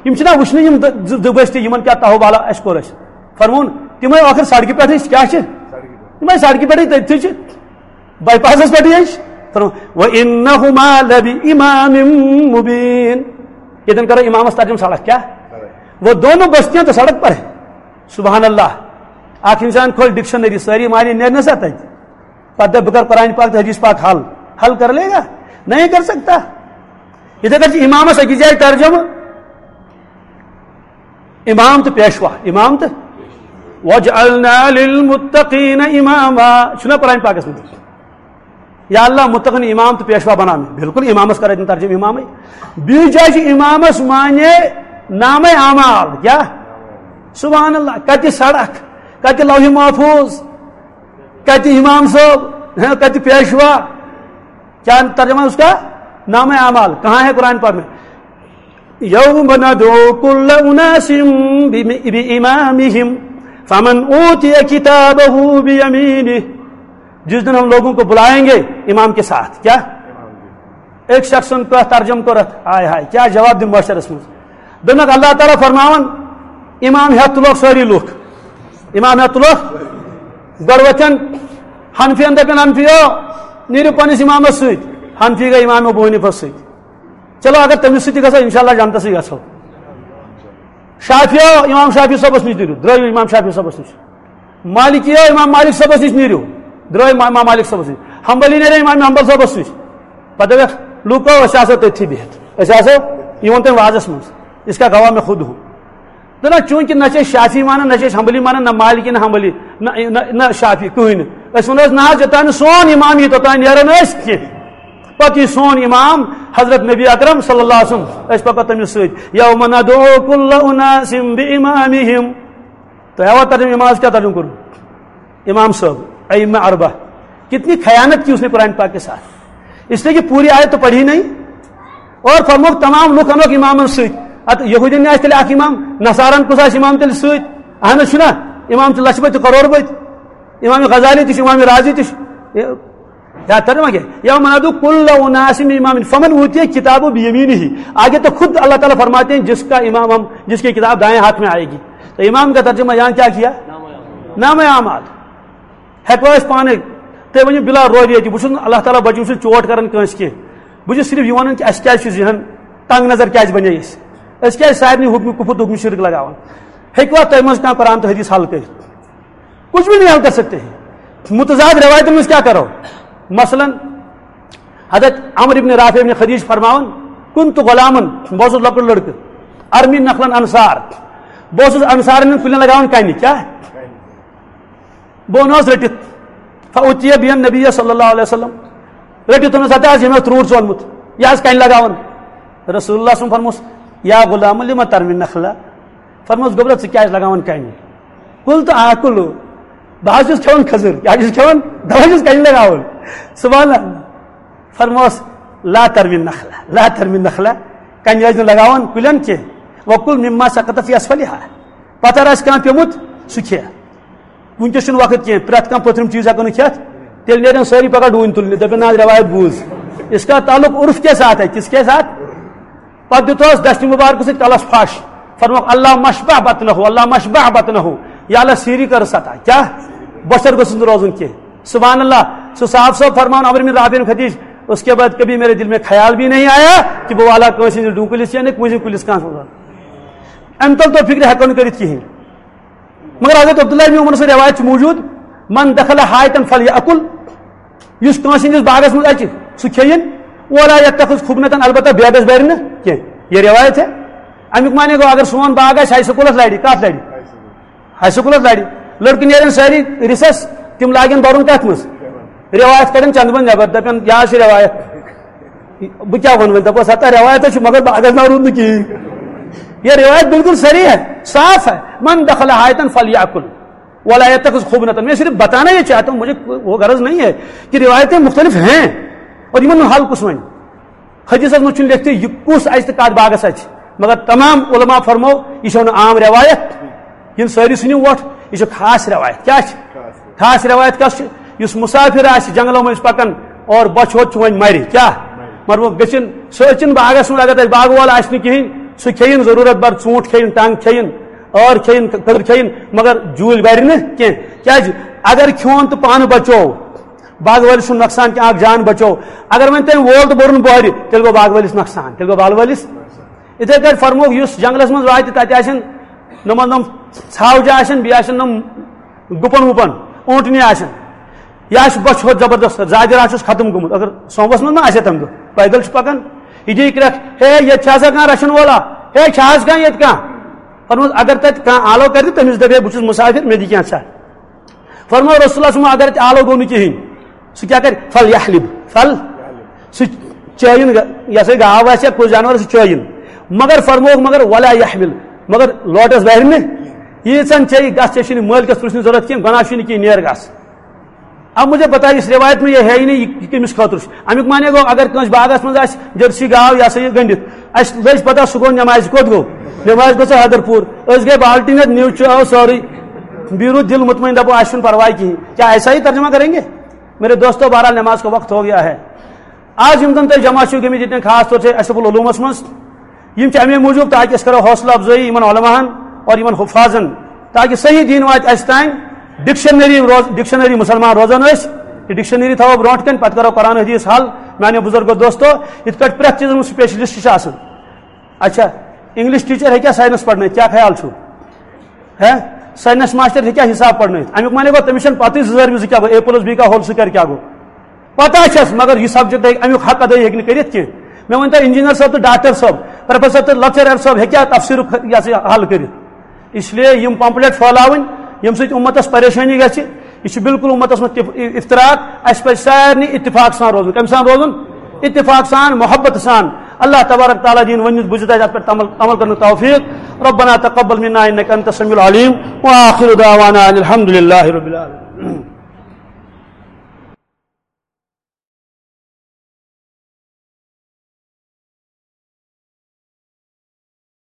یِم چھِنہ وٕچھنہٕ یِم دٕ-، زٕ، زٕ بستی، یِمن کیٛاہ تاہو بالا اَسہِ کوٚر اَسہِ؟ فرمووُن، تِم آے ٲخٕر سڑکہِ پٮ۪ٹھٕے چھِ، کیٛاہ چھِ؟ تِم آے سڑکہِ پٮ۪ٹھٕے، تٔتھی چھِ، باے پاسس پٮ۪ٹھٕے ٲسۍ۔ فرمووُن، وَإِنَّهُمَا لَبِإِمَامٍ مُّبِينٍ۔ ییٚتٮ۪ن کرو امامس ترجمہٕ سڑک، کیا؟ وہ دونوں بستیاں تو سڑک پر ہیں۔ سبحان اللہ۔ اکھ انسان کھول ڈکشنری، سٲری معنی نیرنس اتھ۔ پتہٕ دپہِ، بہٕ کرٕ قرآن پاک تہٕ حدیث پاک حل۔ حل کر لے گا؟ نہیں کر سکتا۔ یِتھے کٔنۍ چھُ امامس أکِس جایہِ ترجمہٕ، امام تہٕ پیشوا، امام تہٕ وَجْعَلْنَا لِلْمُتَّقِينَ إِمَامًا۔ چھُنہ قرآن پاکس منٛز؟ یا اللہ، متقن امام تہٕ پیشوا بناو مےٚ۔ بالکل امامس کرے تِم ترجمہٕ امامے۔ بیٚیہِ جایہِ چھُ امامس معنی نامے اعمال۔ کیا؟ سبحان اللہ۔ کتہِ سڑک؟ کتہِ لوح محفوظ؟ کتہِ امام صٲب؟ ہیں، کتہِ پیشوا؟ کیا ترجمہ اس کا؟ نامے اعمال۔ کہاں ہے قرآن پاک میں؟ يَوْمَ نَدْعُو كُلَّ أُنَاسٍ بِإِمَامِهِمْ فَمَنْ أُوتِيَ كِتَابَهُ بِيَمِينِهِ۔ جس دن ہم لوگوں کو بلائیں گے امام کے ساتھ۔ کیا؟ ایک شخصن کتھ ترجمہٕ کوٚرتھ، ہاے ہاے، کیا جواب دِن معاشرس منٛز؟ دوٚپنکھ، اللہ تعالیٰ فرماوان، امام ہٮ۪تھ تُلوکھ سٲری لُکھ۔ امام ہٮ۪تھ تُلوکھ، گۄڈٕ وۄتھن حنفین، دپن، حنفیو، نیٖرِو پننِس امامس سۭتۍ۔ حنفی گٔے امام ابو حنیفس سۭتۍ۔ چلو، اگر تٔمِس سۭتۍ تہِ گژھو، انشاءاللہ جنتسٕے گژھو۔ شافیو، امام شافی صٲبس نِش نیٖرِو، درٛٲیِو امام شافی صٲبس نِش۔ مالکیو، امام مالک صٲبس نِش نیٖرِو، درٛٲے ما-، امام مالک صٲبس نِش۔ حنبلی نیرے امام حنبل صٲبس نِش۔ پتہٕ دپکھ، لوٗکو، أسۍ آسو تٔتھی بِہِتھ، أسۍ آسو، یہِ ووٚن تٔمۍ وازس منٛز، اس کا گواہ میں خود ہوں۔ نہ، نہ، چوٗنٛکہِ نہ چھِ أسۍ شافی مانان، نہ چھِ أسۍ حنبلی مانان، نہ مالکی، نہ حنبلی، نہ، نہ، نہ شافی، کٕہٕنۍ نہٕ۔ أسۍ وَنو، أسۍ نہ حظ، یوٚتام نہٕ سون امام یی، توٚتام نیرو نہٕ أسۍ کینٛہہ۔ پتہٕ یی سون امام حضرت نبی اکرم صلی اللہ علیہ وسلم، أسۍ پکو تٔمِس سۭتۍ۔ یوم ندعو کل اناس بامامہم۔ تو ہے وہ ترجمہ، امام کیا ترجمہ کروں؟ امام صاحب، ائمہ اربعہ، کتنی خیانت کی اس نے قرآن پاک کے ساتھ، اس لیے کہ پوری آیت تو پڑھی نہیں۔ اور فرموک تمام لوگ انوک امامن سۭتۍ۔ ات یہودین آسہِ تیٚلہِ اکھ امام، نصارن کُس آسہِ امام تیٚلہِ سۭتۍ؟ اہن حظ چھُنہ، امام چھِ لچھ بٔدۍ تہٕ کرور بٔدۍ۔ امام غزالی تہِ چھُ، امام رازی تہِ چھُ۔ یا ترجمہ کیا؟ یوم ندعو کل اناس بامامہم فمن اوتی کتابہ بیمینہ۔ آگے تو خود اللہ تعالیٰ فرماتے ہیں، جس کا امام ہم، جس کی کتاب دائیں ہاتھ میں آئے گی۔ تو امام کا ترجمہ یہاں کیا کیا؟ نام اعمال۔ ہیٚکوا أسۍ پانے؟ تُہۍ ؤنِو بلا روبی ییٚتہِ، بہٕ چھُس نہٕ اللہ تعالیٰ بچٲیِن، بہٕ چھُس نہٕ چوٹ کران کٲنٛسہِ کینٛہہ۔ بہٕ چھُس صرف یہِ وَنان کہِ اَسہِ کیٛازِ چھُ ذہن تنگ نظر کیٛازِ بنے اَسہِ؟ أسۍ کیٛازِ سارنٕے حُکمہِ کُفُر تہٕ حُکمہِ شرک لگاوان؟ ہیٚکوا تُہۍ منٛز کانٛہہ قرآن تہٕ حدیث حل کٔرِتھ؟ کچھ بھی نہیں حل کر سکتے ہیں۔ متضاد روایتن منٛز کیٛاہ کرو؟ مثلاً، حضرت عمرو ابن رافع ابن خدیج فرماوان، كنت غلاما، بہٕ اوسُس لۄکُٹ لڑکہٕ، ارمی نخلا انصار، بہٕ اوسُس انصارن ہٕنٛدٮ۪ن کُلٮ۪ن لگاوان کنہِ۔ کیٛاہ؟ بہٕ اوٚنہس رٔٹِتھ۔ فأتي بي النبي صلى الله عليه وسلم۔ رٔٹِتھ اوٚنُس، ہتا حظ، ییٚمۍ اوس ترٛوٹ ژولمُت۔ یہِ حظ کَنہِ لگاوان۔ رسول اللہ صلی اللہ علیہ وسلم فرموس، یا غلام، لم ترمی النخلہ؟ فرموس، گوٚبرا، ژٕ کیٛازِ لگاوان کَنہِ؟ قلت آکل، بہٕ حظ چھُس کھٮ۪وان کھٔزٕر، کیٛاہ چھُس کھٮ۪وان؟ دَپان چھُس کَنہِ لگاوان۔ سبحان اللہ۔ فرموس، لا ترمی النخلہ، لا ترمی النخلہ، کَنہِ ٲسۍ نہٕ لگاوان کُلٮ۪ن کینٛہہ۔ وکل مما سقط فی اسفلہا، پتھر آسہِ کانٛہہ پیوٚمُت، سُہ کھےٚ۔ وٕنکیٚس چھُنہٕ وقت کینٛہہ، پرٛٮ۪تھ کانٛہہ پٔتھرِم چیٖز ہٮ۪کو نہٕ کھٮ۪تھ۔ تیٚلہِ نیرن سٲری پگاہ ڈوٗنۍ تُلنہِ، دَپن، نہ حظ، رٮ۪وایت بوٗز۔ اس کا تعلق عرف کے ساتھ ہے، کس کے ساتھ؟ پتہٕ دیُت حظ دَچھِ مُبارکہٕ سۭتۍ کلس پھش، فرموکھ، اللہ مشبع بطنہ، اللہ مشبع بطنہ، یا اللہ سیٖری کر سطح۔ کیٛاہ؟ بۄچھر گوٚژھ نہٕ روزُن کینٛہہ۔ سبحان اللہ۔ سُہ صاحب صٲب فرمان عمرو بن رافع خدیج، اس کے بعد کبھی میرے دل میں خیال بھی نہیں آیا کہ بہٕ والہٕ کٲنٛسہِ ہٕنٛدِس ڈوٗنۍ کُلِس یا نہٕ کٲنٛسہِ کُلِس کانٛہہ۔ اَمہِ تل تو فکرِ ہٮ۪کو نہٕ کٔرِتھ کِہیٖنۍ۔ مگر حضرت عبداللہ ابن عمر سٕنٛز رٮ۪وایت چھِ موٗجوٗد، من دخل حائطا فلیأکل، یُس کٲنٛسہِ ہٕنٛدِس باغس منٛز اَژِ، سُہ کھیٚیِن، ولا یتخذ خبنة، البتہ بیگس بَرِ نہٕ کینٛہہ۔ یہِ رٮ۪وایت ہے۔ اَمیُک معنی گوٚو، اگر سون باغ آسہِ ہاے سکوٗلس لرِ، کتھ لرِ؟ ہاے سکوٗلس لرِ۔ لڑکہٕ نیرن سٲری ریسس، تِم لاگن بَرُن کتھ منٛز؟ رٮ۪وایت کڑن چندٕ منٛز نٮ۪بر، دپن، یہِ حظ چھِ رٮ۪وایت۔ بہٕ کیٛاہ وَنہٕ وۄنۍ؟ دَپوس، ہتا رٮ۪وایت ہے چھِ، مگر باغس ناو روٗد نہٕ کِہیٖنۍ۔ یہِ رٮ۪وایت بالکل صحیح ہے، صاف ہے۔ من دخل حائطا فلیأکل ولا یتخذ خبنة۔ میں صرف بتانا یہ چاہتا ہوں، مجھے وہ غرض نہیں ہے کہ روایتیں مختلف ہیں اور یِمن ہُنٛد حل کُس وَنہِ۔ حدیثس منٛز چھُنہٕ لیکھتھٕے یہِ کُس اَژِ تہٕ کتھ باغس اَژِ، مگر تمام علماء فرمو، یہِ چھےٚ نہٕ عام رٮ۪وایت، یِم سٲری ژھٕنِو وۄٹھ، یہِ چھِ خاص رٮ۪وایت۔ کیٛاہ چھِ؟ خاص رٮ۪وایت کَس چھِ؟ یُس مُسافِر آسہِ جنٛگلو مٔنٛزۍ پَکان اور بۄچھِ ہوٚت چھُ وۄنۍ مَرِ، کیٛاہ؟ مطلب گٔژھِن، سُہ أژِن باغَس منٛز، اگر تَتہِ باغہٕ وول آسہِ نہٕ کِہیٖنۍ، سُہ کھیٚیِن ضروٗرت بَر، ژوٗنٛٹھ کھیٚیِن، ٹنٛگ کھیٚیِن، ٲر کھیٚیِن، کٔدٕر کھیٚیِن، مگر جوٗلۍ بَرِ نہٕ کینٛہہ۔ کیٛازِ؟ اگر کھیوٚن تہٕ پانہٕ بَچو، باغہٕ وٲلِس چھُنہٕ نۄقصان کینٛہہ، اَکھ جان بَچو۔ اگر وۄنۍ تٔمۍ وول تہٕ بوٚرُن بۄہرِ، تیٚلہِ گوٚو باغہٕ وٲلِس نۄقصان، تیٚلہِ گوٚو باغہٕ وٲلِس۔ یِتھَے کٲٹھۍ فرمووُکھ، یُس جنٛگلَس منٛز واتہِ، تَتہِ آسن نۄمَن نۄم ژھاوجہِ آسن، بیٚیہِ آسن نۄم گُپن وُپن، اوٗنٹنہِ آسن۔ یہِ آسہِ بۄچھِ ہوٚت زبردست، زاجر آسٮ۪س ختم گوٚمُت۔ اگر سوموس منٛز ما آسہِ ہا تَمہِ دۄہ، پیدل چھُ پَکان۔ یہِ دِیہِ کرٛٮ۪کھ، ہے، ییٚتہِ چھا آسان کانٛہہ رَچھَن وولا؟ ہے، چھا آز کانٛہہ ییٚتہِ کانٛہہ؟ فرمووُس، اگر تَتہِ کانٛہہ آلو کَرِ تہٕ تٔمِس دَپہِ، ہے، بہٕ چھُس مُسافِر، مےٚ دِ کینٛژھا۔ فرموو رسول اللہ صلی اللہ علیہ وسلم، اگر تہِ آلو گوٚو نہٕ کِہیٖنۍ، سُہ کیٛاہ کَرِ؟ فل یحلب، فل، سُہ چٲیِن، یہِ ہسا گاو آسہِ یا کُس جانور، سُہ چٲیِن۔ مگر فرمووُکھ، مگر ولا یحمل، مگر لوٹس بَرِ نہٕ۔ ییٖژہن چیٚیہِ، گژھ، ژےٚ چھُنہٕ مٲلکَس پرٛژھنٕچ ضروٗرت کینٛہہ، گۄناہ چھُے نہٕ کینٛہہ، نیر گژھ۔ اب مجھے بتائیے، اس روایت میں یہ ہے ہی نہیں، یہ کٔمِس خٲطرٕ چھُ؟ اَمیُک معنی گوٚو، اگر کٲنٛسہِ باغس منٛز آسہِ جٔرسی گاو، یہِ ہسا یہِ گٔنٛڈِتھ، اَسہِ لٔج پتہ سُہ گوٚو نٮ۪مازِ، کوٚت گوٚو؟ نٮ۪مازِ گوٚو سُہ حیدرپوٗر۔ أسۍ گٔے بالٹیٖن ہٮ۪تھ، نیوٗ چٲو سٲرٕے۔ بیٖرو دِل مطمئن، دَپو، اَسہِ چھُنہٕ پرواے کِہیٖنۍ۔ کیا ایسا ہی ترجمہ کریں گے؟ میرے دوستو، بہرحال نماز کا وقت ہو گیا ہے۔ آز یِم زَن تۄہہِ جمع چھِو گٔمٕتۍ ییٚتٮ۪ن، خاص طور چھِ اشرف العلومس منٛز، یِم چھِ اَمے موٗجوٗب تاکہِ أسۍ کرو حوصلہٕ افزٲیی یِمن علماہن اور یِمن حفاظن، تاکہِ صحیح دیٖن واتہِ اَسہِ تام، ڈکشنری روز، ڈکشنری مسلمان روزان أسۍ، یہِ ڈکشنری تھاوو برونٛٹھ کَنہِ، پتہٕ کرو قرآن حدیث حل۔ میانیو بُزرگو دوستو، یِتھ کٲٹھۍ پرٛٮ۪تھ چیٖزس منٛز سپیشلسٹ چھِ آسان۔ اچھا، انگلش ٹیچر ہیٚکیٛاہ ساینس پرنٲیِتھ؟ کیٛاہ خیال چھُو؟ ہے، ساینس ماسٹر ہیٚکیٛاہ حساب پرنٲیِتھ؟ اَمیُک معنی گوٚو، تٔمِس چھَنہٕ پتہٕے زٕ ضربہِ زٕ کیٛاہ گوٚو، اے پلس بی کا ہول سکویر کیٛاہ گوٚو۔ پتہ چھس، مگر یہِ سبجیکٹ ہیٚکہِ، اَمیُک حق ادا ہیٚکہِ نہٕ کٔرِتھ کینٛہہ۔ مےٚ ؤنۍ تو، انجینئر صٲب تہٕ ڈاکٹر صٲب، پروفیسر تہٕ لیکچرر صٲب ہیٚکیٛاہ تفسیٖرُک یہِ ہسا یہِ حل کٔرِتھ؟ اس لیے یِم پمفلٹ پھٲلاوٕنۍ، ییٚمہِ سۭتۍ اُمتس پریشٲنی گژھِ، یہِ چھُ بالکل اُمتس منٛز تف-، افتراق۔ اَسہِ پزِ سارنٕے اتفاق سان روزُن۔ کَمہِ سان روزُن؟ اتفاق سان، محبت سان۔ اللہ تبارک تعالیٰ دِیِن ؤنِتھ بوٗزِتھ اَسہِ اَتھ پٮ۪ٹھ عمل، عمل کرنُک توفیٖق۔ ربنا تقبل منا انک انت السمیع العلیم، وآخر دعوانا ان الحمد للہ رب العالمین۔